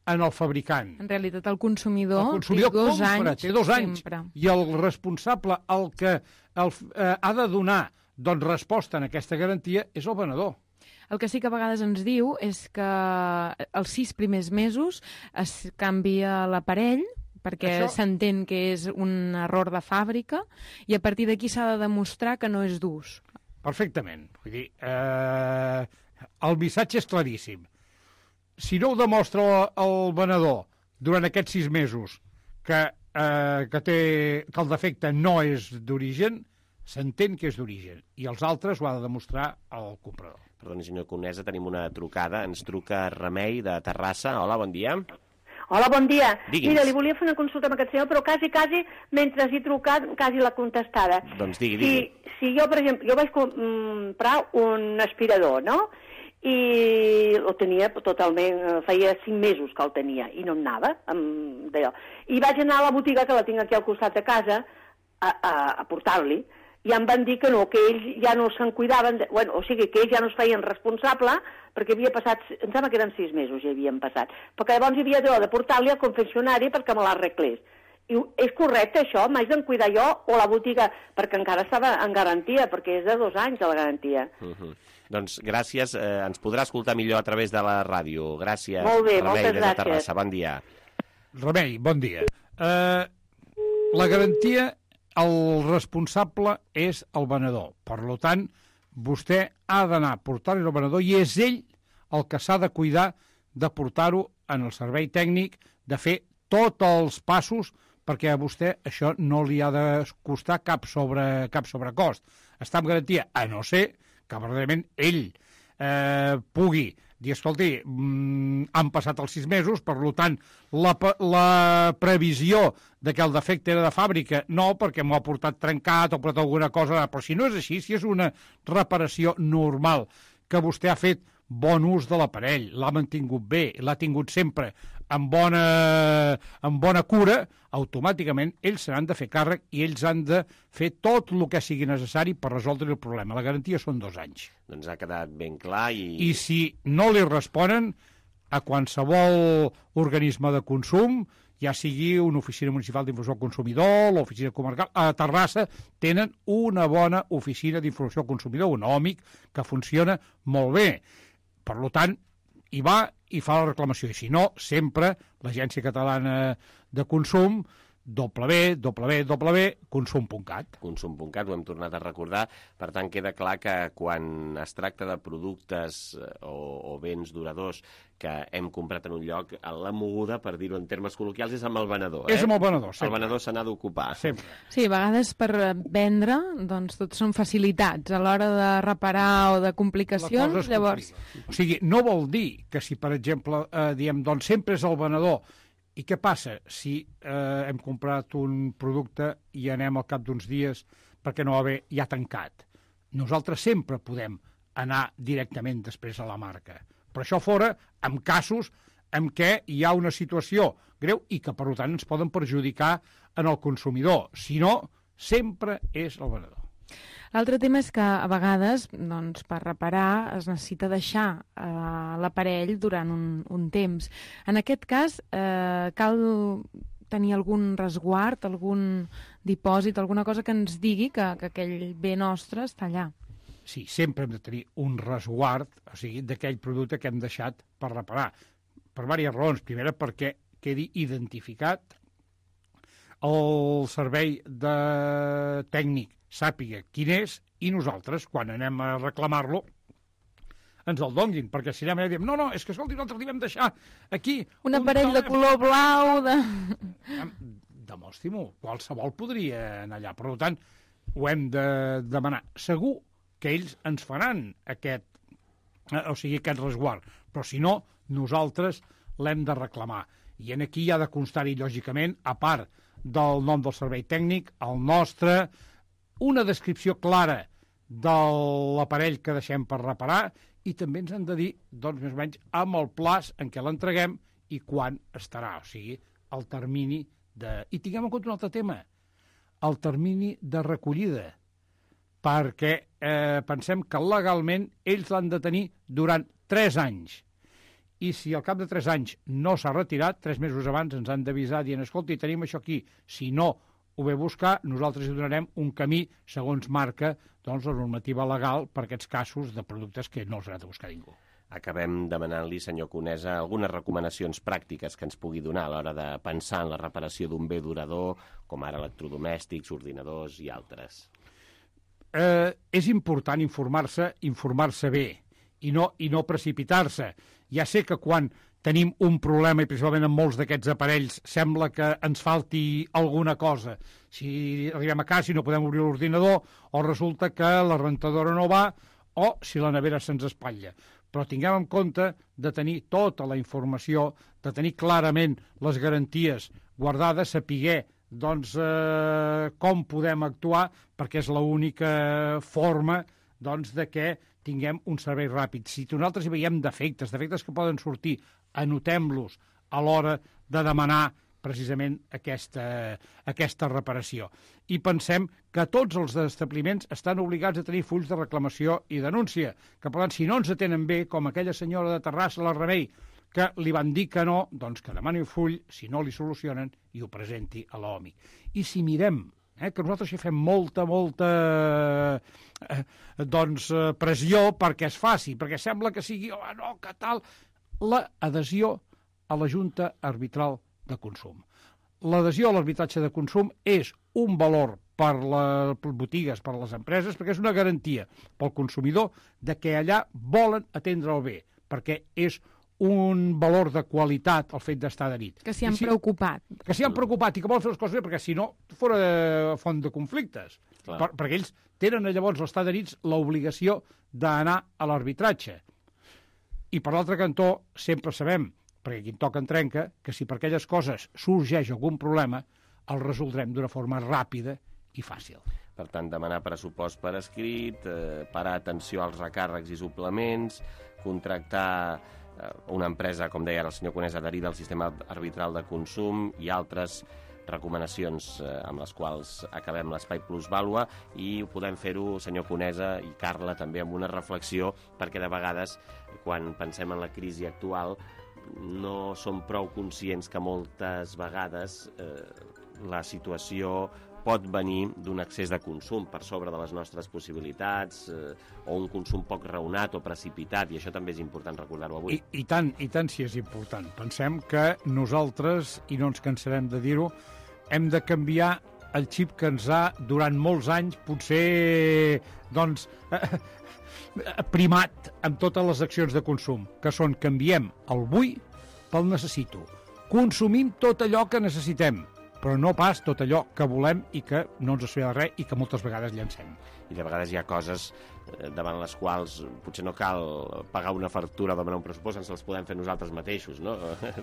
[SPEAKER 18] en el fabricant.
[SPEAKER 17] En realitat, el consumidor,
[SPEAKER 18] el consumidor
[SPEAKER 17] té dos
[SPEAKER 18] compra,
[SPEAKER 17] anys.
[SPEAKER 18] Té dos anys.
[SPEAKER 17] Sempre.
[SPEAKER 18] I el responsable, el que el, eh, ha de donar doncs, resposta en aquesta garantia, és el venedor.
[SPEAKER 17] El que sí que a vegades ens diu és que els sis primers mesos es canvia l'aparell, perquè s'entén que és un error de fàbrica, i a partir d'aquí s'ha de demostrar que no és d'ús.
[SPEAKER 18] Perfectament. Vull dir, eh, el missatge és claríssim. Si no ho demostra el venedor durant aquests sis mesos que, eh, que, té, que el defecte no és d'origen, s'entén que és d'origen, i els altres ho ha de demostrar el comprador.
[SPEAKER 2] Perdoni, senyor Conesa, tenim una trucada. Ens truca Remei, de Terrassa. Hola, bon dia.
[SPEAKER 19] Hola, bon dia.
[SPEAKER 2] Digui'ns.
[SPEAKER 19] Mira, li volia fer una consulta amb aquest senyor, però quasi, quasi, mentre he trucat, quasi l'ha contestada.
[SPEAKER 2] Doncs digui, digui.
[SPEAKER 19] Si, si jo, per exemple, jo vaig comprar un aspirador, no?, i el tenia totalment, feia cinc mesos que el tenia, i no em anava d'allò. I vaig anar a la botiga, que la tinc aquí al costat de casa, a, a, a portar-li, i em van dir que no, que ells ja no se'n cuidaven, de, bueno, o sigui, que ells ja no es feien responsable, perquè havia passat, em sembla que eren sis mesos ja havien passat, perquè llavors hi havia de portar-li al confeccionari perquè me l'arreglés. I és correcte això? M'haig de cuidar jo o la botiga? Perquè encara estava en garantia, perquè és de dos anys la garantia.
[SPEAKER 2] Uh-huh. Doncs gràcies, eh, ens podrà escoltar millor a través de la ràdio. Gràcies,
[SPEAKER 19] Molt bé,
[SPEAKER 2] Remei,
[SPEAKER 19] moltes
[SPEAKER 2] des de
[SPEAKER 19] gràcies.
[SPEAKER 2] Terrassa. Bon dia.
[SPEAKER 18] Remei, bon dia. Uh, la garantia, el responsable és el venedor. Per tant, vostè ha d'anar a portar-ho al venedor i és ell el que s'ha de cuidar de portar-ho en el servei tècnic, de fer tots els passos perquè a vostè això no li ha de costar cap, sobre, cap sobrecost. Està amb garantia, a no ser que verdaderament ell eh, pugui dir, escolti, mm, han passat els sis mesos, per tant, la, la previsió de que el defecte era de fàbrica, no, perquè m'ho ha portat trencat o portat alguna cosa, però si no és així, si és una reparació normal, que vostè ha fet bon ús de l'aparell, l'ha mantingut bé, l'ha tingut sempre amb bona, amb bona cura, automàticament ells se n'han de fer càrrec i ells han de fer tot el que sigui necessari per resoldre el problema. La garantia són dos anys.
[SPEAKER 2] Doncs ha quedat ben clar i...
[SPEAKER 18] I si no li responen, a qualsevol organisme de consum, ja sigui una oficina municipal d'informació al consumidor, l'oficina comarcal, a Terrassa tenen una bona oficina d'informació al consumidor, un òmic, que funciona molt bé. Per tant, hi va i fa la reclamació. I si no, sempre l'Agència Catalana de Consum, w w w punt consum punt cat.
[SPEAKER 2] consum punt cat, ho hem tornat a recordar. Per tant, queda clar que quan es tracta de productes o, o béns duradors que hem comprat en un lloc, la moguda, per dir-ho en termes col·loquials, és amb el venedor. Eh?
[SPEAKER 18] És amb el venedor, sempre.
[SPEAKER 2] El venedor se n'ha d'ocupar.
[SPEAKER 18] Sempre.
[SPEAKER 17] Sí, a vegades per vendre, doncs tot són facilitats. A l'hora de reparar o de complicacions, llavors...
[SPEAKER 18] O sigui, no vol dir que si, per exemple, eh, diem, doncs sempre és el venedor. I què passa si eh, hem comprat un producte i anem al cap d'uns dies perquè no va bé, ja tancat? Nosaltres sempre podem anar directament després a la marca. Però això fora amb casos en què hi ha una situació greu i que, per tant, ens poden perjudicar en el consumidor. Si no, sempre és el venedor.
[SPEAKER 17] L'altre tema és que a vegades, doncs, per reparar es necessita deixar eh, l'aparell durant un, un temps. En aquest cas, eh, cal tenir algun resguard, algun dipòsit, alguna cosa que ens digui que, que aquell bé nostre està allà.
[SPEAKER 18] Sí, sempre hem de tenir un resguard, o sigui, d'aquell producte que hem deixat per reparar. Per diverses raons. Primera, perquè quedi identificat, el servei de tècnic sàpiga quin és i nosaltres, quan anem a reclamar-lo, ens el donguin, perquè si anem a dir, no, no, és que, escolti, nosaltres li vam deixar aquí...
[SPEAKER 17] Un aparell un de color blau, de...
[SPEAKER 18] Demostri-m'ho, qualsevol podria anar allà. Per tant, ho hem de demanar. Segur que ells ens faran aquest, o sigui, aquest resguard, però si no, nosaltres l'hem de reclamar. I en aquí hi ha de constar-hi, lògicament, a part del nom del servei tècnic, el nostre, una descripció clara de l'aparell que deixem per reparar i també ens han de dir, doncs, més o menys, amb el plaç en què l'entreguem i quan estarà, o sigui, el termini de... I tinguem en compte un altre tema, el termini de recollida, perquè eh, pensem que legalment ells l'han de tenir durant tres anys. I si al cap de tres anys no s'ha retirat, tres mesos abans ens han d'avisar dient, escolti, tenim això aquí, si no ho ve buscar, nosaltres hi donarem un camí segons marca doncs, la normativa legal per aquests casos de productes que no els ha de buscar ningú.
[SPEAKER 2] Acabem demanant-li, senyor Conesa, algunes recomanacions pràctiques que ens pugui donar a l'hora de pensar en la reparació d'un bé durador, com ara electrodomèstics, ordinadors i altres.
[SPEAKER 18] Eh, és important informar-se, informar-se bé, i no, i no precipitar-se. Ja sé que quan tenim un problema, i principalment en molts d'aquests aparells, sembla que ens falti alguna cosa. Si arribem a casa i no podem obrir l'ordinador, o resulta que la rentadora no va, o si la nevera se'ns espatlla. Però tinguem en compte de tenir tota la informació, de tenir clarament les garanties guardades, saber doncs, eh, com podem actuar, perquè és l'única forma doncs, de que tinguem un servei ràpid. Si nosaltres hi veiem defectes, defectes que poden sortir, anotem-los a l'hora de demanar precisament aquesta, aquesta reparació. I pensem que tots els establiments estan obligats a tenir fulls de reclamació i denúncia, que per tant, si no ens atenen bé, com aquella senyora de Terrassa, la Remei, que li van dir que no, doncs que demani el full, si no li solucionen, i ho presenti a l'O M I. I si mirem, eh, que nosaltres hi fem molta, molta eh, doncs, eh, pressió perquè es faci, perquè sembla que sigui, oh, no, que tal, l'adhesió a la Junta Arbitral de Consum. L'adhesió a l'arbitratge de consum és un valor per les botigues, per les empreses, perquè és una garantia pel consumidor de que allà volen atendre el bé, perquè és un valor de qualitat el fet d'estar adherit.
[SPEAKER 17] Que s'hi han
[SPEAKER 18] si,
[SPEAKER 17] preocupat.
[SPEAKER 18] Que s'hi han preocupat i que volen fer les coses bé, perquè si no, fora font de conflictes. Per, perquè ells tenen llavors, els estar adherits, l'obligació d'anar a l'arbitratge. I per l'altre cantó, sempre sabem, perquè aquí en toca en trenca, que si per aquelles coses sorgeix algun problema, el resoldrem d'una forma ràpida i fàcil.
[SPEAKER 2] Per tant, demanar pressupost per escrit, eh, parar atenció als recàrrecs i suplements, contractar eh, una empresa, com deia el senyor Conesa, adherida al sistema arbitral de consum i altres recomanacions eh, amb les quals acabem l'Espai Plusvàlua, i podem fer-ho, senyor Conesa i Carla, també amb una reflexió, perquè de vegades, quan pensem en la crisi actual, no som prou conscients que moltes vegades eh, la situació pot venir d'un excés de consum per sobre de les nostres possibilitats, eh, o un consum poc raonat o precipitat, i això també és important recordar-ho avui.
[SPEAKER 18] I, i tant, i tant si és important. Pensem que nosaltres, i no ens cansarem de dir-ho, hem de canviar el xip que ens ha, durant molts anys, potser, doncs, eh, primat amb totes les accions de consum, que són canviem el vull pel necessito. Consumim tot allò que necessitem, però no pas tot allò que volem i que no ens assumia de res i que moltes vegades llancem.
[SPEAKER 2] I de vegades hi ha coses davant les quals potser no cal pagar una factura o demanar un pressupost, ens els podem fer nosaltres mateixos, no?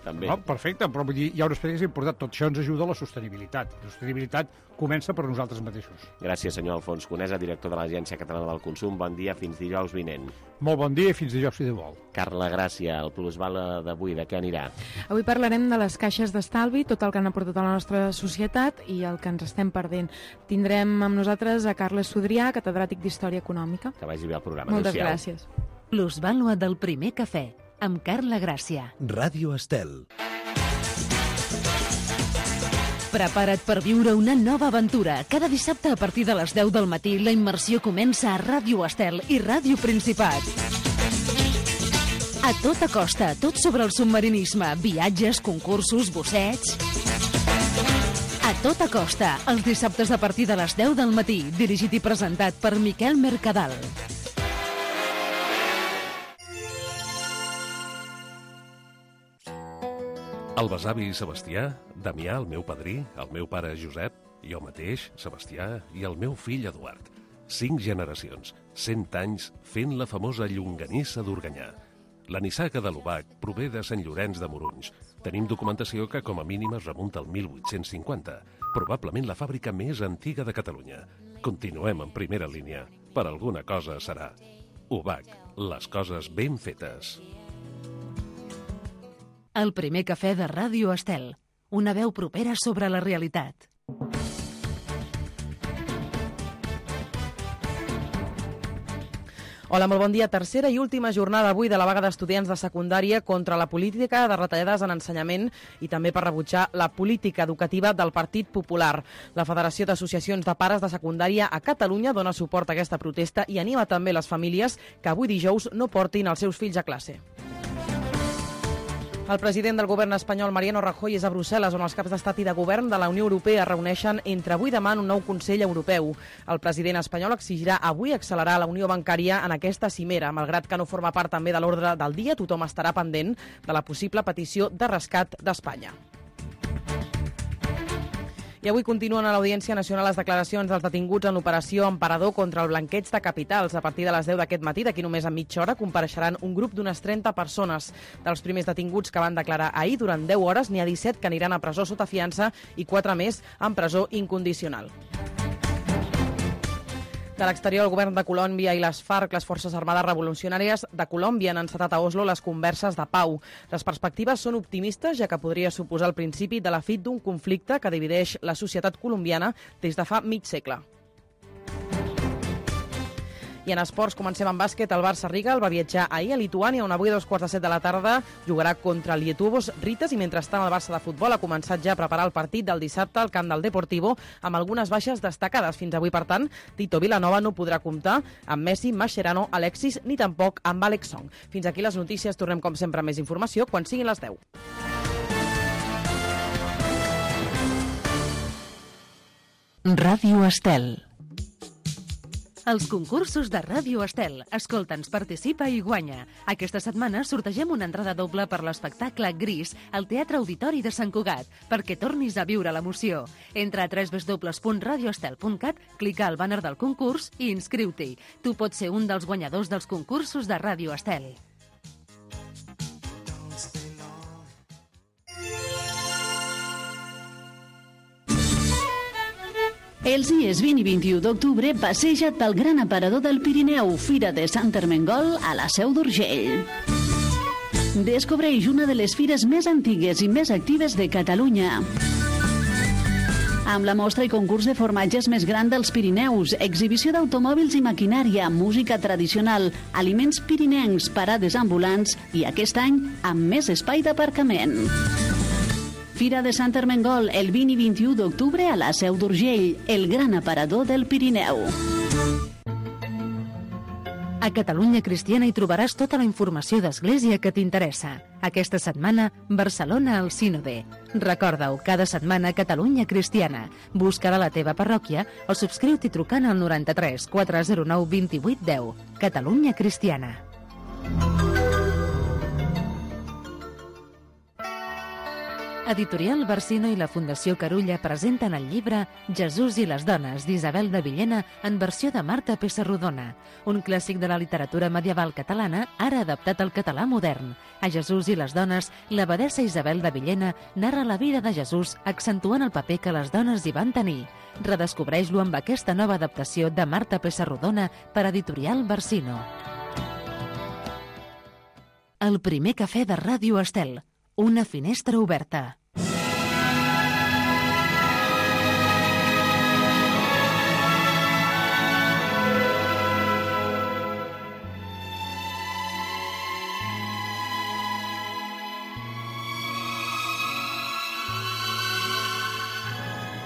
[SPEAKER 2] També.
[SPEAKER 18] No, perfecte, però vull dir, hi ha un aspecte que és important. Tot això ens ajuda a la sostenibilitat. La sostenibilitat comença per nosaltres mateixos.
[SPEAKER 2] Gràcies, senyor Alfons Conesa, director de l'Agència Catalana del Consum. Bon dia, fins dijous vinent.
[SPEAKER 18] Molt bon dia i fins dijous, si de vol.
[SPEAKER 2] Carla Gràcia, el Plusvàlua d'avui, de què anirà?
[SPEAKER 17] Avui parlarem de les caixes d'estalvi, tot el que han aportat a la nostra societat i el que ens estem perdent. Tindrem amb nosaltres a Carles Sodrià, catedràtic d'Història Econòmica.
[SPEAKER 2] Que vagi bé el programa.
[SPEAKER 17] Moltes gràcies.
[SPEAKER 1] Plusvàlua del primer cafè, amb Carla Gràcia.
[SPEAKER 20] Ràdio Estel.
[SPEAKER 1] Prepara't per viure una nova aventura. Cada dissabte a partir de les deu del matí la immersió comença a Ràdio Estel i Ràdio Principat. A tota costa, tot sobre el submarinisme, viatges, concursos, bossets... A tota costa, els dissabtes a partir de les deu del matí, dirigit i presentat per Miquel Mercadal.
[SPEAKER 20] El besavi Sebastià, Damià, el meu padrí, el meu pare Josep, jo mateix, Sebastià, i el meu fill Eduard. Cinc generacions, cent anys, fent la famosa llonganissa d'Organyà. La nissaga de l'Obac prové de Sant Llorenç de Morunys. Tenim documentació que com a mínim es remunta al mil vuit-cents cinquanta, probablement la fàbrica més antiga de Catalunya. Continuem en primera línia. Per alguna cosa serà. Obac, les coses ben fetes.
[SPEAKER 1] El primer cafè de Ràdio Estel. Una veu propera sobre la realitat.
[SPEAKER 3] Hola, molt bon dia. Tercera i última jornada avui de la vaga d'estudiants de secundària contra la política de retallades en ensenyament i també per rebutjar la política educativa del Partit Popular. La Federació d'Associacions de Pares de Secundària a Catalunya dona suport a aquesta protesta i anima també les famílies que avui dijous no portin els seus fills a classe. El president del govern espanyol, Mariano Rajoy, és a Brussel·les, on els caps d'estat i de govern de la Unió Europea es reuneixen entre avui i demà en un nou Consell Europeu. El president espanyol exigirà avui accelerar la unió bancària en aquesta cimera. Malgrat que no forma part també de l'ordre del dia, tothom estarà pendent de la possible petició de rescat d'Espanya. I avui continuen a l'Audiència Nacional les declaracions dels detinguts en l'operació Emperador contra el blanqueig de capitals. A partir de les deu d'aquest matí, d'aquí només a mitja hora, compareixeran un grup d'unes trenta persones. Dels primers detinguts que van declarar ahir, durant deu hores, n'hi ha disset que aniran a presó sota fiança i quatre més en presó incondicional. De l'exterior, el govern de Colòmbia i les FARC, les Forces Armades Revolucionàries de Colòmbia, han encetat a Oslo les converses de pau. Les perspectives són optimistes, ja que podria suposar el principi de la fi d'un conflicte que divideix la societat colombiana des de fa mig segle. I en esports comencem amb bàsquet. El Barça Riga va viatjar ahir a Lituània, on avui a dos quarts de set de la tarda jugarà contra el Lietuvos Ritas, i mentrestant el Barça de futbol ha començat ja a preparar el partit del dissabte al camp del Deportivo, amb algunes baixes destacades. Fins avui, per tant, Tito Vilanova no podrà comptar amb Messi, Mascherano, Alexis, ni tampoc amb Alex Song. Fins aquí les notícies. Tornem, com sempre, amb més informació quan siguin les deu.
[SPEAKER 1] Ràdio Estel. Els concursos de Ràdio Estel. Escolta'ns, participa i guanya. Aquesta setmana sortegem una entrada doble per l'espectacle Gris al Teatre Auditori de Sant Cugat, perquè tornis a viure l'emoció. Entra a w w w punt radio estel punt cat, clica al bàner del concurs i inscriu-t'hi. Tu pots ser un dels guanyadors dels concursos de Ràdio Estel.
[SPEAKER 11] Els dies vint i vint-i-u d'octubre passeja't pel gran aparador del Pirineu, Fira de Sant Ermengol, a la Seu d'Urgell. Descobreix una de les fires més antigues i més actives de Catalunya. Amb la mostra i concurs de formatges més gran dels Pirineus, exhibició d'automòbils i maquinària, música tradicional, aliments pirinencs, parades ambulants i aquest any amb més espai d'aparcament. Fira de Sant Ermengol, el vint i vint-i-u d'octubre a la Seu d'Urgell, el gran aparador del Pirineu.
[SPEAKER 1] A Catalunya Cristiana hi trobaràs tota la informació d'Església que t'interessa. Aquesta setmana, Barcelona al Sínode. Recorda-ho, cada setmana Catalunya Cristiana. Busca-la a la teva parròquia o subscriu-t'hi trucant al noranta-tres quatre zero nou vint vuit deu. Catalunya Cristiana. Editorial Barsino i la Fundació Carulla presenten el llibre Jesús i les dones, d'Isabel de Villena, en versió de Marta Pessarrodona, un clàssic de la literatura medieval catalana, ara adaptat al català modern. A Jesús i les dones, l'abadessa Isabel de Villena narra la vida de Jesús, accentuant el paper que les dones hi van tenir. Redescobreix-lo amb aquesta nova adaptació de Marta Pessarrodona per Editorial Barsino. El primer cafè de Ràdio Estel. Una finestra oberta.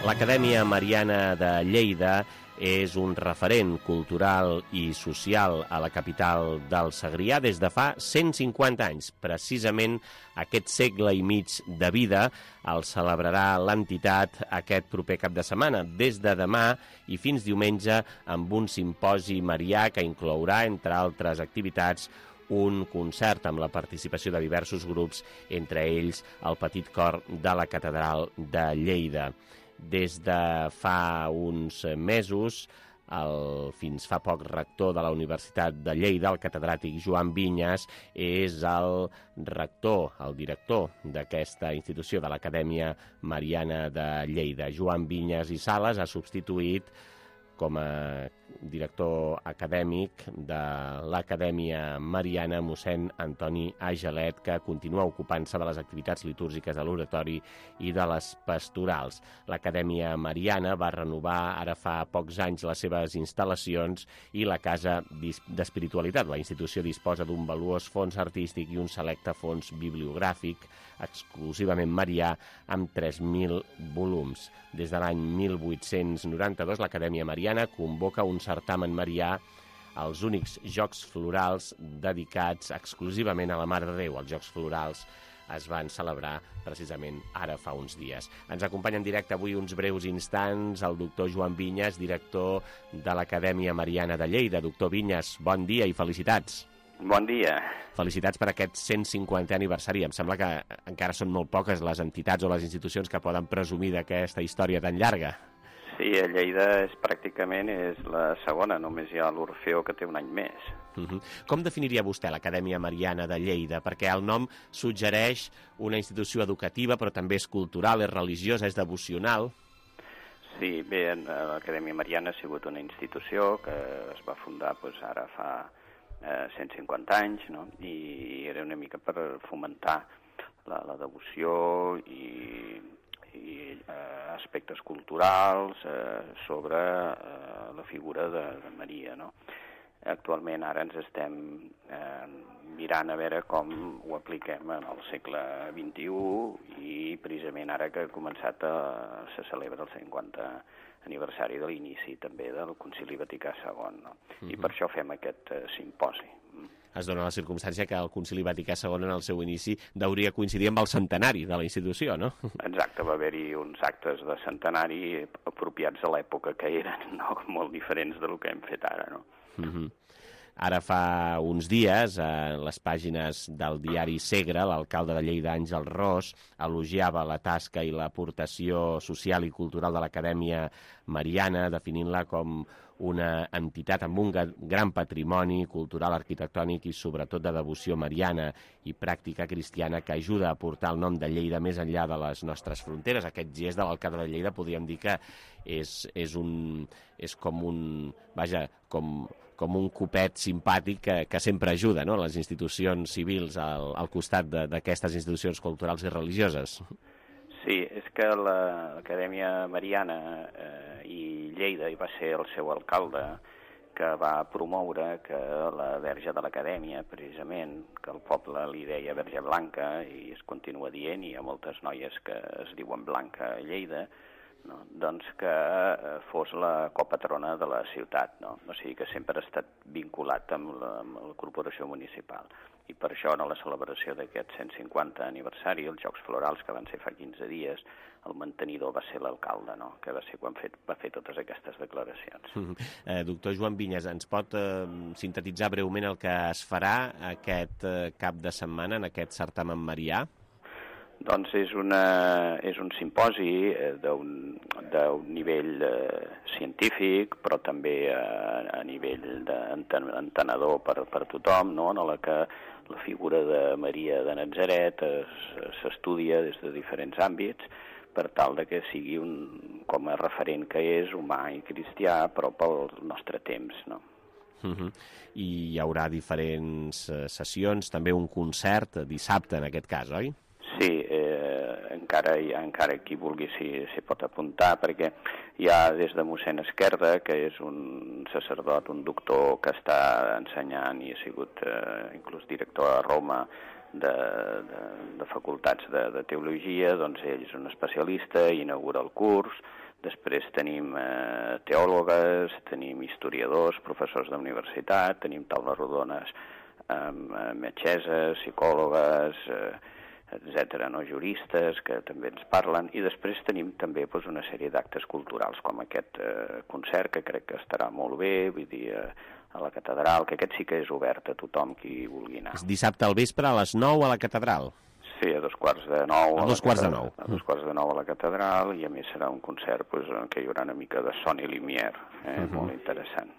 [SPEAKER 2] L'Acadèmia Mariana de Lleida és un referent cultural i social a la capital del Segrià des de fa cent cinquanta anys. Precisament aquest segle i mig de vida el celebrarà l'entitat aquest proper cap de setmana, des de demà i fins diumenge, amb un simposi marià que inclourà, entre altres activitats, un concert amb la participació de diversos grups, entre ells el Petit Cor de la Catedral de Lleida. Des de fa uns mesos, el fins fa poc rector de la Universitat de Lleida, el catedràtic Joan Vinyes, és el rector, el director d'aquesta institució, de l'Acadèmia Mariana de Lleida. Joan Vinyes i Sales ha substituït com a director acadèmic de l'Acadèmia Mariana mossèn Antoni Agelet, que continua ocupant-se de les activitats litúrgiques de l'oratori i de les pastorals. L'Acadèmia Mariana va renovar ara fa pocs anys les seves instal·lacions i la Casa d'Espiritualitat. La institució disposa d'un valuós fons artístic i un selecte fons bibliogràfic exclusivament marià amb tres mil volums. Des de l'any mil vuit-cents noranta-dos, l'Acadèmia Mariana convoca un certamen marià, els únics Jocs Florals dedicats exclusivament a la Mare de Déu. Els Jocs Florals es van celebrar precisament ara fa uns dies. Ens acompanya en directe avui uns breus instants el doctor Joan Vinyes, director de l'Acadèmia Mariana de Lleida. Doctor Vinyes, bon dia i felicitats.
[SPEAKER 21] Bon dia.
[SPEAKER 2] Felicitats per aquest cent cinquantè aniversari. Em sembla que encara són molt poques les entitats o les institucions que poden presumir d'aquesta història tan llarga.
[SPEAKER 21] Sí, a Lleida és pràcticament és la segona, només hi ha l'Orfeó que té un any més.
[SPEAKER 2] Uh-huh. Com definiria vostè l'Acadèmia Mariana de Lleida? Perquè el nom suggereix una institució educativa, però també és cultural, és religiosa, és devocional.
[SPEAKER 21] Sí, bé, l'Acadèmia Mariana ha sigut una institució que es va fundar doncs, ara fa eh, cent cinquanta anys, no? I era una mica per fomentar la, la devoció i, i eh, aspectes culturals eh, sobre eh, la figura de, de Maria, no? Actualment ara ens estem eh, mirant a veure com ho apliquem en el segle vint-i-u i precisament ara que ha començat a, se celebra el cinquanta aniversari de l'inici també del Concili Vaticà segon, no? Uh-huh. I per això fem aquest eh, simposi.
[SPEAKER 2] Es dona la circumstància que el Concili Vaticà segon en el seu inici hauria coincidir amb el centenari de la institució, no?
[SPEAKER 21] Exacte, va haver-hi uns actes de centenari apropiats a l'època que eren, no? Molt diferents del que hem fet ara, no?
[SPEAKER 2] Uh-huh. Ara fa uns dies, a les pàgines del diari Segre, l'alcalde de Lleida, Àngel Ros, elogiava la tasca i l'aportació social i cultural de l'Acadèmia Mariana, definint-la com una entitat amb un gran patrimoni cultural, arquitectònic i sobretot de devoció mariana i pràctica cristiana que ajuda a portar el nom de Lleida més enllà de les nostres fronteres. Aquest gest de l'alcalde de Lleida podríem dir que és, és, un, és com un... Vaja, com... com un copet simpàtic que, que sempre ajuda, no?, les institucions civils al, al costat d'aquestes institucions culturals i religioses.
[SPEAKER 21] Sí, és que l'Acadèmia Mariana eh, i Lleida hi va ser el seu alcalde que va promoure que la verge de l'Acadèmia, precisament, que el poble li deia Verge Blanca, i es continua dient, i hi ha moltes noies que es diuen Blanca a Lleida, no? Doncs que eh, fos la copatrona de la ciutat, no? O sigui que sempre ha estat vinculat amb la, amb la corporació municipal. I per això, en la celebració d'aquest cent cinquanta aniversari, els Jocs Florals, que van ser fa quinze dies, el mantenidor va ser l'alcalde, no? Que va ser quan fet, va fer totes aquestes declaracions.
[SPEAKER 2] Mm-hmm. eh, doctor Joan Vinyes, ens pot eh, sintetitzar breument el que es farà aquest eh, cap de setmana en aquest certamen marià?
[SPEAKER 21] Doncs és, una, és un simposi eh, d'un nivell eh, científic, però també eh, a nivell d'entenedor per, per tothom, no?, en la que la figura de Maria de Natzaret s'estudia des de diferents àmbits per tal de que sigui un, com a referent que és, humà i cristià, però pel nostre temps, no?
[SPEAKER 2] Uh-huh. I hi haurà diferents eh, sessions, també un concert dissabte en aquest cas, oi?
[SPEAKER 21] Sí, eh, encara, encara qui vulgui s'hi pot apuntar, perquè hi ha des de mossèn Esquerda, que és un sacerdot, un doctor que està ensenyant i ha sigut eh, inclús director a Roma de, de, de facultats de, de teologia, doncs ell és un especialista, inaugura el curs. Després tenim eh, teòlogues, tenim historiadors, professors d'universitat, tenim taules rodones amb eh, metgesses, psicòlogues, eh, etcètera, no? Juristes que també ens parlen, i després tenim també doncs, una sèrie d'actes culturals com aquest eh, concert, que crec que estarà molt bé, vull dir, eh, a la catedral, que aquest sí que és obert a tothom qui vulgui anar.
[SPEAKER 2] És dissabte al vespre a les nou a la catedral.
[SPEAKER 21] Sí, a dos quarts de nou.
[SPEAKER 2] A dos quarts de nou.
[SPEAKER 21] A dos quarts de nou a la catedral, i a més serà un concert doncs, en què hi haurà una mica de son i limier, eh? Uh-huh. Molt interessant.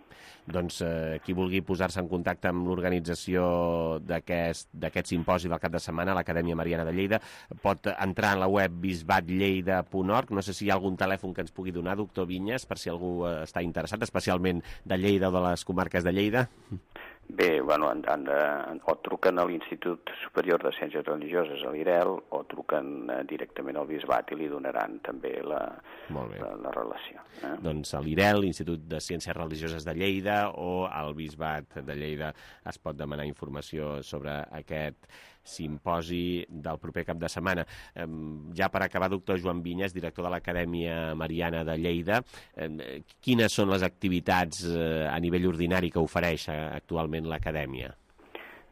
[SPEAKER 2] Doncs eh, qui vulgui posar-se en contacte amb l'organització d'aquest simposi del cap de setmana a l'Acadèmia Mariana de Lleida pot entrar en la web bisbat lleida punt org. No sé si hi ha algun telèfon que ens pugui donar, doctor Vinyes, per si algú està interessat, especialment de Lleida o de les comarques de Lleida.
[SPEAKER 21] Bé, bueno, han, han de, o truquen a l'Institut Superior de Ciències Religioses, a l'I R E L, o truquen eh, directament al Bisbat i li donaran també la, la, la relació. Eh?
[SPEAKER 2] Doncs a l'I R E L, l'Institut de Ciències Religioses de Lleida, o al Bisbat de Lleida es pot demanar informació sobre aquest simposi del proper cap de setmana. Eh, ja per acabar, doctor Joan Vinyes, director de l'Acadèmia Mariana de Lleida, eh, quines són les activitats eh, a nivell ordinari que ofereix eh, actualment l'Acadèmia?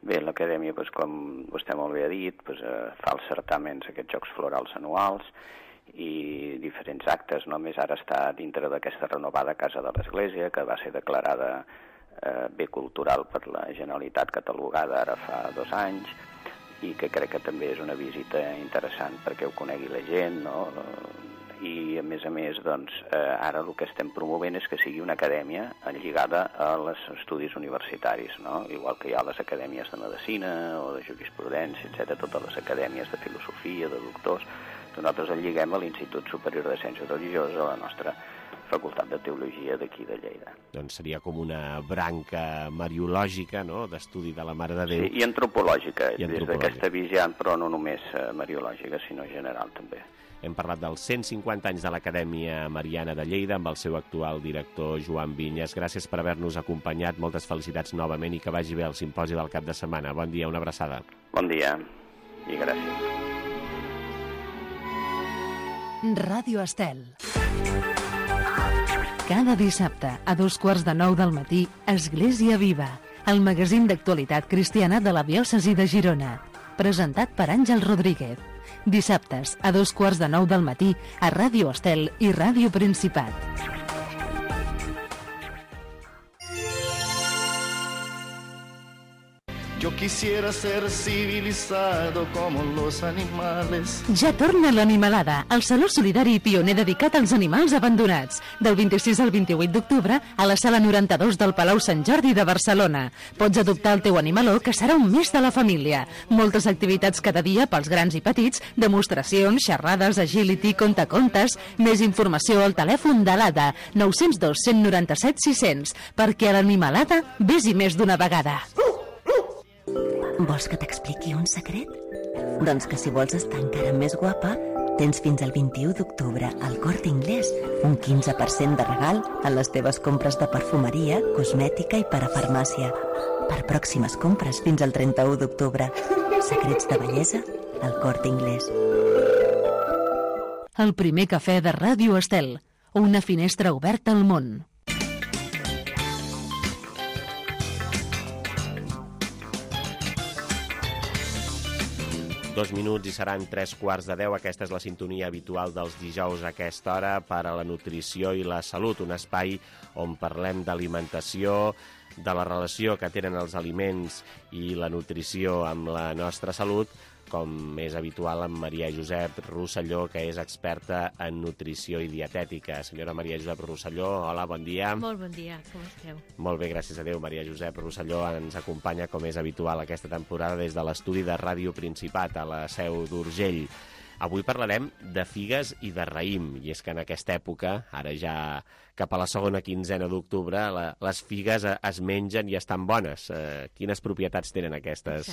[SPEAKER 21] Bé, l'Acadèmia, doncs, com vostè molt bé ha dit, doncs, eh, fa els certàmens, aquests Jocs Florals anuals, i diferents actes. Només ara està dintre d'aquesta renovada Casa de l'Església, que va ser declarada eh, bé cultural per la Generalitat, catalogada ara fa dos anys, i que crec que també és una visita interessant perquè ho conegui la gent, no? I, a més a més, doncs, eh, ara el que estem promovent és que sigui una acadèmia lligada als estudis universitaris, no? Igual que hi ha les acadèmies de medicina o de jurisprudència, etcètera, totes les acadèmies de filosofia, de doctors. Nosaltres el lliguem a l'Institut Superior de Ciències Religioses, a la nostra Facultat de Teologia d'aquí de Lleida.
[SPEAKER 2] Doncs seria com una branca mariològica, no?, d'estudi de la Mare de Déu.
[SPEAKER 21] Sí, i antropològica, I antropològica. Des d'aquesta visió, però no només mariològica, sinó general també.
[SPEAKER 2] Hem parlat dels cent cinquanta anys de l'Acadèmia Mariana de Lleida amb el seu actual director Joan Vinyes. Gràcies per haver-nos acompanyat, moltes felicitats novament i que vagi bé el simposi del cap de setmana. Bon dia, una abraçada.
[SPEAKER 21] Bon dia i gràcies.
[SPEAKER 1] Ràdio Estel. Cada dissabte, a dos quarts de nou del matí, Església Viva, el magazín d'actualitat cristiana de la diòcesi de Girona. Presentat per Àngel Rodríguez. Dissabtes, a dos quarts de nou del matí, a Ràdio Estel i Ràdio Principat.
[SPEAKER 4] Yo quisiera ser civilizado como los animales.
[SPEAKER 1] Ja torna l'Animalada, el saló solidari i pioner dedicat als animals abandonats. Del vint-i-sis al vint-i-vuit d'octubre a la sala noranta-dos del Palau Sant Jordi de Barcelona. Pots adoptar el teu animaló, que serà un mes de la família. Moltes activitats cada dia pels grans i petits, demostracions, xerrades, agility, contacontes. Més informació al telèfon de l'A D A, nou zero dos, cent noranta-set, sis cents, perquè a l'Animalada vés-hi més d'una vegada.
[SPEAKER 5] Vols que t'expliqui un secret? Doncs que si vols estar encara més guapa, tens fins al vint-i-u d'octubre al Corte Inglés un quinze per cent de regal a les teves compres de perfumeria, cosmètica i parafarmàcia. Per pròximes compres fins al trenta-u d'octubre. Secrets de bellesa al Corte Inglés.
[SPEAKER 1] El primer cafè de Ràdio Estel, una finestra oberta al món.
[SPEAKER 2] Dos minuts i seran tres quarts de deu. Aquesta és la sintonia habitual dels dijous a aquesta hora per a la nutrició i la salut, un espai on parlem d'alimentació, de la relació que tenen els aliments i la nutrició amb la nostra salut, com és habitual amb Maria Josep Rosselló, que és experta en nutrició i dietètica. Senyora Maria Josep Rosselló, hola, bon dia.
[SPEAKER 22] Molt bon dia, com esteu?
[SPEAKER 2] Molt bé, gràcies a Déu. Maria Josep Rosselló ens acompanya, com és habitual aquesta temporada, des de l'estudi de Ràdio Principat, a la Seu d'Urgell. Avui parlarem de figues i de raïm, i és que en aquesta època, ara ja cap a la segona quinzena d'octubre, la, les figues es mengen i estan bones. Eh, quines propietats tenen aquestes,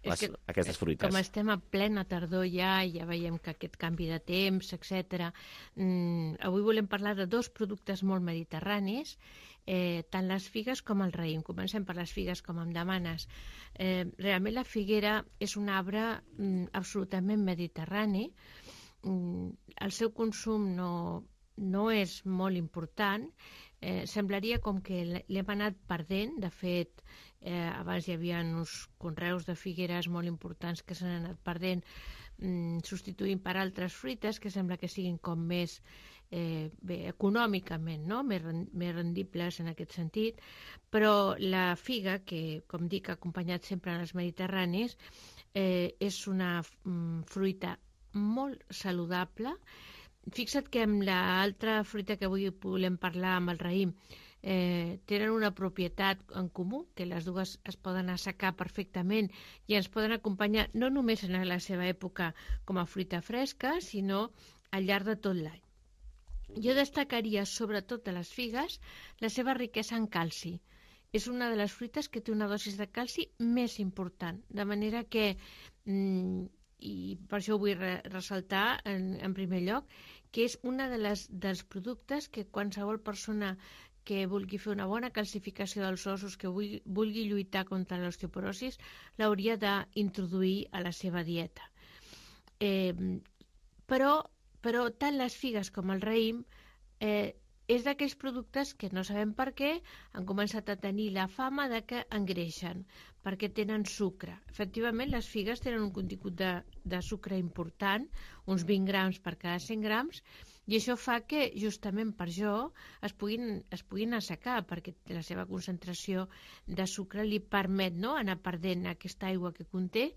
[SPEAKER 2] les,
[SPEAKER 22] que,
[SPEAKER 2] aquestes fruites?
[SPEAKER 22] Com estem a plena tardor ja, ja veiem que aquest canvi de temps, etcètera. Mm, avui volem parlar de dos productes molt mediterranis, eh, tant les figues com el raïm. Comencem per les figues, com em demanes. Eh, realment la figuera és un arbre mm, absolutament mediterrani. Mm, el seu consum no, no és molt important. Eh, semblaria com que l'hem anat perdent. De fet, eh, abans hi havia uns conreus de figueres molt importants que s'han anat perdent, mm, substituint per altres fruites que sembla que siguin com més eh, bé, econòmicament, no? més, més rendibles en aquest sentit, però la figa, que com dic ha acompanyat sempre en els mediterranis, eh, és una mm, fruita molt saludable. Fixa't que amb l'altra fruita que avui volem parlar, amb el raïm, eh, tenen una propietat en comú, que les dues es poden assecar perfectament i ens poden acompanyar no només en la seva època com a fruita fresca, sinó al llarg de tot l'any. Jo destacaria sobretot de les figues la seva riquesa en calci. És una de les fruites que té una dosis de calci més important, de manera que, mm, i per això ho vull re ressaltar en, en primer lloc, que és una de les, dels productes que qualsevol persona que vulgui fer una bona calcificació dels ossos, que vulgui, vulgui lluitar contra l'osteoporosis, l'hauria d'introduir a la seva dieta. Eh, però, però tant les figues com el raïm eh, és d'aquells productes que no sabem per què han començat a tenir la fama de que engreixen, perquè tenen sucre. Efectivament, les figues tenen un contingut de, de sucre important, uns vint grams per cada cent grams, i això fa que, justament per això, es puguin, es puguin assecar, perquè la seva concentració de sucre li permet, no?, anar perdent aquesta aigua que conté,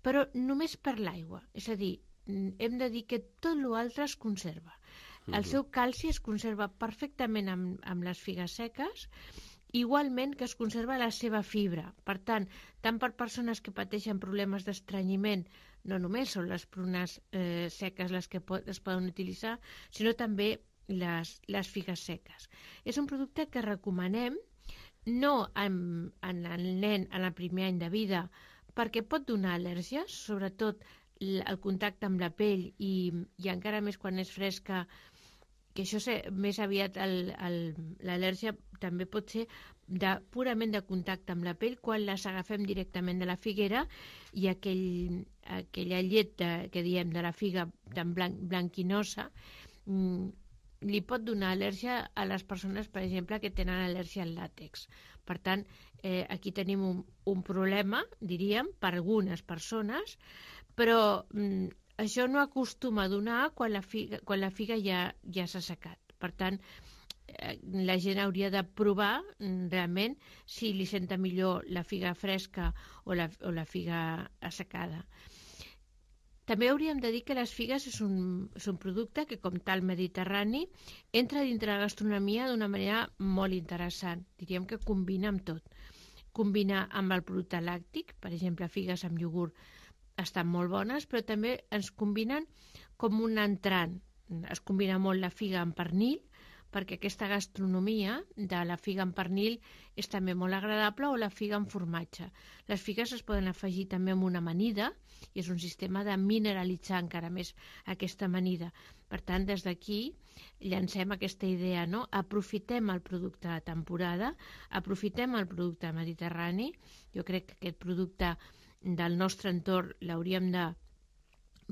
[SPEAKER 22] però només per l'aigua. És a dir, hem de dir que tot l'altre es conserva. El seu calci es conserva perfectament amb, amb les figues seques, igualment que es conserva la seva fibra. Per tant, tant per persones que pateixen problemes d'estrenyiment, no només són les prunes eh, seques les que pot, es poden utilitzar, sinó també les, les figues seques. És un producte que recomanem no en, en el nen en el primer any de vida, perquè pot donar al·lèrgies, sobretot el contacte amb la pell i, i encara més quan és fresca, que això sé, més aviat l'al·lèrgia també pot ser de, purament de contacte amb la pell quan les agafem directament de la figuera i aquell, aquella llet de, que diem de la figa tan blanc, blanquinosa mm, li pot donar al·lèrgia a les persones, per exemple, que tenen al·lèrgia al làtex. Per tant, eh, aquí tenim un, un problema, diríem, per algunes persones, però mm, això no acostuma a donar quan la figa, quan la figa ja, ja s'ha secat. Per tant, eh, la gent hauria de provar mm, realment si li senta millor la figa fresca o la, o la figa assecada. També hauríem de dir que les figues és un, és un producte que, com tal mediterrani, entra dintre la gastronomia d'una manera molt interessant. Diríem que combina amb tot. Combina amb el producte làctic, per exemple, figues amb iogurt, estan molt bones, però també ens combinen com un entrant. Es combina molt la figa amb pernil, perquè aquesta gastronomia de la figa amb pernil és també molt agradable, o la figa amb formatge. Les figues es poden afegir també amb una amanida, i és un sistema de mineralitzar encara més aquesta amanida. Per tant, des d'aquí llancem aquesta idea, no? Aprofitem el producte de temporada, aprofitem el producte mediterrani. Jo crec que aquest producte del nostre entorn l'hauríem de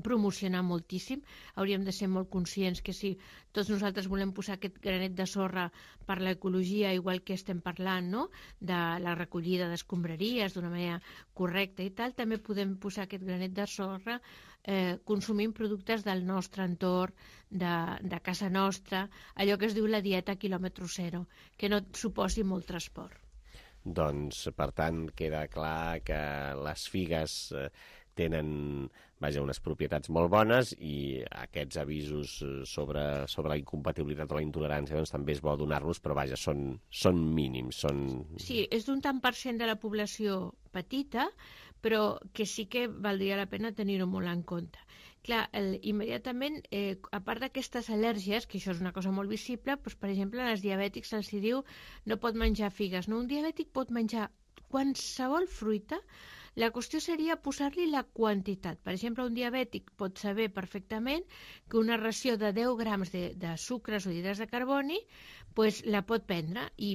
[SPEAKER 22] promocionar moltíssim, hauríem de ser molt conscients que si tots nosaltres volem posar aquest granet de sorra per l'ecologia, igual que estem parlant, no?, de la recollida d'escombraries d'una manera correcta i tal, també podem posar aquest granet de sorra eh, consumint productes del nostre entorn, de, de casa nostra, allò que es diu la dieta quilòmetre zero, que no suposi molt transport.
[SPEAKER 2] Doncs, per tant, queda clar que les figues eh, tenen, vaja, unes propietats molt bones i aquests avisos sobre, sobre la incompatibilitat o la intolerància doncs, també és bo donar-los, però vaja, són, són mínims. Són...
[SPEAKER 22] Sí, és d'un tant per cent de la població petita, però que sí que valdria la pena tenir-ho molt en compte. Clar, el, immediatament, eh, a part d'aquestes al·lèrgies, que això és una cosa molt visible, doncs, per exemple, als diabètics se'ls diu no pot menjar figues. No? Un diabètic pot menjar qualsevol fruita. La qüestió seria posar-li la quantitat. Per exemple, un diabètic pot saber perfectament que una ració de deu grams de, de sucres o hidrats de carboni pues, la pot prendre i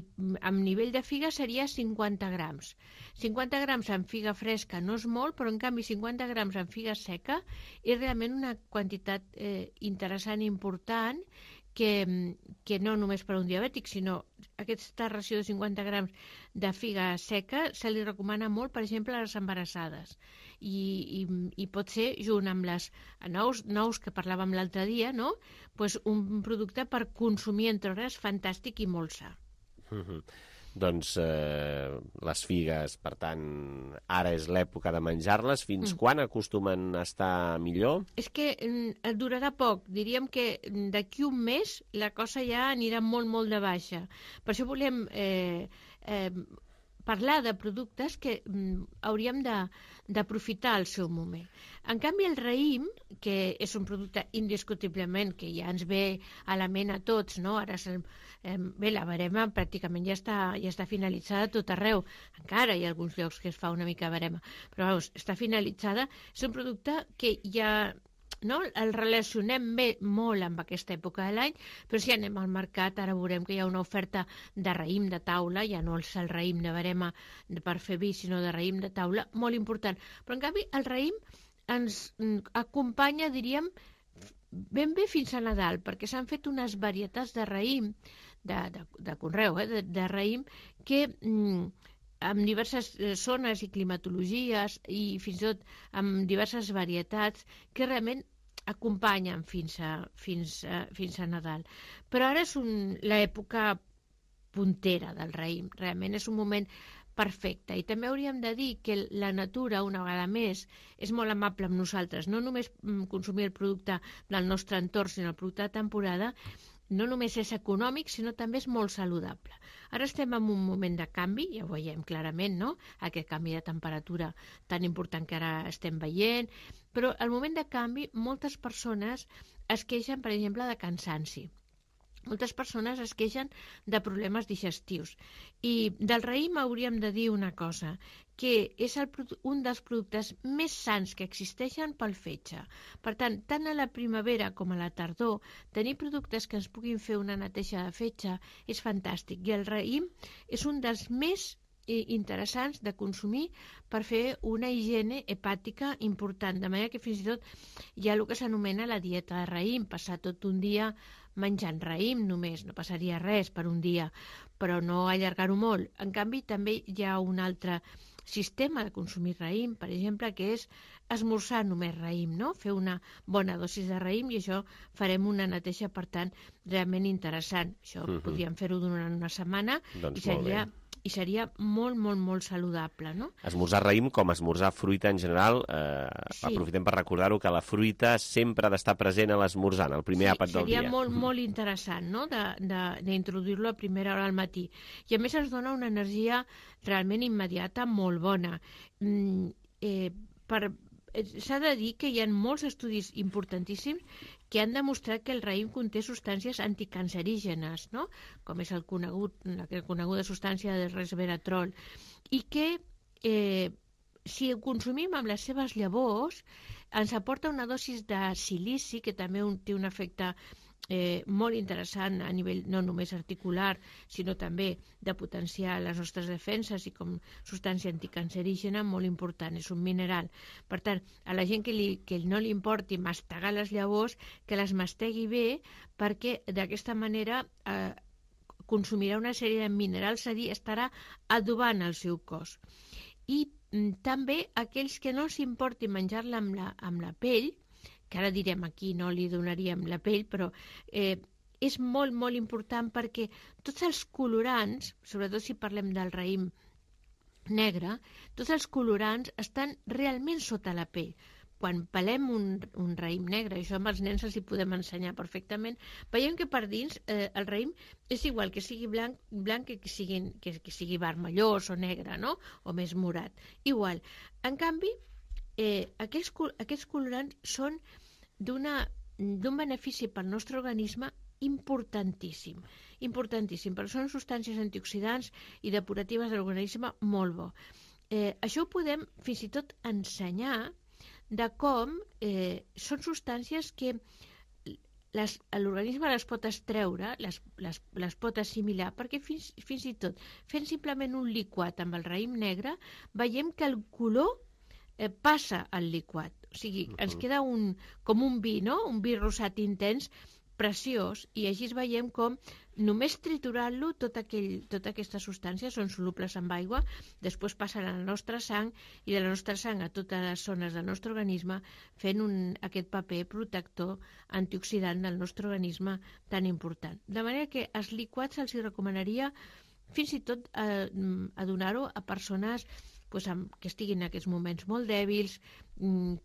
[SPEAKER 22] amb nivell de figa seria cinquanta grams. cinquanta grams en figa fresca no és molt, però en canvi cinquanta grams en figa seca és realment una quantitat eh, interessant i important que, que no només per a un diabètic, sinó aquesta ració de cinquanta grams de figa seca se li recomana molt, per exemple, a les embarassades. I, i, i pot ser, junt amb les nous, nous que parlàvem l'altre dia, no? Pues un producte per consumir entre hores fantàstic i molt sa.
[SPEAKER 2] Mm-hmm. Doncs eh, les figues, per tant, ara és l'època de menjar-les. Fins mm. quan acostumen a estar millor?
[SPEAKER 22] És que mm, durarà poc. Diríem que d'aquí un mes la cosa ja anirà molt, molt de baixa. Per això volem eh, eh, parlar de productes que mm, hauríem d'aprofitar el seu moment. En canvi, el raïm, que és un producte indiscutiblement que ja ens ve a la ment a tots, no? Ara el, eh, bé, la verema pràcticament ja està, ja està finalitzada a tot arreu. Encara hi ha alguns llocs que es fa una mica verema, però veus, està finalitzada. És un producte que ja... No? El relacionem bé, molt amb aquesta època de l'any, però si anem al mercat ara veurem que hi ha una oferta de raïm de taula, ja no és el raïm de verema per fer vi, sinó de raïm de taula, molt important. Però en canvi el raïm ens acompanya, diríem, ben bé fins a Nadal, perquè s'han fet unes varietats de raïm, de, de, de conreu, eh? de, de raïm, que... Mm, amb diverses zones i climatologies i fins i tot amb diverses varietats que realment acompanyen fins a, fins a, fins a Nadal. Però ara és l'època puntera del raïm, realment és un moment perfecte. I també hauríem de dir que la natura, una vegada més, és molt amable amb nosaltres. No només consumir el producte del nostre entorn, sinó el producte de temporada, no només és econòmic, sinó també és molt saludable. Ara estem en un moment de canvi, ja ho veiem clarament, no?, aquest canvi de temperatura tan important que ara estem veient, però al moment de canvi moltes persones es queixen, per exemple, de cansanci. moltes persones es queixen de problemes digestius. I del raïm hauríem de dir una cosa, que és el, un dels productes més sants que existeixen pel fetge. Per tant, tant a la primavera com a la tardor, tenir productes que ens puguin fer una neteja de fetge és fantàstic. I el raïm és un dels més interessants de consumir per fer una higiene hepàtica important, de manera que fins i tot hi ha el que s'anomena la dieta de raïm, passar tot un dia menjant raïm només, no passaria res per un dia, però no allargar-ho molt. En canvi, també hi ha un altre sistema de consumir raïm, per exemple, que és esmorzar només raïm, no? Fer una bona dosis de raïm, i això farem una neteja, per tant, realment interessant. Això uh-huh. podríem fer-ho durant una setmana doncs i seria... i seria molt, molt, molt saludable, no?
[SPEAKER 2] Esmorzar raïm com esmorzar fruita en general, eh, sí. aprofitem per recordar-ho que la fruita sempre ha d'estar present a l'esmorzar, el primer sí, àpat del dia.
[SPEAKER 22] Seria molt, molt interessant, no?, d'introduir-lo a primera hora al matí. I a més ens dona una energia realment immediata molt bona. Mm, eh, per... S'ha de dir que hi ha molts estudis importantíssims que han demostrat que el raïm conté substàncies anticancerígenes, no?, com és el conegut, la coneguda substància del resveratrol, i que eh, si ho consumim amb les seves llavors ens aporta una dosis de silici, que també un, té un efecte eh, molt interessant a nivell no només articular, sinó també de potenciar les nostres defenses i com substància anticancerígena molt important, és un mineral. Per tant, a la gent que, li, que no li importi mastegar les llavors, que les mastegui bé, perquè d'aquesta manera eh, consumirà una sèrie de minerals, és a dir, estarà adobant el seu cos. I mm, també aquells que no s'importi menjar-la amb, la, amb la pell, que ara direm aquí no li donaríem la pell, però eh, és molt, molt important perquè tots els colorants, sobretot si parlem del raïm negre, tots els colorants estan realment sota la pell. Quan pelem un, un raïm negre, això amb els nens els hi podem ensenyar perfectament, veiem que per dins eh, el raïm és igual que sigui blanc, blanc que, que, sigui, que, que sigui vermellós o negre, no?, o més morat. Igual. En canvi, Eh, aquests, aquests colorants són d'un benefici pel nostre organisme importantíssim, importantíssim, perquè són substàncies antioxidants i depuratives de l'organisme molt bo. Eh, això ho podem fins i tot ensenyar de com eh, són substàncies que l'organisme les pot extreure, les, les, les pot assimilar, perquè fins, fins i tot fent simplement un liquat amb el raïm negre veiem que el color Eh, passa al liquat, o sigui, uh-huh. ens queda un, com un vi, no?, un vi rosat intens, preciós, i així veiem com només triturant-lo tot aquell, tota aquestes substàncies són solubles amb aigua, després passen a la nostra sang i de la nostra sang a totes les zones del nostre organisme, fent un, aquest paper protector antioxidant del nostre organisme tan important. De manera que els liquats els hi recomanaria fins i tot eh, a donar-ho a persones pues, que estiguin en aquests moments molt dèbils,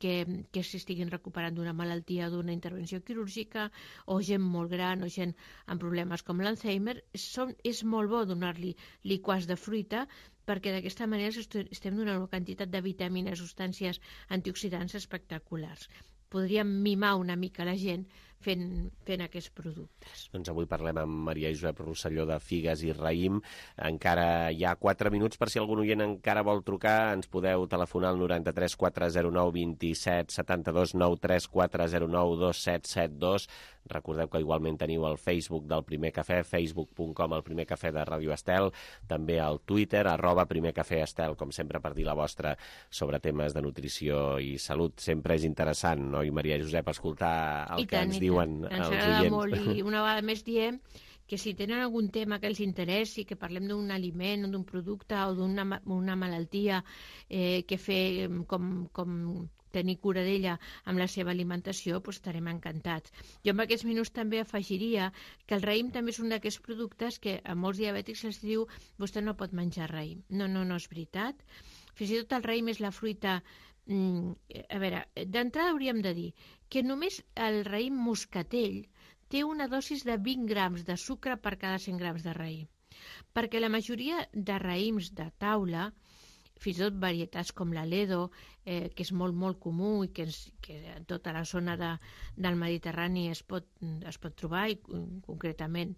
[SPEAKER 22] que, que s'estiguin recuperant d'una malaltia o d'una intervenció quirúrgica, o gent molt gran o gent amb problemes com l'Alzheimer. És molt bo donar-li liquats de fruita perquè d'aquesta manera estem donant una quantitat de vitamines, substàncies antioxidants espectaculars. Podríem mimar una mica la gent fent, fent aquests productes.
[SPEAKER 2] Doncs avui parlem amb Maria Josep Rosselló de figues i raïm. Encara hi ha quatre minuts per si algun oient encara vol trucar. Ens podeu telefonar al noranta-tres quatre zero nou vint set setanta-dos nou tres quatre zero nou dos set set dos. Recordeu que igualment teniu el Facebook del Primer Cafè, facebook punt com el Primer Cafè de Ràdio Estel, també al Twitter, arroba Primer Cafè Estel, com sempre per dir la vostra sobre temes de nutrició i salut. Sempre és interessant, no? I Maria Josep, escoltar el I que tant, ens diuen els oients. Ens agrada molt,
[SPEAKER 22] i una vegada més diem que si tenen algun tema que els interessi, que parlem d'un aliment o d'un producte o d'una una malaltia eh, que fer com, com tenir cura d'ella amb la seva alimentació, doncs estarem encantats. Jo en aquests minuts també afegiria que el raïm també és un d'aquests productes que a molts diabètics els diu vostè no pot menjar raïm. No, no, no és veritat. Fins i tot el raïm és la fruita... Mm, a veure, d'entrada hauríem de dir que només el raïm moscatell té una dosis de vint grams de sucre per cada cent grams de raïm. Perquè la majoria de raïms de taula fins i tot varietats com l'Aledo, eh, que és molt, molt comú i que, és, que en tota la zona de, del Mediterrani es pot, es pot trobar, i concretament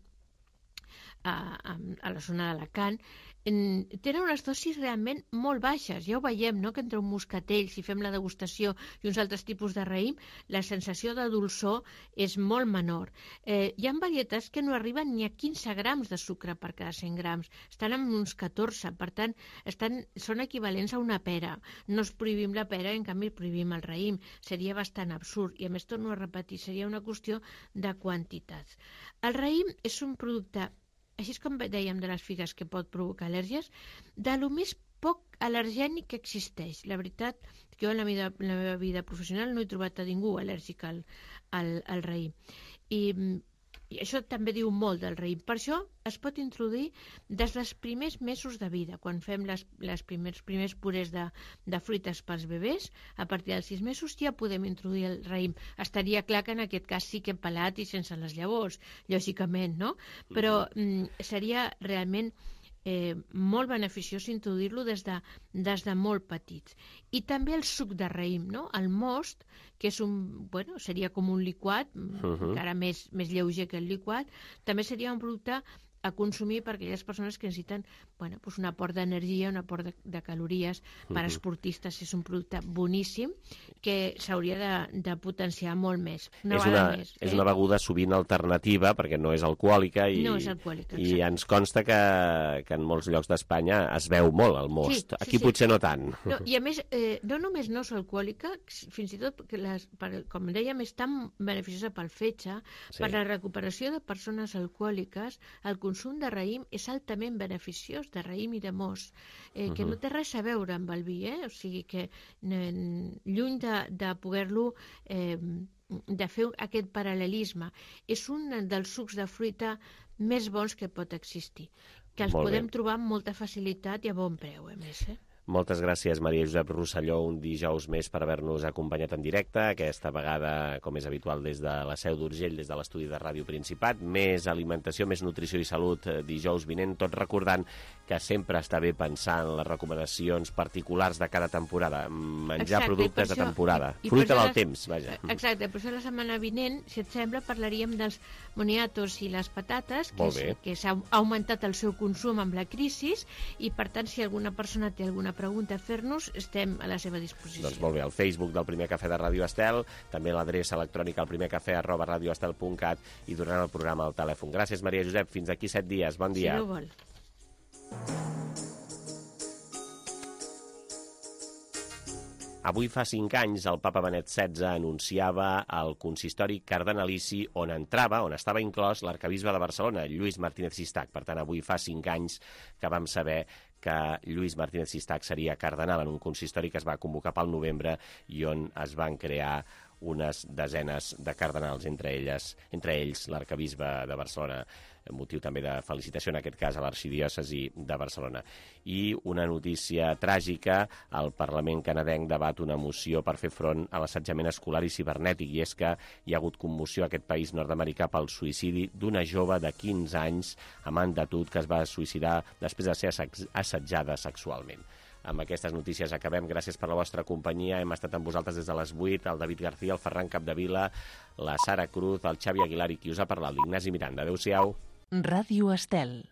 [SPEAKER 22] a, a, a la zona d'Alacant, tenen unes dosis realment molt baixes. Ja ho veiem, no?, que entre un moscatell, si fem la degustació, i uns altres tipus de raïm, la sensació de dolçor és molt menor. Eh, hi ha varietats que no arriben ni a quinze grams de sucre per cada cent grams, estan en uns catorze, per tant, estan, són equivalents a una pera. No es prohibim la pera, en canvi prohibim el raïm. Seria bastant absurd, i a més torno a repetir, seria una qüestió de quantitats. El raïm és un producte, així com dèiem de les figues que pot provocar al·lèrgies, de lo més poc al·lergènic que existeix. La veritat, que jo en la, vida, en la meva vida professional no he trobat a ningú al·lèrgic al, al, al raïm. I, I això també diu molt del raïm. Per això es pot introduir des dels primers mesos de vida, quan fem les, les primers, primers purés de, de fruites pels bebès. A partir dels sis mesos ja podem introduir el raïm. Estaria clar que en aquest cas sí que pelat i sense les llavors, lògicament, no? Però mm, seria realment eh, molt beneficiós introduir-lo des, de, des de molt petits. I també el suc de raïm, no? El most, que és un, bueno, seria com un liquat, uh-huh. encara més, més lleuger que el liquat, també seria un producte a consumir per aquelles persones que necessiten, bueno, pues un aport d'energia, un aport de, de calories. Per uh-huh. esportistes és un producte boníssim que s'hauria de, de potenciar molt més. Una
[SPEAKER 2] és, una,
[SPEAKER 22] més,
[SPEAKER 2] és
[SPEAKER 22] eh?
[SPEAKER 2] una beguda sovint alternativa perquè no és alcohòlica i,
[SPEAKER 22] no és alcohòlica,
[SPEAKER 2] i ens consta que, que en molts llocs d'Espanya es veu molt el most.
[SPEAKER 22] Sí, sí,
[SPEAKER 2] Aquí
[SPEAKER 22] sí.
[SPEAKER 2] potser no tant.
[SPEAKER 22] No, I a més, eh, no només no és alcohòlica, fins i tot, que les, per, com dèiem, és tan beneficiosa pel fetge, sí. per la recuperació de persones alcohòliques. El consum de raïm és altament beneficiós, de raïm i de most, eh, que uh-huh. no té res a veure amb el vi, eh? O sigui que eh, lluny de, de poder-lo eh, de fer aquest paral·lelisme, és un dels sucs de fruita més bons que pot existir, que els
[SPEAKER 2] Molt
[SPEAKER 22] podem
[SPEAKER 2] bé.
[SPEAKER 22] trobar amb molta facilitat i a bon preu, a més, eh?
[SPEAKER 2] Moltes gràcies, Maria Josep Rosselló, un dijous més per haver-nos acompanyat en directe, aquesta vegada, com és habitual, des de la Seu d'Urgell, des de l'estudi de Ràdio Principat. Més alimentació, més nutrició i salut dijous vinent, tot recordant que sempre està bé pensar en les recomanacions particulars de cada temporada, menjar
[SPEAKER 22] Exacte,
[SPEAKER 2] productes
[SPEAKER 22] això,
[SPEAKER 2] de temporada,
[SPEAKER 22] i, i
[SPEAKER 2] fruita del
[SPEAKER 22] les,
[SPEAKER 2] temps, vaja.
[SPEAKER 22] Exacte, per això la setmana vinent, si et sembla, parlaríem dels moniatos i les patates, que, és, que s'ha augmentat el seu consum amb la crisi, i per tant, si alguna persona té alguna pregunta a fer-nos, estem a la seva disposició.
[SPEAKER 2] Doncs molt bé, al Facebook del Primer Cafè de Ràdio Estel, també l'adreça electrònica al primercafè arroba radioestel punt cat i durant el programa al telèfon. Gràcies, Maria Josep. Fins aquí set dies. Bon dia.
[SPEAKER 22] Si no vol.
[SPEAKER 2] Avui fa cinc anys el papa Benet setze anunciava el consistori cardenalici on entrava, on estava inclòs l'arcabisbe de Barcelona, Lluís Martínez Sistac. Per tant, avui fa cinc anys que vam saber que Lluís Martínez Sistac seria cardenal en un consistori que es va convocar pel novembre i on es van crear unes desenes de cardenals, entre elles, entre ells l'arcabisbe de Barcelona, motiu també de felicitació, en aquest cas, a l'arxidiòcesi de Barcelona. I una notícia tràgica, el Parlament canadenc debat una moció per fer front a l'assetjament escolar i cibernètic, i és que hi ha hagut commoció a aquest país nord-americà pel suïcidi d'una jove de quinze anys amant de Tut que es va suïcidar després de ser assetjada sexualment. Amb aquestes notícies acabem. Gràcies per la vostra companyia. Hem estat amb vosaltres des de les vuit, el David García, el Ferran Capdevila, la Sara Cruz, el Xavi Aguilar i qui us ha parlat, l'Ignasi Miranda. Adéu-siau.
[SPEAKER 1] Ràdio Estel.